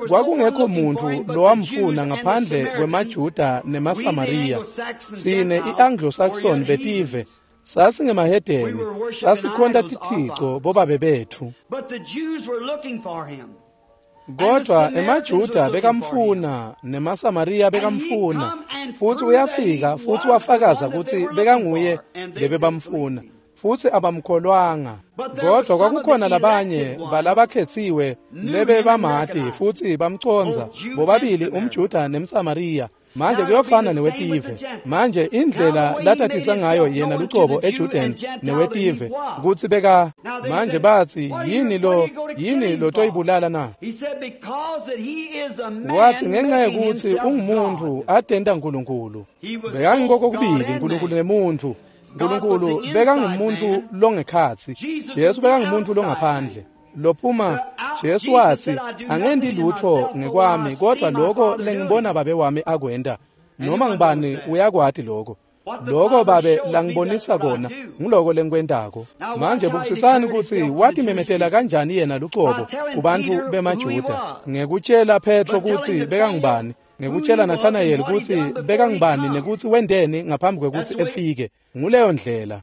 kwakungekho muntfu lowamfuna ngaphandle kwemaJuda nemaSamariya. Sine i-Anglo-Saxon betive sasingemahedeni, sasikhonta tithico bobabe betfu. Kodwa emaJuda bekamfuna nemaSamariya bekamfuna, futhi uyafika futhi wafakaza ukuthi bekanguye lebebamfuna, futhi abamkholwanga. Kodwa kwakukhona labanye balabakhethiwe lebebamati futhi bamconza, bobabili umJuda nemSamariya. Manje kuyofana newetive. Manje indlela latatisa ngayo yena lucobo eJuden newetive kutsi beka. Manje bathi yini lo toyibulala na? Wathi ngenxa yokuthi ungumuntu atenta uNkulunkulu. Bekangikokubili uNkulunkulu nemuntu. uNkulunkulu bekangumuntu longekhatsi, Jesu bekangumuntu longaphandle. Lophuma Jesu wathi angendi lutho ngekwami kodwa lokho lengibona babe wami akwenda. Noma ngibani uyakwati lokho. Lokho babe langibonisa kona ngiloko lengikwentako. Manje bukusisani ukuthi watimemetela kanjani yena lucobo kubantu bemaJuda ngekutshela Petro kutsi bekangubani, ngekutshela Nathanael kutsi bekangubani nekutsi wendeni ngaphambi kwekutsi efike. Nguleyo ndlela.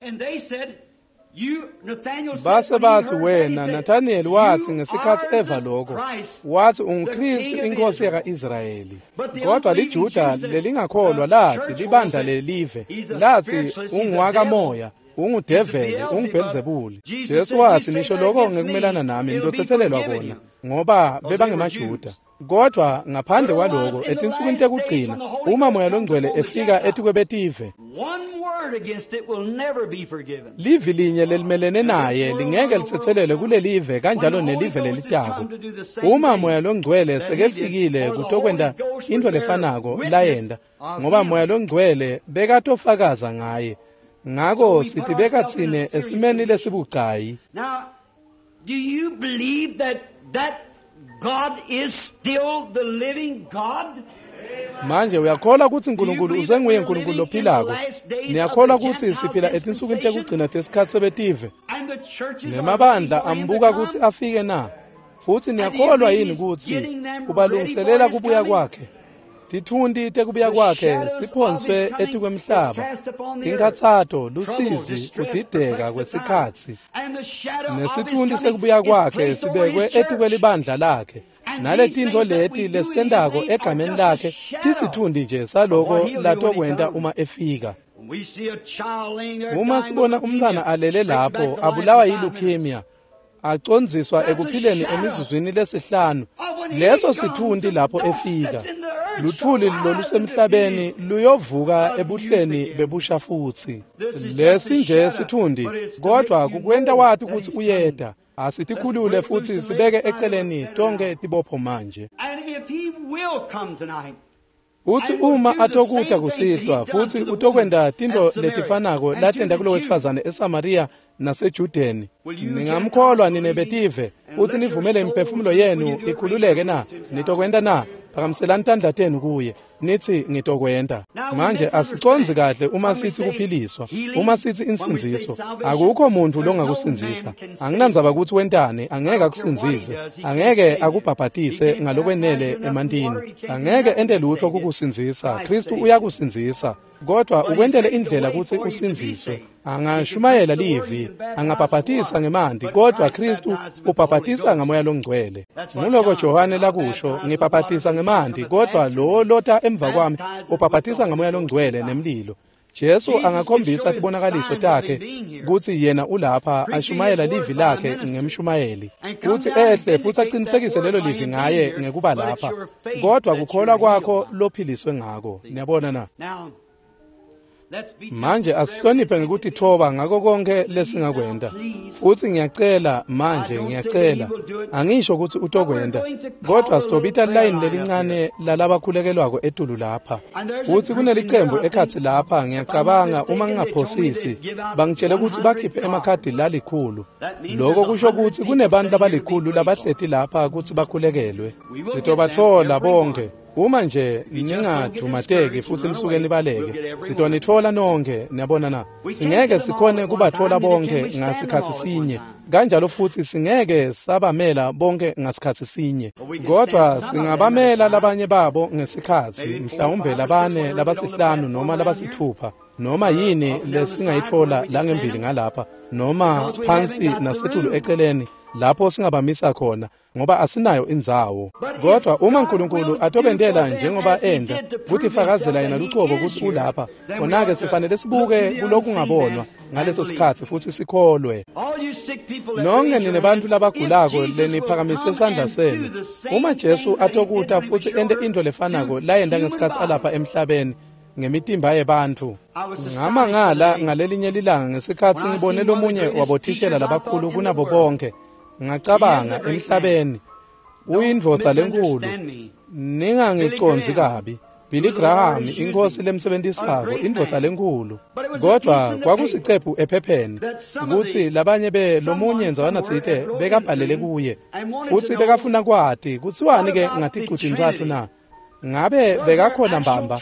Base bathi wena Nathanael wathi ngesikhathi eva lokho, wathi unguKristu inkosi yaka-Israyeli. Kodwa liJuda lelingakholwa lathi libandla lelive lathi unguwakamoya, ungudeveli, unguBhelzebuli. Jesu wathi nisho lokho ngekumelana nami ngitothethelelwa kona, ngoba bebangemaJuda. Kodwa ngaphandle kwaloko etinsukwini tekugcina uma Moya Longcwele efika etikwebetive, livi linye lelimelene naye lingeke lithethelelwe kulelive kanjalo nelive lelitako. Uma Moya Longcwele sekefikile kutokwenta into lefanako layenda, ngoba Moya Longcwele bekatofakaza ngaye. Ngako sitibeka tsine esimeni lesibucayi. Do you believe that God is still the living God? Manje uyakholwa ukuthi uNkulunkulu usenguye uNkulunkulu lophilako? Niyakholwa ukuthi siphila etinsukwini tekugcina tesikhathi sebetive? Nemabandla ambuka ukuthi afike na? Futhi niyakholwa yini ukuthi kubalungiselela kubuya kwakhe? Tithunti tekubuya kwakhe siphonswe etikwemhlaba, inkhatsato, lusizi, kudideka kwesikhatsi. Nesithunti sekubuya kwakhe sibekwe etikwelibandla lakhe. Naletinto leti lesitentako egameni lakhe tisithundi nje saloko latokwenta uma efika. Uma sibona umntwana alele lapho abulawa yileukemia, acondziswa ekuphileni emizuzwini lesihlanu, leso sithundi lapho efika. Luthuli lolusemhlabeni luyovuka ebuhleni bebusha futsi. Lesi nje sithundi, kodwa kukwenta wati ukuthi uyeda. Asitikhulule futhi sibeke eceleni tonke tibopho manje. Uthi uma atokuta kusihlwa futhi utokwenta tinto letifanako latenta kulo wesifazane eSamaria naseJudeni, ningamkholwa nine betive uthi nivumele imiphefumulo yenu ikhululeke na? Nitokwenta na? Phakamiselani tandla tenu kuye nithi ngitokwenta. Manje asicondzi kahle uma sithi kuphiliswa, uma sithi insindziso. Akukho muntu longakusindzisa. Anginandzaba ukuthi wentani, angeke akusindzise, angeke akubhabhatise ngalokwenele emantini, angeke ente lutho kukusindzisa. Kristu uyakusindzisa, kodwa ukwentele indlela ukuthi usindziswe. Angashumayela livi, angabhabhatisa ngemanti, kodwa Kristu ubhabhatisa ngaMoya Longcwele. Nguloko Johane lakusho, ngibhabhatisa ngemanti, kodwa lo lota emva kwami ubhabhatisa ngaMoya Longcwele nemlilo. Jesu angakhombisa tibonakaliso takhe kutsi yena ulapha ashumayela livi lakhe ngemshumayeli, kutsi ehle futhi aqinisekise lelo livi ngaye ngekuba lapha, kodwa kukholwa kwakho lophiliswe ngako. Niyabona na? Manje asihloniphe ngekutithoba ngako konke lesingakwenta. Futhi ngiyacela manje, ngiyacela, angisho ukuthi utokwenta, kodwa sitobita line lelincane lalabakhulekelwako etulu lapha. Futhi kunelicembu ekhatsi lapha, ngiyacabanga uma ngingaphosisi, bangitshele ukuthi bakhiphe emakhadi lalikhulu. Lokho kusho ukuthi kunebantu labalikhulu labahleti lapha ukuthi bakhulekelwe. Sitobathola bonke. Uma nje ningadumateki futhi nisuke nibaleke, sitonithola nonke. Niyabona na? Singeke sikhone kubathola bonke ngasikhathi sinye, kanjalo futhi singeke sabamela bonke ngasikhathi sinye, kodwa singabamela labanye babo ngesikhathi, mhlawumbe labane, labasihlanu noma labasithupha, noma yini lesingayithola langembili ngalapha, noma phansi nasetulu eceleni lapho singabamisa khona. ngoba asinayo indzawo. Kodwa uma uNkulunkulu atobentela njengoba enda kutifakazela yena lucobo kutsi ulapha, khona-ke sifanele sibuke kulokungabonwa ngaleso sikhatsi futhi sikholwe. Nonke nine bantfu labagulako leniphakamise sandla senu, uma Jesu atokuta futsi ente intfo lefanako layenta ngesikhatsi alapha emhlabeni ngemitimba yebantfu. Ngamangala ngalelinye lilanga ngesikhatsi ngibone lomunye wabothishela labakhulu kunabo bonke, ngacabanga emhlabeni, uyindvodza lenkulu, ningangicondzi kabi. Billy Graham, inkosi lemsebentisako, indvodza lenkulu. Kodwa kwakusicephu ephepheni kutsi labanye lomunye ndzawanatsite bekabhalele kuye, futsi bekafuna kwati kutsiwani-ke ngaticu-tintsatfu na? Ngabe bekakhona mbamba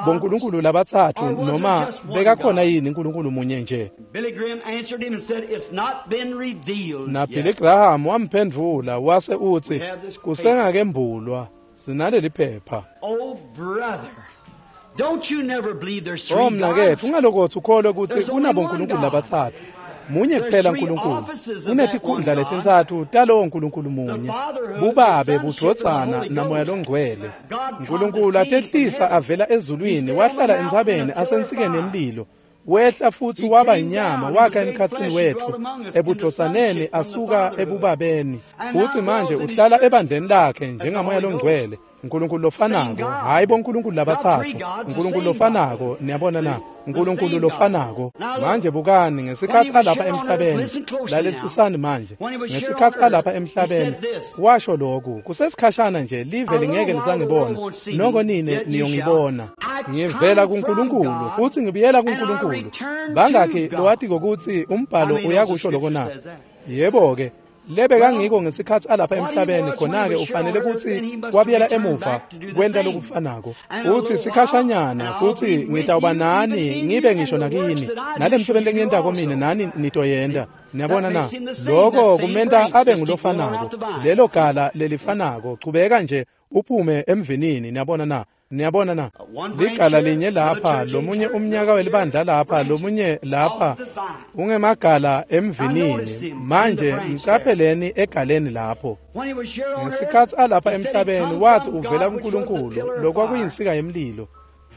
bonkulunkulu labatsatfu noma bekakhona yini uNkulunkulu munye nje? Na Billy Graham wamphendvula wase utsi kusengakembulwa, sinaleli phepha. Oh mnaketfu, ungalokotsi ukholwe kutsi kunabonkulunkulu labatsatfu. Munye kuphela uNkulunkulu. Kunetikhundla letintsatfu talowo Nkulunkulu munye, bubabe, budvodzana naMoya loNgcwele. Nkulunkulu atehlisa avela ezulwini, wahlala entsabeni asensikeni yemlilo, wehla futsi waba inyama, wakha emkhatsini wetfu ebudvodzaneni asuka ebubabeni. Futsi manje uhlala ebandleni lakhe njengaMoya loNgcwele, Nkulunkulu lofanako, hayi bonkulunkulu labatsatfu, Nkulunkulu lofanako. Niyabona na? Nkulunkulu lofanako. Manje bukani, ngesikhatsi alapha emhlabeni, lalelisisani manje, ngesikhatsi alapha emhlabeni washo lokhu, kusesikhashana nje live lingeke lisangibona, noko nine niyongibona. Ngivela kuNkulunkulu futhi ngibuyela kuNkulunkulu. Bangakhi lowatiko kutsi umbhalo uyakusho lokho na? Yebo-ke, lebekangiko ngesikhatsi alapha emhlabeni, khona-ke ufanele kutsi wabuyela emuva kwenta lokufanako. Uthi sikhashanyana futhi ngitawuba nani ngibe ngisho nakini, nale msebenzi lengiyentako mine nani nitoyenta. Niyabona na? Lokho kumenta abe ngulofanako, lelo gala lelifanako. Chubeka nje uphume emvinini. Niyabona na? Niyabona na? Ligala linye lapha, lomunye umnyaka welibandla lapha, lomunye lapha, ungemagala emvinini. Manje mcapheleni egaleni lapho. Ngesikhatsi alapha emhlabeni wathi uvela kuNkulunkulu, lokwakuyinsika yemlilo,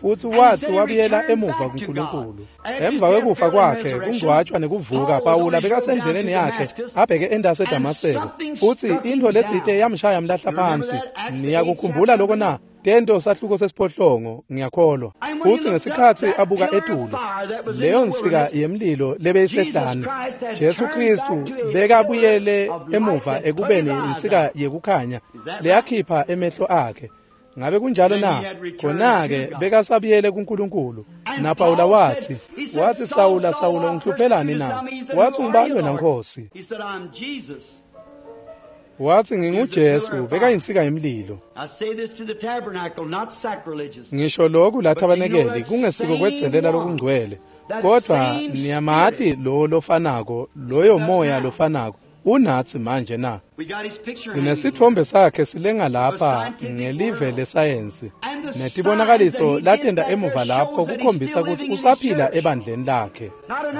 futsi wathi wabuyela emuva kuNkulunkulu. Emva kwekufa kwakhe, kungcwatshwa nekuvuka, Pawula bekasendleleni yakhe abheke endase eDamaseko, futsi intfo letsite yamshaya mlahla phansi. Niyakukhumbula lokho na? Tento sahluko sesiphohlongo, ngiyakholwa. Futsi ngesikhatsi abuka etulu, leyo nsika yemlilo lebeyisehlane, Jesu Kristu bekabuyele emuva ekubeni insika yekukhanya leyakhipha emehlo akhe. Ngabe kunjalo na? Khona-ke bekasabuyele kuNkulunkulu. NaPawula wathi, Sawula, Sawula, ungihluphelani na? Wathi, ungubani wena Nkosi? Wathi, nginguJesu, bekayinsika yemlilo. Ngisho lokhu la thabanekeli kungesiko kwedzelela lokungcwele, kodwa niyamati lo lofanako, loyo moya lofanako unatsi manje na? Sinesitfombe sakhe silenga lapha ngelive lesayensi, netibonakaliso latenta emuva lapho kukhombisa kutsi usaphila ebandleni lakhe.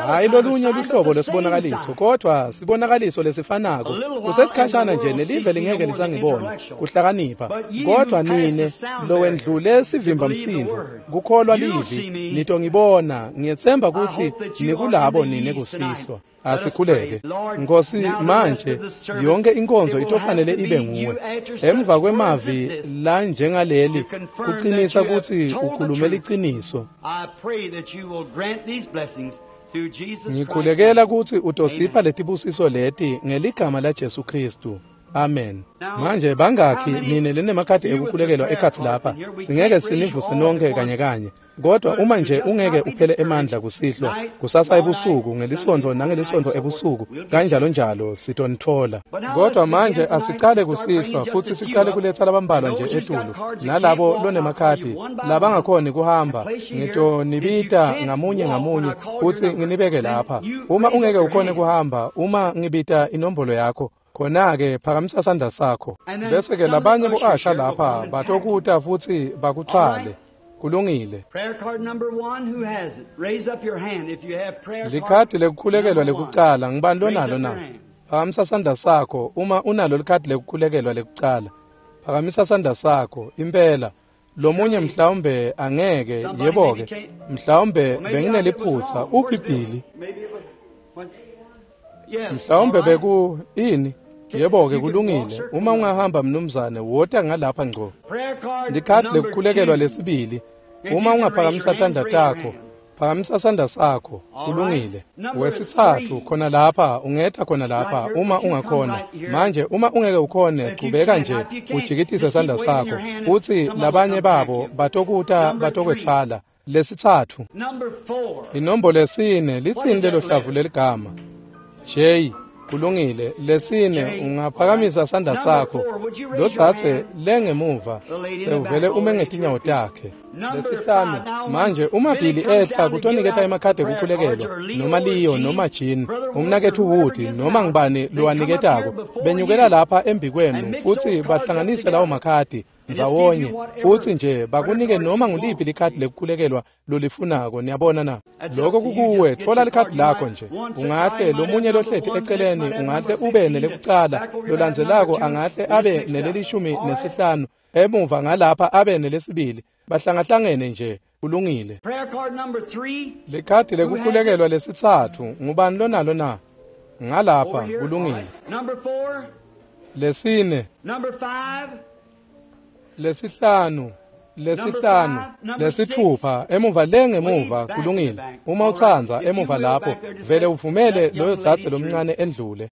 Hayi lolunye luhlobo lesibonakaliso, kodwa sibonakaliso lesifanako. Kusesikhashana nje nelive lingeke lisangibona, kuhlakanipha. Kodwa nine lowendlule sivimba msindvo, kukholwa livi, nitongibona. Ngiyetsemba kutsi nikulabo nine kusihlwa. Asikhuleke. Nkosi, manje yonke inkonzo itofanele ibe nguwe. Emva kwemavi la njengaleli, kuqinisa kutsi ukhulume liciniso. Ngikhulekela kutsi utosipha letibusiso leti ngeligama la Jesu Kristu. Amen. Manje bangakhi nine lenemakhadi ekukhulekelwa ekhatsi lapha? Singeke sinivuse nonke kanye kanye. Kodwa uma nje ungeke uphele emandla kusihlwa, kusasa ebusuku, ngelisonto nangelisonto ebusuku, kanjalo njalo sitonitfola. Kodwa manje asicale kusihlwa futhi sicale kuletha labambalwa nje etulu, nalabo lonemakhadi labangakhoni kuhamba, ngitonibita ngamunye ngamunye futhi nginibeke lapha. Uma ungeke ukhone kuhamba, uma ngibita inombolo yakho, khona-ke phakamisa sandla sakho. Bese-ke labanye bo-asha lapha batokuta futhi bakuthwale. Kulungile. Likhadi lekukhulekelwa lekucala, ngibani lonalo na? Phakamisa sandla sakho uma unalo likhadi lekukhulekelwa lekucala. Phakamisa sandla sakho impela. Lomunye mhlawumbe angeke, yebo-ke, mhlawumbe bengineliphutsa. Uphi Billy? Mhlawumbe beku ini? Yebo-ke, kulungile. Uma ungahamba mnumzane, wota ngalapha ngco. Likhadi lekukhulekelwa lesibili. Uma ungaphakamisa tandla takho, phakamisa sandla sakho. Kulungile. Wesitsatfu khona lapha, ungeta khona lapha uma ungakhona. Manje uma ungeke ukhone, qhubeka nje ujikitise sandla sakho, futsi labanye babo batokuta batokwetfwala. Lesitsatfu. Inombolo yesine, litsini lelo hlavu leligama? J. Kulungile. Lesine, ungaphakamisa sandla sakho. Lodzadze lengemuva sewuvele ume ngetinyawo takhe. Lesihlanu. Manje uma Billy ehla kutoniketa emakhadi ekukhulekelwa, noma Leo noma Jean, umnaketfu Wood noma ngibani lowaniketako, benyukela lapha embikwenu futsi bahlanganise lawo makhadi ndzawonye, futsi nje bakunike noma nguliphi likhadi lekukhulekelwa lolifunako. Niyabona na? Lokho kukuwe. Tfola likhadi lakho nje. Ungahle lomunye lohleti eceleni ungahle ube nelekucala, lolandzelako angahle abe nelelishumi nesihlanu, emuva ngalapha abe nelesibili. Bahlangahlangene nje. Kulungile. Likhadi lekukhulekelwa lesitsatfu, ngubani lonalo na? Ngalapha. Kulungile. Lesine. Lesihlanu, lesihlanu, lesithupha, emuva le ngemuva. Kulungile. Uma utsandza emuva lapho, vele uvumele loyo dzadze lomncane endlule.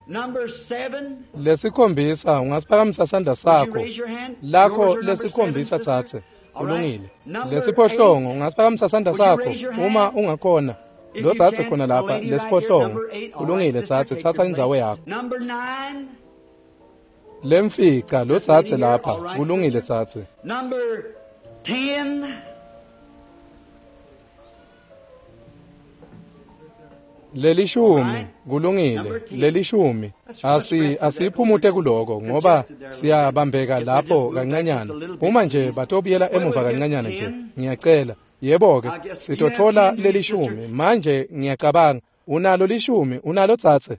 Lesikhombisa, ungasiphakamisa sandla sakho lakho lesikhombisa, dzadze? Kulungile. Lesiphohlongo, ungasiphakamisa sandla sakho uma ungakhona? Lo dzadze khona lapha, lesiphohlongo. Kulungile, dzadze, tsatsa indzawo yakho. Lemfica, lo dzadze lapha. Kulungile, dzadze. Lelishumi. Kulungile, lelishumi. Asiyiphumute kuloko ngoba siyabambeka lapho kancanyana. Uma nje batobuyela emuva kancanyana nje, ngiyacela. Yebo-ke, sitotfola lelishumi manje. Ngiyacabanga unalo lishumi. Unalo, dzadze?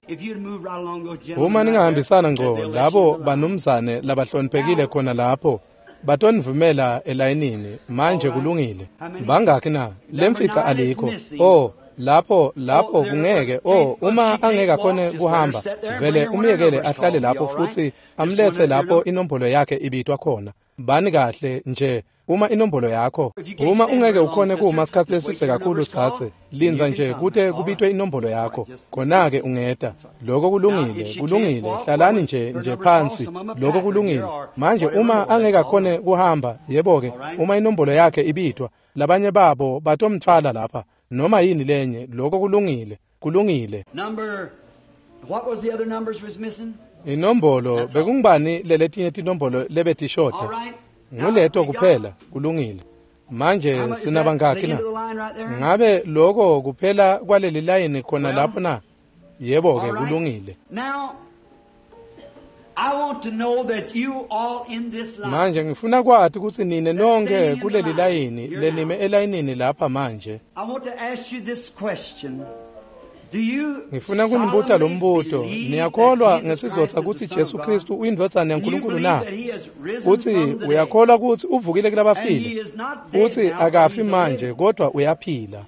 Uma ningahambisana ngco labo banumzane labahloniphekile khona lapho, batonivumela elayinini manje. Kulungile. Bangakhi na? Lemfica alikho. Oh, lapho lapho kungeke. Oh, uma angeke akhone kuhamba, vele umyekele ahlale lapho futsi amlethe lapho inombolo yakhe ibitwa khona. Bani kahle nje. Uma inombolo yakho, uma ungeke ukhone kuma isikhathi lesise kakhulu, dzadze, lindza nje kute kubitwe inombolo yakho, khona-ke ungeta. Lokho kulungile. Kulungile, hlalani nje nje phansi. Lokho kulungile. Manje uma angeke akhone kuhamba, yebo-ke, uma inombolo yakhe ibitwa, labanye babo batomtfwala lapha noma yini lenye. Lokho kulungile. Kulungile. Inombolo bekungubani leletinye tinombolo lebetishoda? Nguleto kuphela. Kulungile. Manje sinabangakhi na? Ngabe lokho kuphela kwaleli layini khona lapho na? Yebo-ke, kulungile. Manje ngifuna kwati kutsi nine nonke kuleli layini lenime elayinini lapha manje, ngifuna kunibuta lo mbuto: niyakholwa ngesizotha kutsi Jesu Kristu uyindvodzana yaNkulunkulu na? Kutsi uyakholwa kutsi uvukile kulabafile, futsi akafi manje kodwa uyaphila?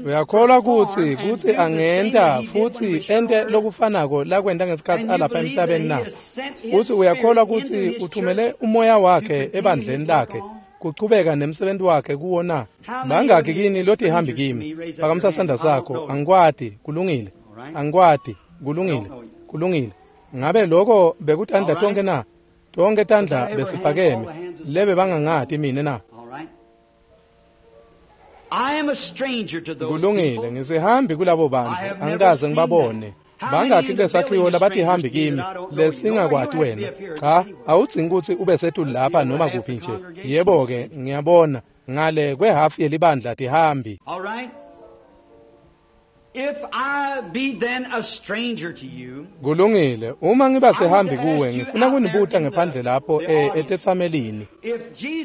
Uyakholwa kutsi angenta futsi ente lokufanako lakwenta ngesikhatsi alapha emhlabeni na? Futsi uyakholwa kutsi uthumele umoya wakhe ebandleni lakhe kuchubeka nemsebenzi wakhe kuwo na? Bangakhi kini lotihambi kimi? Phakamisa sandla sakho. Angikwati. Kulungile, angikwati. Kulungile, kulungile. Ngabe lokho bekutandla tonke na? Tonke tandla besiphakeme lebe bangangati mine na? Kulungile. Ngisihambi kulabo bantu, angikaze ngibabone. Bangakhi kulesakhiwo labatihambi kimi lesingakwati wena? Cha, awudzingi kutsi ube setulu lapha noma kuphi nje. Yebo-ke, ngiyabona ngale kwehhafu yelibandla tihambi. Kulungile. Uma ngiba sihambi kuwe, ngifuna kunibuta ngephandle lapho etetsamelini: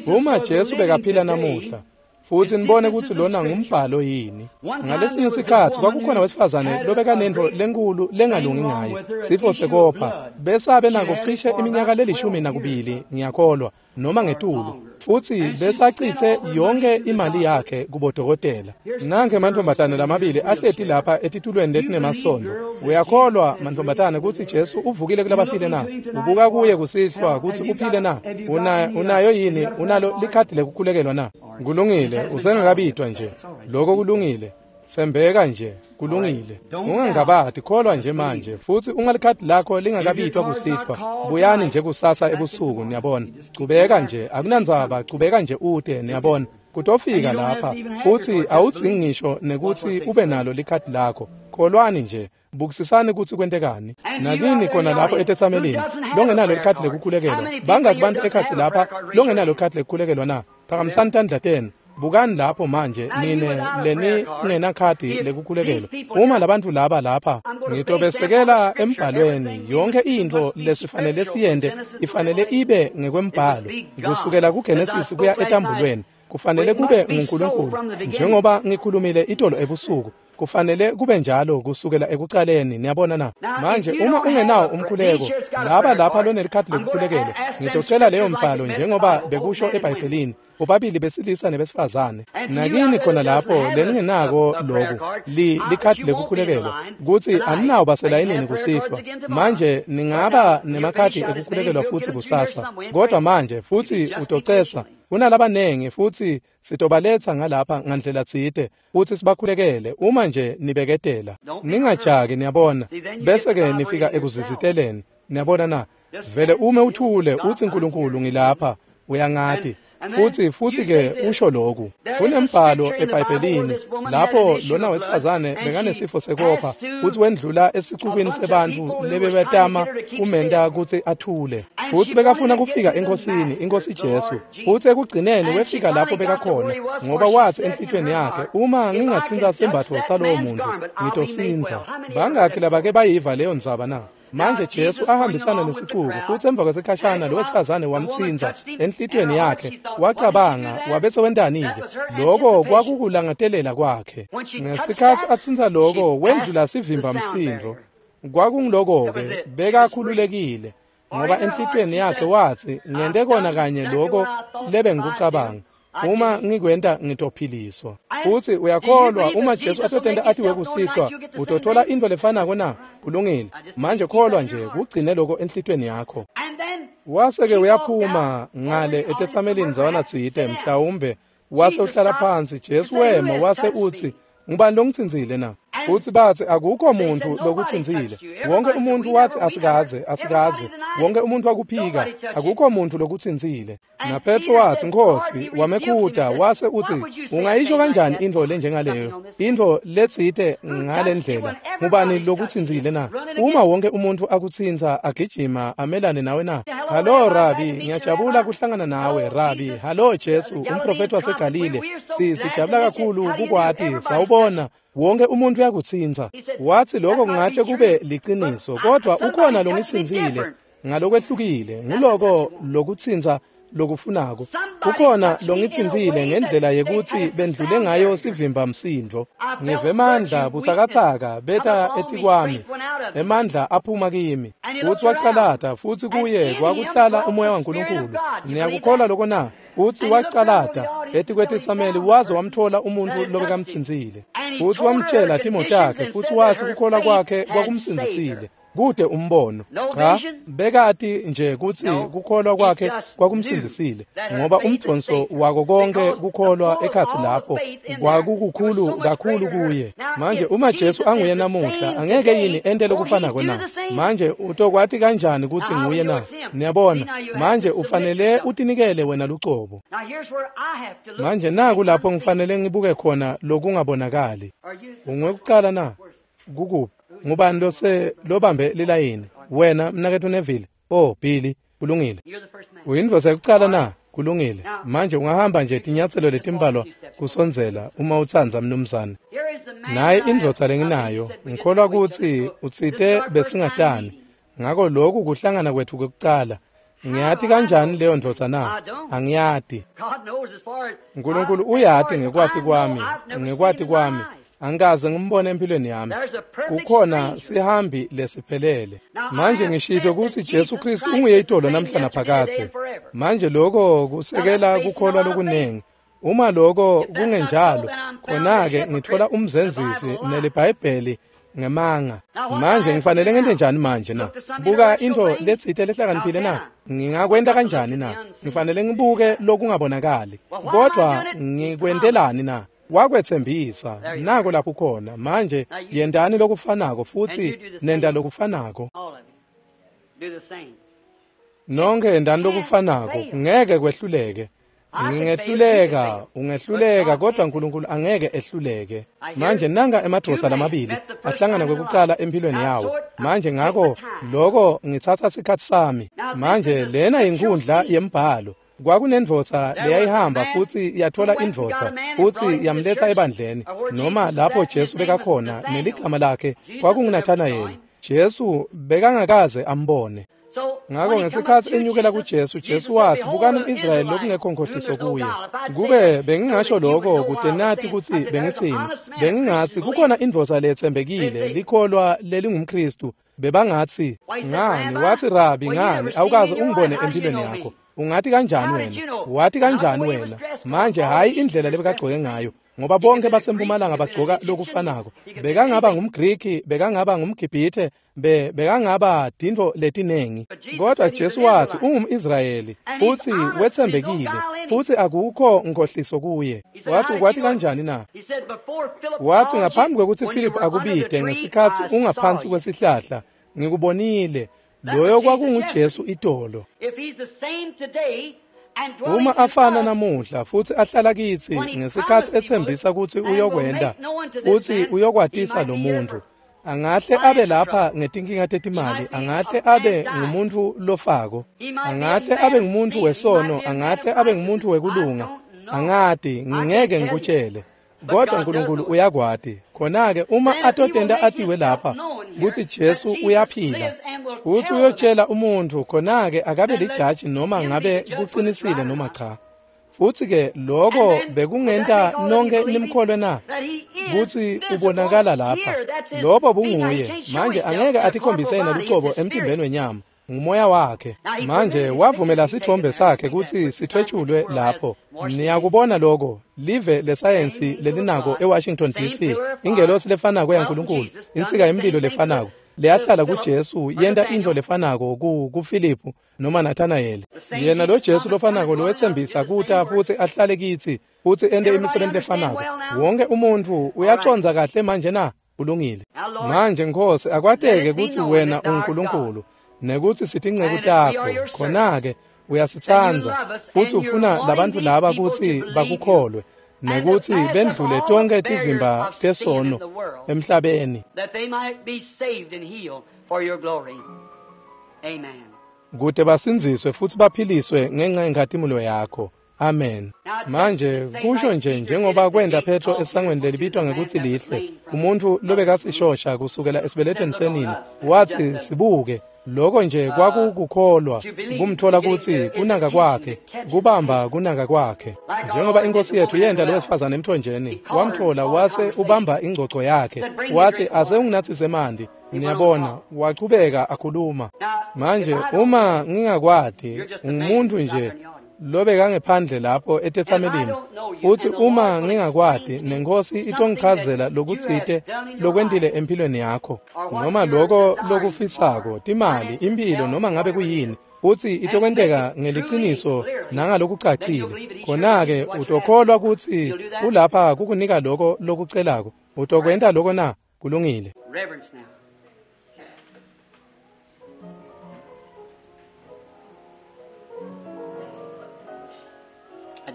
uma Jesu bekaphila namuhla Futhi nibone kutsi lona ngumbhalo yini. Ngalesinye sikhatsi kwakukhona wesifazane lobekanentfo lenkulu lengalungi ngaye, sifo sekopha, besabe nako cishe iminyaka le-12 ngiyakholwa, noma ngetulu, futsi besacitse yonke imali yakhe kubodokotela. Nankhe mantfombatane lamabili ahleti lapha etitulweni letinemasondvo. Uyakholwa mantfombatane kutsi Jesu uvukile kulabafile na? Ubuka kuye kusihlwa kutsi uphile na? Unayo yini? Unalo likhadi lekukhulekelwa na? Kulungile, usengakabitwa nje. Lokho kulungile. Sembeka nje, kulungile. Ungangabati, kholwa nje manje, futsi ungalikhadi lakho lingakabitwa kusihlwa. Buyani nje kusasa ebusuku, niyabona. Chubeka nje, akunandzaba, chubeka nje ute, niyabona. Kutofika lapha, futsi awudzingi ngisho nekutsi ube nalo likhadi lakho. Kholwani nje. Bukisisani kutsi kwentekani. Nakini khona lapho etetsamelini longenalo likhadi lekukhulekelwa. Bangaki bantu ekhatsi lapha longenalo likhadi lekukhulekelwa na? Phakamisani tandla tenu. Bukani lapho manje nine leni ngenakhadi lekukhulekelwa. Uma labantu laba lapha, ngitobesekela embhalweni. Yonke intfo lesifanele siyente ifanele ibe ngekwembhalo, kusukela kuGenesis kuya etambulweni. Kufanele kube nguNkulunkulu, njengoba ngikhulumile itolo ebusuku. Kufanele kube njalo kusukela ekucaleni, niyabona na? Manje uma ungenawo umkhuleko, laba lapha lonelikhadi lekukhulekelwa, ngitocela leyo mbhalo njengoba bekusho eBhayibhelini, bobabili besilisa nebesifazane. Nakini khona lapho leningenako loku, likhadi lekukhulekelwa, kutsi aninawo baselayinini kusihlwa. Manje ningaba nemakhadi ekukhulekelwa futsi kusasa, kodwa manje futsi utocetsa. Kunalabanengi futsi sitobaletsa ngalapha ngandlela tsite futsi sibakhulekele uma nje nibeketela. Ningajaki, niyabona, bese-ke nifika ekuziziteleni, niyabona na? Vele ume uthule utsi Nkulunkulu ngilapha, uyangati. Futhi-ke usho lokhu. Kunembhalo eBhayibhelini lapho lona wesifazane bekanesifo sekopha futhi wendlula esicubini sebantfu lebebetama kumenta kutsi athule. Futhi bekafuna kufika enkosini, iNkosi Jesu. Futhi ekugcineni wefika lapho bekakhona, ngoba wathi enhlitiyweni yakhe, uma ngingatsintsa sembatfo salowo muntu, ngitosindza. Bangakhi labake bayiva leyo ndzaba na? Manje Jesu ahambisana nesicuku, futsi emva kwesikhashana lo wesifazane wamtsintsa enhlitiyweni yakhe, wacabanga wabese wentani-ke? Loko kwakukulangatelela kwakhe. Ngesikhatsi atsintsa loko, wendlula sivimba msindvo. Kwakungiloko-ke, bekakhululekile, ngoba enhlitiyweni yakhe watsi, ngente kona kanye loko lebengikucabanga. Uma ngikwenta ngitophiliswa. Futsi uyakholwa uma Jesu atotenta atiwe kusihlwa, utothola intfo lefanako na? Kulungile. Manje kholwa nje, kugcine lokho enhlitiyweni yakho. Wase-ke uyaphuma ngale etetsamelini ndzawana tsite, mhlawumbe wase uhlala phansi. Jesu wema wase utsi, ngubani longitsintsile na? Futsi batsi akukho muntu lokutsintsile. Wonke umuntu wathi asikaze, asikaze. Wonke umuntu wakuphika, akukho muntu lokutsintsile. NaPetro wathi, Nkhosi, wamekhuta wase utsi, ungayisho kanjani intfo lenjengaleyo? Intfo letsite ngale ndlela. Ngubani lokutsintsile na? Uma wonke umuntu akutsintsa agijima amelane nawe na? Hallo Rabi, ngiyajabula kuhlangana nawe Rabi. Hallo Jesu, umprofeti waseGalile. Sijabula kakhulu kukwati, sawubona. Wonke umuntu uyakutsintsa. Wathi lokho kungahle kube liciniso, kodwa ukhona longitsintsile ngalokwehlukile. Nguloko lokutsintsa lokufunako. Kukhona longitsintsile ngendlela yekutsi bendlule ngayo sivimba msindvo. Ngive emandla butsakatsaka beta etikwami, emandla aphuma kimi. Futsi wacalata, futsi kuye kwakuhlala umoya waNkulunkulu. Niyakukholwa lokho na? Futsi wacalata etikwetitsameli waze wamthola umuntfu lobekamtsintsile. Futsi wamtjela timo takhe, futsi watsi kukholwa kwakhe kwakumsindzisile. Kude umbono. Cha, bekati nje kutsi kukholwa kwakhe kwakumsindzisile, ngoba umdvonso wako konke kukholwa ekhatsi lapho kwakukukhulu kakhulu kuye. Manje uma Jesu anguye namuhla, angeke yini ente lokufanako na? Manje utokwati kanjani kutsi nguye na? Niyabona, manje ufanele utinikele wena lucobo. Manje naku lapho ngifanele ngibuke khona lokungabonakali. Ungwekucala na? Kukuphi? Ngubani lose lobambe lilayini? Wena mnaketfu Neville. Oh Billy, kulungile. Uyindvodza yekucala na? Kulungile. Manje ungahamba nje tinyatselo letimbalwa kusondzela uma utsandza mnumzane. Naye indvodza lenginayo, ngikholwa kutsi utsite besingatani. Ngako lokhu kuhlangana kwetfu kwekucala. Ngiyati kanjani leyo ndvodza na? Angiyati. Nkulunkulu uyati ngekwati kwami, ngekwati kwami. Angikaze ngimbone empilweni yami. Kukhona sihambi lesiphelele. Manje ngishito ukuthi Jesu Kristu unguye itolo namhla naphakadze. Manje lokho kusekela kukholwa lokunengi. Uma lokho kungenjalo, khona-ke ngithola umzenzisi neliBhayibheli ngemanga. Manje ngifanele ngente njani manje na? Buka into letsite lehlakaniphile na? Ngingakwenta kanjani na? Ngifanele ngibuke lokungabonakali. Kodwa ngikwentelani na? Wakwethembisa, nako lapho khona. Manje yentani lokufanako futhi nenta lokufanako. Nonke yentani lokufanako, ngeke kwehluleke. Ngingehluleka, ungehluleka, kodwa uNkulunkulu angeke ehluleke. Manje nanga emadvodza lamabili ahlangana kwekucala empilweni yawo. Manje ngako lokho ngitsatsa sikhatsi sami. Manje lena yinkundla yembhalo. Kwakunendvodza leyayihamba futhi yathola indvodza futhi yamletha ebandleni noma lapho Jesu bekakhona neligama lakhe kwakunguNathanayeli. Jesu bekangakaze ambone. Ngakho ngesikhathi enyukela kuJesu, Jesu wathi, bukani umIsrayeli lokungekho nkohliso kuye. Kube bengingasho lokho kude nathi ukuthi bengithini, bengingathi kukhona indvodza lethembekile, likholwa lelingumKristu. Bebangathi, ngani? Wathi, Rabi, ngani? Awukaze ungibone empilweni yakho. Ungathi kanjani wena? Wathi kanjani wena? Manje hayi indlela lebekagcoke ngayo, ngoba bonke basempumalanga bagcoka lokufanako. Bekangaba ngumGriki, bekangaba ngumGibhithe, bekangaba tintfo letinengi. Kodwa Jesu wathi ungumIsrayeli futhi wethembekile futhi akukho nkohliso kuye. Wathi ukwathi kanjani na? Wathi ngaphambi kwekuthi Philip akubide ngesikhathi ungaphansi kwesihlahla, ngikubonile. Loyo kwakunguJesu itolo. Uma afana namuhla futhi ahlala kithi ngesikhathi ethembisa ukuthi uyokwenda futhi uyokwatisa lo muntu, angahle abe lapha ngetinkinga tetimali, angahle abe ngumuntu lofako, angahle abe ngumuntu wesono, angahle abe ngumuntu wekulunga, angati, ngingeke ngikutshele. Kodwa uNkulunkulu uyakwati. Khona-ke uma atotenda atiwe lapha ukuthi Jesu uyaphila, uthi uyotshela umuntu, khona-ke akabe lijaji noma ngabe kuqinisile noma cha. Futhi-ke lokho bekungenta nonke nimkholwe na? Kuthi ubonakala lapha. Lobo bunguye. Manje angeke atikhombise yena luqobo emtimbeni wenyama. Ngumoya wakhe. Manje wavumela sithombe sakhe ukuthi sithwetshulwe lapho. Niyakubona lokho, live lesayensi lelinako eWashington DC, ingelosi lefanako yaNkulunkulu, insika yemlilo lefanako leyahlala kuJesu yenta into lefanako kuFiliphu noma Nathanayeli. Yena lo Jesu lofanako lowethembisa kuta futhi ahlale kithi futhi ente imisebenzi lefanako. Wonke umuntu uyacondza kahle manje na? Kulungile. Manje Nkosi, akwateke ukuthi wena uNkulunkulu nekuthi sitinceku takho. Khona-ke uyasitsandza futhi ufuna labantu laba ukuthi bakukholwe nekuthi bendlule tonke tivimba tesono emhlabeni, kute basindziswe futhi baphiliswe ngenxa yenkhatimulo yakho. Amen. Manje kusho nje njengoba kwenda Petro esangweni lelibitwa ngekuthi lihle, umuntu lobekasishosha kusukela esibelethweni senina, wathi sibuke. Lokho nje kwakukukholwa kumthola ukuthi kunaka kwakhe, kubamba kunaka kwakhe. Njengoba inkosi yethu yenda lo wesifazane emthonjeni, wamthola wase ubamba ingcoco yakhe, wathi ase unginathise mandi. Niyabona, wachubeka akhuluma. Manje uma ngingakwati, ungumuntu nje lobekangephandle lapho etetsamelini, futhi uma ngingakwati nenkosi itongichazela lokutsite lokwentile empilweni yakho noma lokho lokufisako, timali, impilo, noma ngabe kuyini, futhi itokwenteka ngeliciniso nangalokucacile, khona-ke utokholwa ukuthi ulapha kukunika lokho lokucelako. Utokwenta lokho na? Kulungile.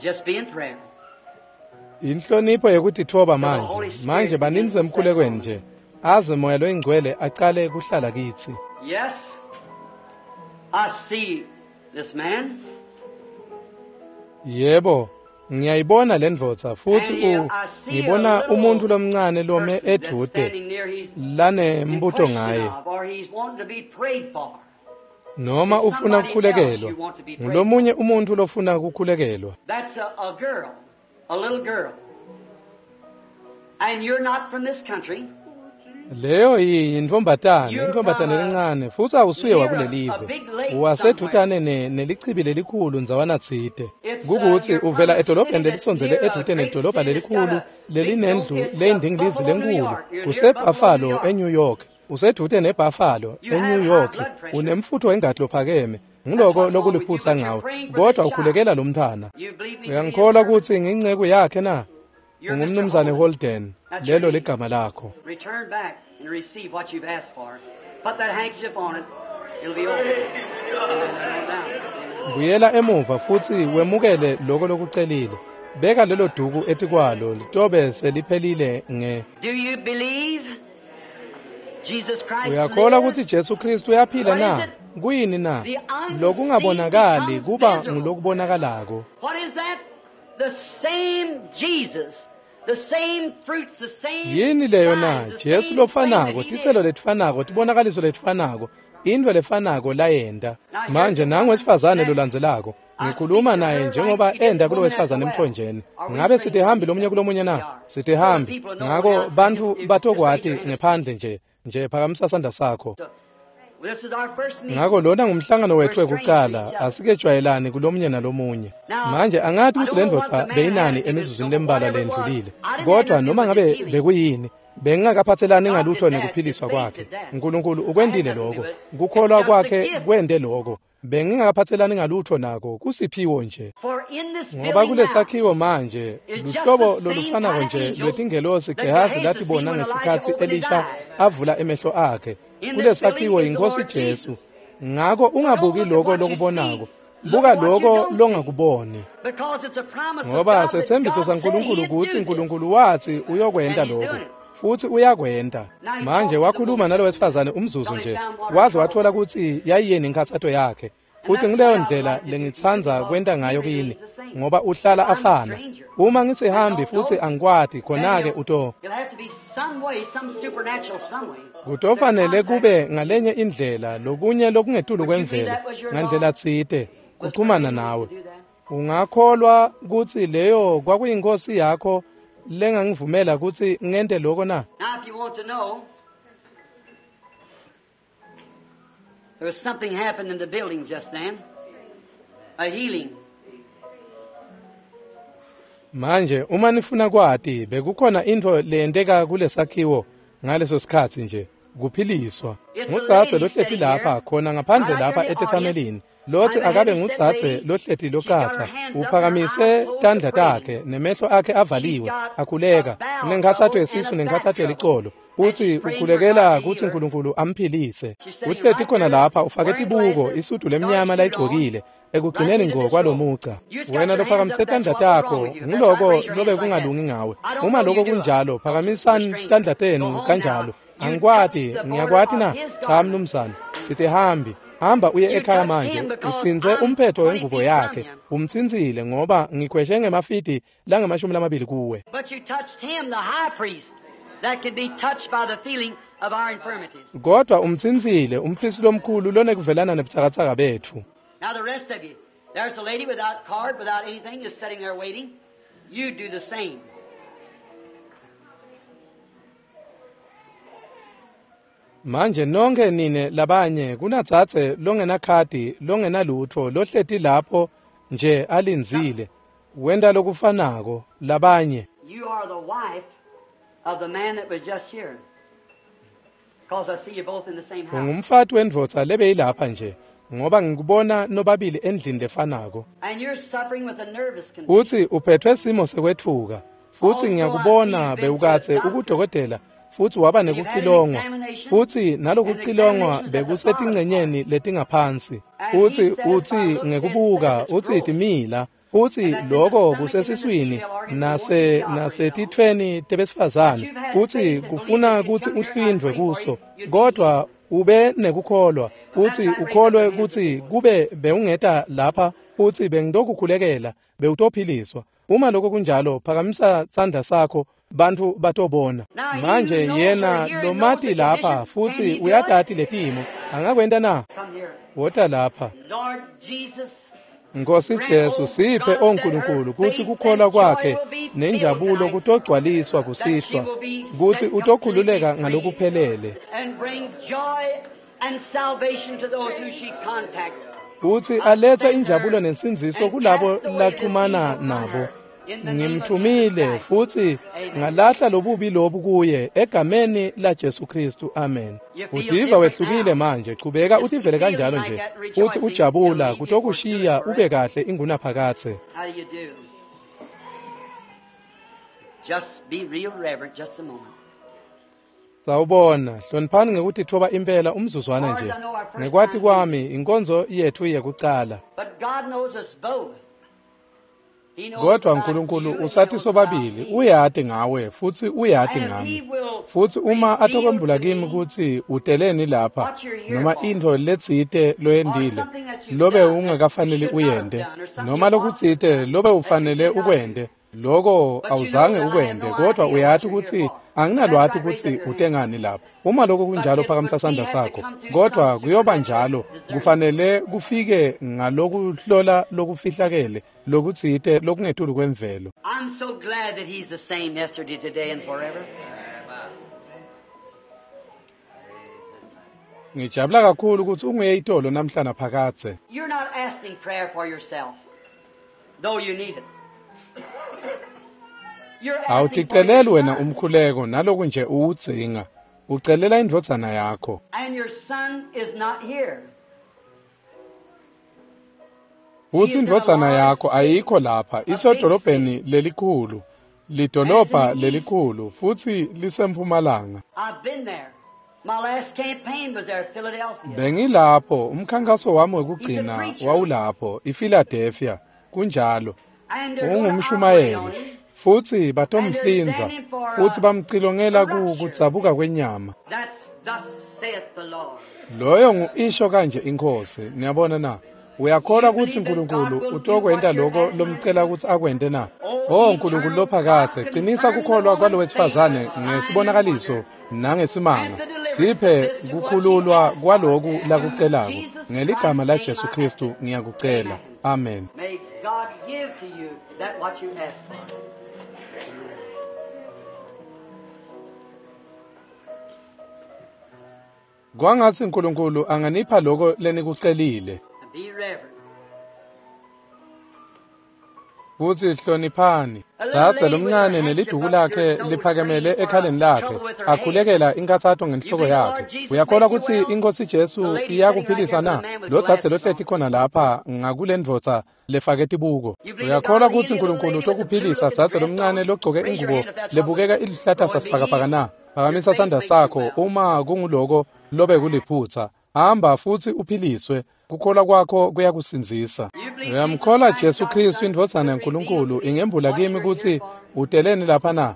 Just be in prayer. Inhlonipho yekutitfoba manje. Manje baninzi emkhulekweni nje. Aze moya loyingcwele aqale kuhlala kithi. Yes. I see this man. Yebo, ngiyayibona le ndvodza futhi ngibona umuntu lomncane lome edude lanembuto ngaye. Noma ufuna kukhulekelwa, ngulomunye umuntu lofuna kukhulekelwa. That's a girl, a little girl. And you're not from this country. Leyo yintfombatane, intfombatane lencane, futsi awusuye wakulelive. Wasedvutane nelichibi lelikhulu ndzawana tsite. Kukutsi uvela edolobheni lelisondzele edvute nelidolobha lelikhulu lelinendlu leyindingilizi lenkulu. UseBuffalo eNew York. Usedvute neBuffalo eNew York. Unemfutfo wengati lophakeme. Nguloko lokuliphutsa ngawe. Kodwa ukhulekela lo mntfwana. Uyangikholwa kutsi ngiyinceku yakhe na? Ungumnumzane Holden. Lelo ligama lakho. Return back and receive what you've asked for. Put that handkerchief on it. It'll be over. Buyela emuva futsi wemukele loko lokucelile. Beka lelo duku etikwalo litobe seliphelile nge. Do you believe Jesus Christ? Uyakholwa kutsi Jesu Kristu uyaphila na? Kuyini na? Lokungabonakali kuba ngulokubonakalako. What is that? The same Jesus. The same fruits, the same Yini leyo na? signs, the Jesu same lofanako, thing that he tiselo did. letifanako, tibonakaliso letifanako, intfo lefanako layenta. Manje nangu wesifazane lolandzelako. Ngikhuluma naye njengoba enda kulo wesifazane emthonjeni. Ngabe sitihambi lomunye kulomunye na? Sitihambi. Ngako bantfu batokwati ngephandle nje. Nje phakamisa sandla sakho. This is our first meeting. Ngako lona ngumhlangano wethu wekucala, asikejwayelani kulomunye nalomunye. Manje angati kutsi lendvodza beyinani emizuzwini lembalwa lendlulile. Kodwa noma ngabe bekuyini, bengingakaphathelani ngalutho nekuphiliswa kwakhe. Nkulunkulu ukwentile lokho. Kukholwa kwakhe kwente lokho. Bengingakaphathelani ngalutho nako, kusiphiwo nje. For in this Ngoba building now, kulesakhiwo manje luhlobo lolufanako nje lwetingelosi Gehazi latibona ngesikhatsi Elisha avula emehlo akhe. Kulesakhiwo yiNkosi Jesu. Ngako ungabuki loko lokubonako, buka loko longakuboni. because it's a promise of Ngoba God that setsembiso God said saNkulunkulu he'd do kutsi this. Nkulunkulu watsi uyokwenta lokho, futsi uyakwenta. Manje wakhuluma nalo wesifazane umzuzu nje, waze wathola kutsi yayiyini inkhatsato yakhe. Futsi nguleyo ndlela lengitsandza kwenta ngayo kini, ngoba uhlala afana. Uma ngisihambi futsi angikwati, khona-ke uto It'll have to be some way, some supernatural some way. kutofanele kube ngalenye indlela, lokunye lokungetulu kwemvelo, ngandlela tsite, kuchumana nawe. Ungakholwa kutsi leyo kwakuyinkosi yakho lengangivumela kutsi ngente loko na? Now, if you want to know, there was something happened in the building just then, a healing. Manje uma nifuna kwati, bekukhona intfo leyenteka kulesakhiwo ngaleso sikhatsi nje, kuphiliswa. Ngudzadze lohleti lapha khona ngaphandle lapha etetsamelini. Lotsi akabe ngudzadze lohleti locatsa, uphakamise tandla takhe nemehlo akhe avaliwe, akhuleka, unenkhatsato yesisu nenkhatsato yelicolo. Utsi ukhulekela kutsi Nkulunkulu amphilise. Uhleti khona lapha ufake tibuko, isudu lemnyama layigcokile, ekugcineni ngo kwalomuca. Wena lophakamise tandla takho, nguloko lobe kungalungi ngawe. Uma loko kunjalo, phakamisani tandla tenu kanjalo. Angikwati, ngiyakwati na? Cha mnumzane, sitihambi. Hamba uye ekhaya manje, utsintse umphetho wengubo yakhe. Umtsintsile ngoba ngikhweshe ngemafidi langama-20 kuwe. But you touched him, the high priest, that could be touched by the feeling of our infirmities. Kodwa umtsintsile umpristi lomkhulu lonekuvelana nebutsakatsaka betfu. Now, the rest of you, there's a lady without card, without anything, just sitting there waiting. You do the same. Manje nonke nine labanye kunadzadze longenakhadi longenalutfo lohleti lapho nje alindzile. Wenta lokufanako labanye. You are the wife of the man that was just here. Because I see you both in the same house. Ungumfati wendvodza lebeyilapha nje ngoba ngikubona nobabili endlini lefanako. And you're suffering with a nervous condition. Uthi uphethwe simo sekwetfuka futsi ngiyakubona bewukatse ukudokotela futsi waba nekucilongwa futsi nalokucilongwa bekusetingcenyeni letingaphansi. Utsi utsi ngekubuka utsi timila, utsi loko kusesiswini nasetitfweni tebesifazane, utsi kufuna kutsi uhlindvwe kuso, kodwa ube nekukholwa, utsi ukholwe kutsi kube bewungeta lapha utsi bengitokukhulekela bewutophiliswa. Uma lokho kunjalo, phakamisa sandla sakho Bantfu batobona. Manje yena lomati lapha futsi uyatati letimo. Angakwenta na? Wota lapha. Nkosi Jesu, siphe oNkulunkulu kutsi kukholwa kwakhe nenjabulo kutogcwaliswa kusihlwa, kutsi utokhululeka ngalokuphelele. Kutsi alethe injabulo nensindziso kulabo laxhumana nabo. Ngimthumile futsi ngalahla lobubi lobu kuye egameni la Jesu Kristu. Amen. Utiva wehlukile manje, chubeka utivele kanjalo nje futsi ujabula kutokushiya ube kahle ingunaphakadze. Just be real reverent just a moment. Sawubona, hloniphani ngekutitfoba impela umzuzwana nje. Ngekwati kwami inkonzo yethu yekucala. But God knows us both. Kodwa uNkulunkulu usathi sobabili, uyati ngawe futsi uyati ngami. Futsi uma atokwembula kimi kutsi uteleni lapha noma intfo letsite loyentile lobe ungakafanele uyente noma lokutsite lobe ufanele ukwente, loko awuzange ukwente, kodwa uyati kutsi anginalwati kutsi utengani lapha. Uma lokho kunjalo, phakamisa sandla sakho. Kodwa kuyoba njalo, kufanele kufike ngalokuhlola lokufihlakele lokutsite lokungetulu kwemvelo. I'm so glad that he's the same yesterday, today, and forever. Ngijabula kakhulu kutsi unguye itolo namhla naphakadze. You're not asking prayer for yourself, though you need it. You're asking for Awuticeleli your wena son, umkhuleko naloku nje uwudzinga. Ucelela indvodzana yakho. and your son is not here. Futsi indvodzana yakho ayikho lapha, isedolobheni lelikhulu, lidolobha lelikhulu, futsi lisempumalanga. I've been there. My last campaign was there, Philadelphia. Bengilapho, umkhankaso wami wekugcina wawulapho, iPhiladelphia. Kunjalo. And they're gonna operate on Ungumshumayeli. him. Futsi batomhlinza, futsi bamcilongela kudzabuka kwenyama. That's thus saith the Lord. Loyo ngu-isho kanje inkosi. Niyabona na? Uyakholwa kutsi uNkulunkulu utokwenta lokho lomcela kutsi akwente na? Oh Nkulunkulu lophakadze, qinisa kukholwa kwalo wesifazane ngesibonakaliso nangesimanga. Siphe kukhululwa kwaloku lakucelako. Ngeligama la Jesu Kristu ngiyakucela. Amen. May God give to you that what you ask for. Kwangatsi uNkulunkulu anganipha lokho lenikucelile. And be reverent. Futsi hloniphani. Dzadze lomncane neliduku lakhe liphakemele ekhaleni lakhe, akhulekela inkathato ngenhloko yakhe. Uyakholwa kutsi iNkosi Jesu iyakuphilisa na? Lo dzadze lohleti khona lapha ngakule ndvodza lefake tibuko. Uyakholwa kutsi uNkulunkulu utokuphilisa dzadze lomncane logcoke ingubo lebukeka iluhlata sasibhakabhaka na? Phakamisa sandla sakho uma kunguloko lobe kuliphutsa. Hamba futsi uphiliswe. Kukholwa kwakho kuyakusindzisa. Uyamkholwa Jesu Kristu indvodzana yaNkulunkulu ingembula kimi kutsi uteleni lapha na?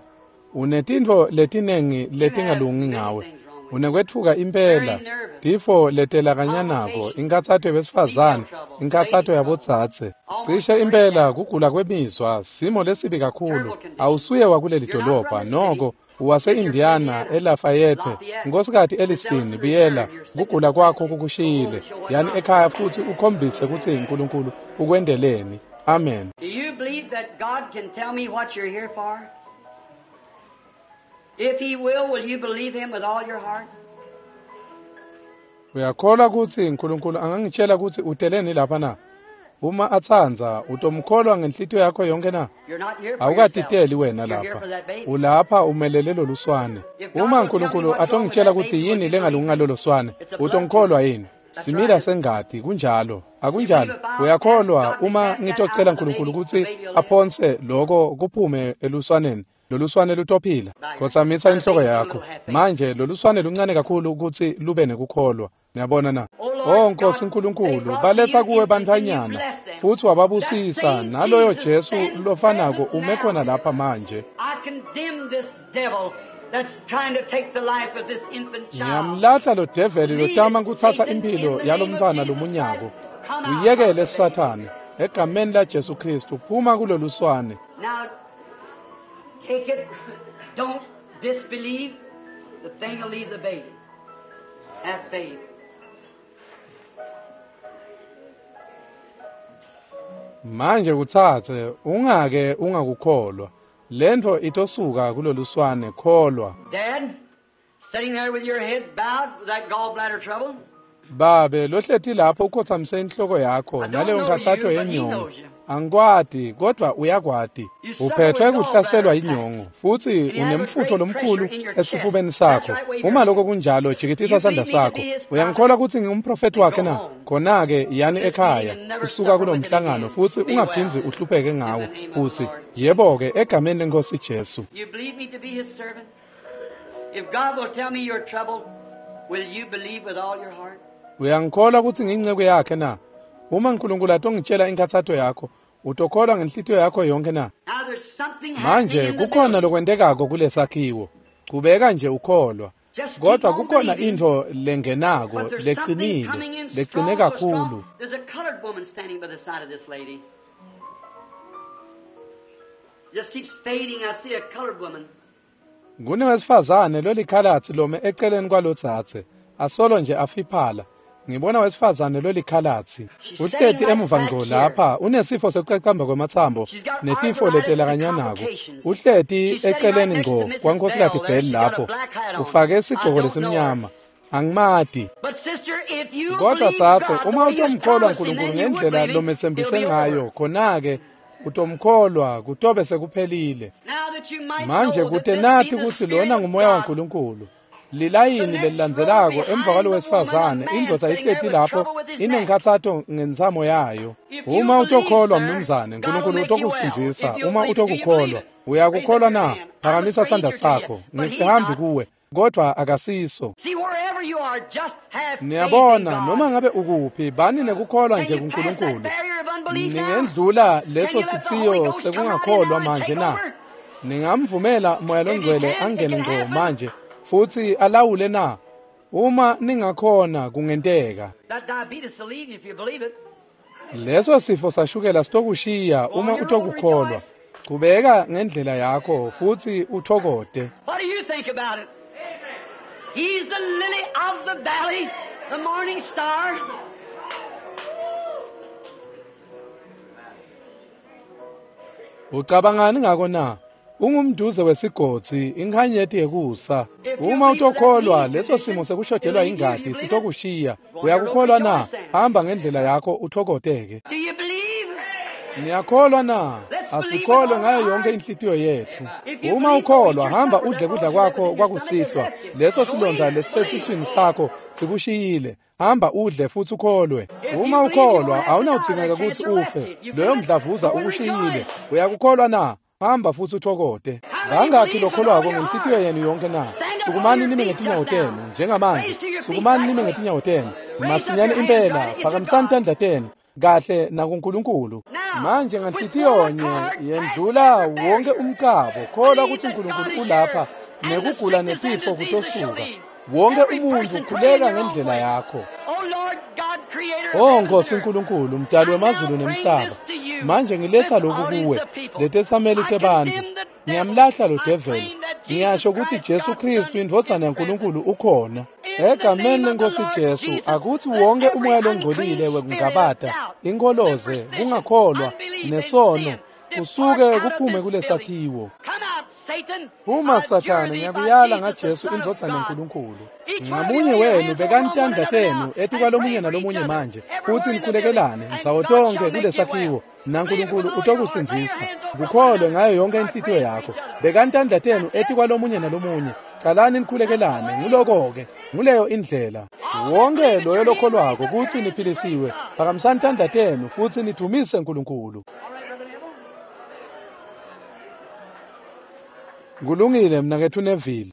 Unetintfo letinengi letingalungi ngawe. Unekwetfuka impela, tifo letelakanyanako, inkathato yabesifazane, inkathato yabodzadze. Cishe impela kugula kwemizwa, simo lesibi kakhulu. Awusuye wakuleli dolobha, noko wase-Indiana eLafayette. Nkosikazi Ellison, buyela, kugula kwakho kukushiyile. Yani ekhaya futsi ukhombise kutsi uNkulunkulu ukwendeleni. Amen. Do you believe that God can tell me what you're here for? If He will, will you believe Him with all your heart? Uyakholwa kutsi uNkulunkulu angangitshela kutsi uteleni lapha na? Uma atsandza, utomkholwa ngenhlitiyo yakho yonke na? You're not here for yourself. Awukatiteli wena You're here lapha. for that baby. Ulapha umelele loluswane. Uma uNkulunkulu atongitshela kutsi yini lengalungi ngalolo swane, utongikholwa yini? Simila sengati, kunjalo. Akunjalo. Uyakholwa uma ngitocela uNkulunkulu kutsi aphonse loko kuphume eluswaneni. Loluswane lutophila. Khotsamisa inhloko yakho. Manje loluswane luncane kakhulu kutsi lube nekukholwa. Niyabona na? Oh Nkosi uNkulunkulu, baletha kuwe bantfwanyana futsi wababusisa, naloyo Jesu lofanako ume khona lapha manje. I condemn this devil that's trying to take the life of this infant child. Ngiyamlahla lo develi lotama kutsatsa impilo yalomntfwana lomunyako. Uyekele Sathane, egameni la Jesu Kristu, phuma kuloluswane. Now, take it. Don't disbelieve. The thing will leave the baby. Have faith. Manje kutsatse ungake ungakukholwa. Lentfo itosuka kuloluswane kholwa. Dad, sitting there with your head bowed with that gallbladder trouble. Babe lohleti lapho ukhotsamise inhloko yakho naleyo nkhatsato yenyongo. Angikwati kodwa uyakwati. Uphethwe kuhlaselwa yinyongo futhi unemfutho lomkhulu esifubeni sakho. Uma lokho kunjalo jikitisa sandla sakho. Uyangikholwa ukuthi ngingumprofeti wakhe na? Khona-ke yani ekhaya usuka kulomhlangano futhi ungaphindzi uhlupheke ngawo. Uthi yebo-ke egameni lenkosi Jesu. You believe me to be his servant? If God will tell me your trouble, will you believe with all your heart? Uyangikholwa ukuthi ngiyinceku yakhe na? Uma uNkulunkulu atongitshela inkathato yakho, utokholwa ngenhlitiyo yakho yonke na? Now there's something Manje happening in the kukhona building. lokwentekako kulesakhiwo. Qhubeka nje ukholwa. Kodwa kukhona into lengenako But there's something leqinile, coming in leqine strong, so strong. kakhulu. There's a colored woman standing by the side of this lady. Just keeps fading. I see a colored woman. Kunewesifazane lolikhalatsi lome eceleni kwalodzadze, asolo nje afiphala. Ngibona wesifazane lolikhalatsi. Uhleti emuva ngqo lapha, unesifo sekucacamba kwematsambo netifo letelakanyanako. Uhleti eceleni ngqo kwaNkosikazi Bell lapho. Ufake isigqoko lesimnyama. Angimati. But sister, if you Kodwa believe tsatse God the uma way He has utomkholwa promised him, uNkulunkulu then you would ngendlela believe him, lometsembise it'll be ngayo, over. khona-ke utomkholwa kutobe sekuphelile. Now that you might Manje know that kute this nathi be the kutsi Spirit lona of ngumoya God, waNkulunkulu. Lilayini lelilandzelako emva kwalowesifazane indvodza ihleti lapho inenkhatsato ngentsamo yayo. Uma utokholwa mnumzane, uNkulunkulu utokusindzisa. Uma utokukholwa, uyakukholwa na? Phakamisa sandla sakho. Ngisihambi kuwe, kodwa akasiso. See, wherever you are, just have faith in Niyabona, God. noma ngabe ukuphi, bani nekukholwa Can nje you pass that kuNkulunkulu. barrier of unbelief now? Ningendlula leso Can you let the Holy sitsiyo Ghost come right in sekungakholwa now and manje take na? over? Ningamvumela Moya If you loNgcwele can, it angene can ngqo happen. manje futhi alawule na? Uma ningakhona kungenteka. That diabetes will leave you if you believe it. Leso sifo sashukela sitokushiya uma utokukholwa. Qhubeka ngendlela yakho futhi uthokote. What do you think about it? He's the lily of the valley, the morning star. Ucabangani ngako na? Ungumduze wesigodzi, inkhanyeti yekusa. Uma utokholwa leso simo sekushodelwa ingati sitokushiya. Uyakukholwa na? Hamba ngendlela yakho uthokoteke. Do you believe? Niyakholwa na? Asikholwe ngayo yonke inhlitiyo yethu. Uma ukholwa, hamba udle kudla kwakho kwakusihlwa. Leso silonda lesisesiswini sakho sikushiyile. Hamba udle futhi ukholwe. Uma ukholwa, awunawudzingeka kutsi ufe. Loyo mdlavuza ukushiyile. Uyakukholwa na? Hamba futhi uthokote. Bangakhi lokholwako ngenhlitiyo yenu yonke na? Sukumani nime ngetinyawo tenu njengamanje. Sukumani nime ngetinyawo tenu. Masinyane impela, phakamisani tandla tenu kahle nakuNkulunkulu. Manje nganhlitiyonye yendlula wonke umcabo, kholwa ukuthi uNkulunkulu ulapha nekugula netifo kutosuka. Wonke umuntu khuleka ngendlela yakho. Oh Lord God, creator of Oh heaven Nkosi and earth. uNkulunkulu, mdali wemazulu nemhlaba. Manje ngiletha lokhu kuwe, letetsameli tebantfu. Ngiyamlahla lo devil. Ngiyasho ukuthi Jesu Kristu indvodzana yaNkulunkulu ukhona. Egameni lenkosi Jesu, akuthi wonke umoya longcolile wekungabata, inkoloze, kungakholwa, nesono, kusuke kuphume kulesakhiwo. Come out, Satan. Uma I Sathane adjure thee by ngiyakuyala Jesus, the ngaJesu Son of indvodzana God. yaNkulunkulu. Each one of Ngamunye you lay your wenu hands bekani on one tandla another tenu now etikwalomunye and pray for nalomunye each other. manje Everywhere futhi in the nikhulekelane building, and ndzawo God tonke shall make you kulesakhiwo well. naNkulunkulu Believe with all your heart. Lay your utokusindzisa. hands over one Kukholwe another. ngayo yonke Start inhlitiyo praying for yakho. each other. Bekani tandla tenu That's it. etikwalomunye nalomunye. Calani nikhulekelane nguloko-ke nguleyo indlela. Wonke loyo lokholwako kutsi niphilisiwe, phakamisani tandla tenu futhi nidvumise uNkulunkulu. All right, Brother Neville. Kulungile mnaketfu Neville.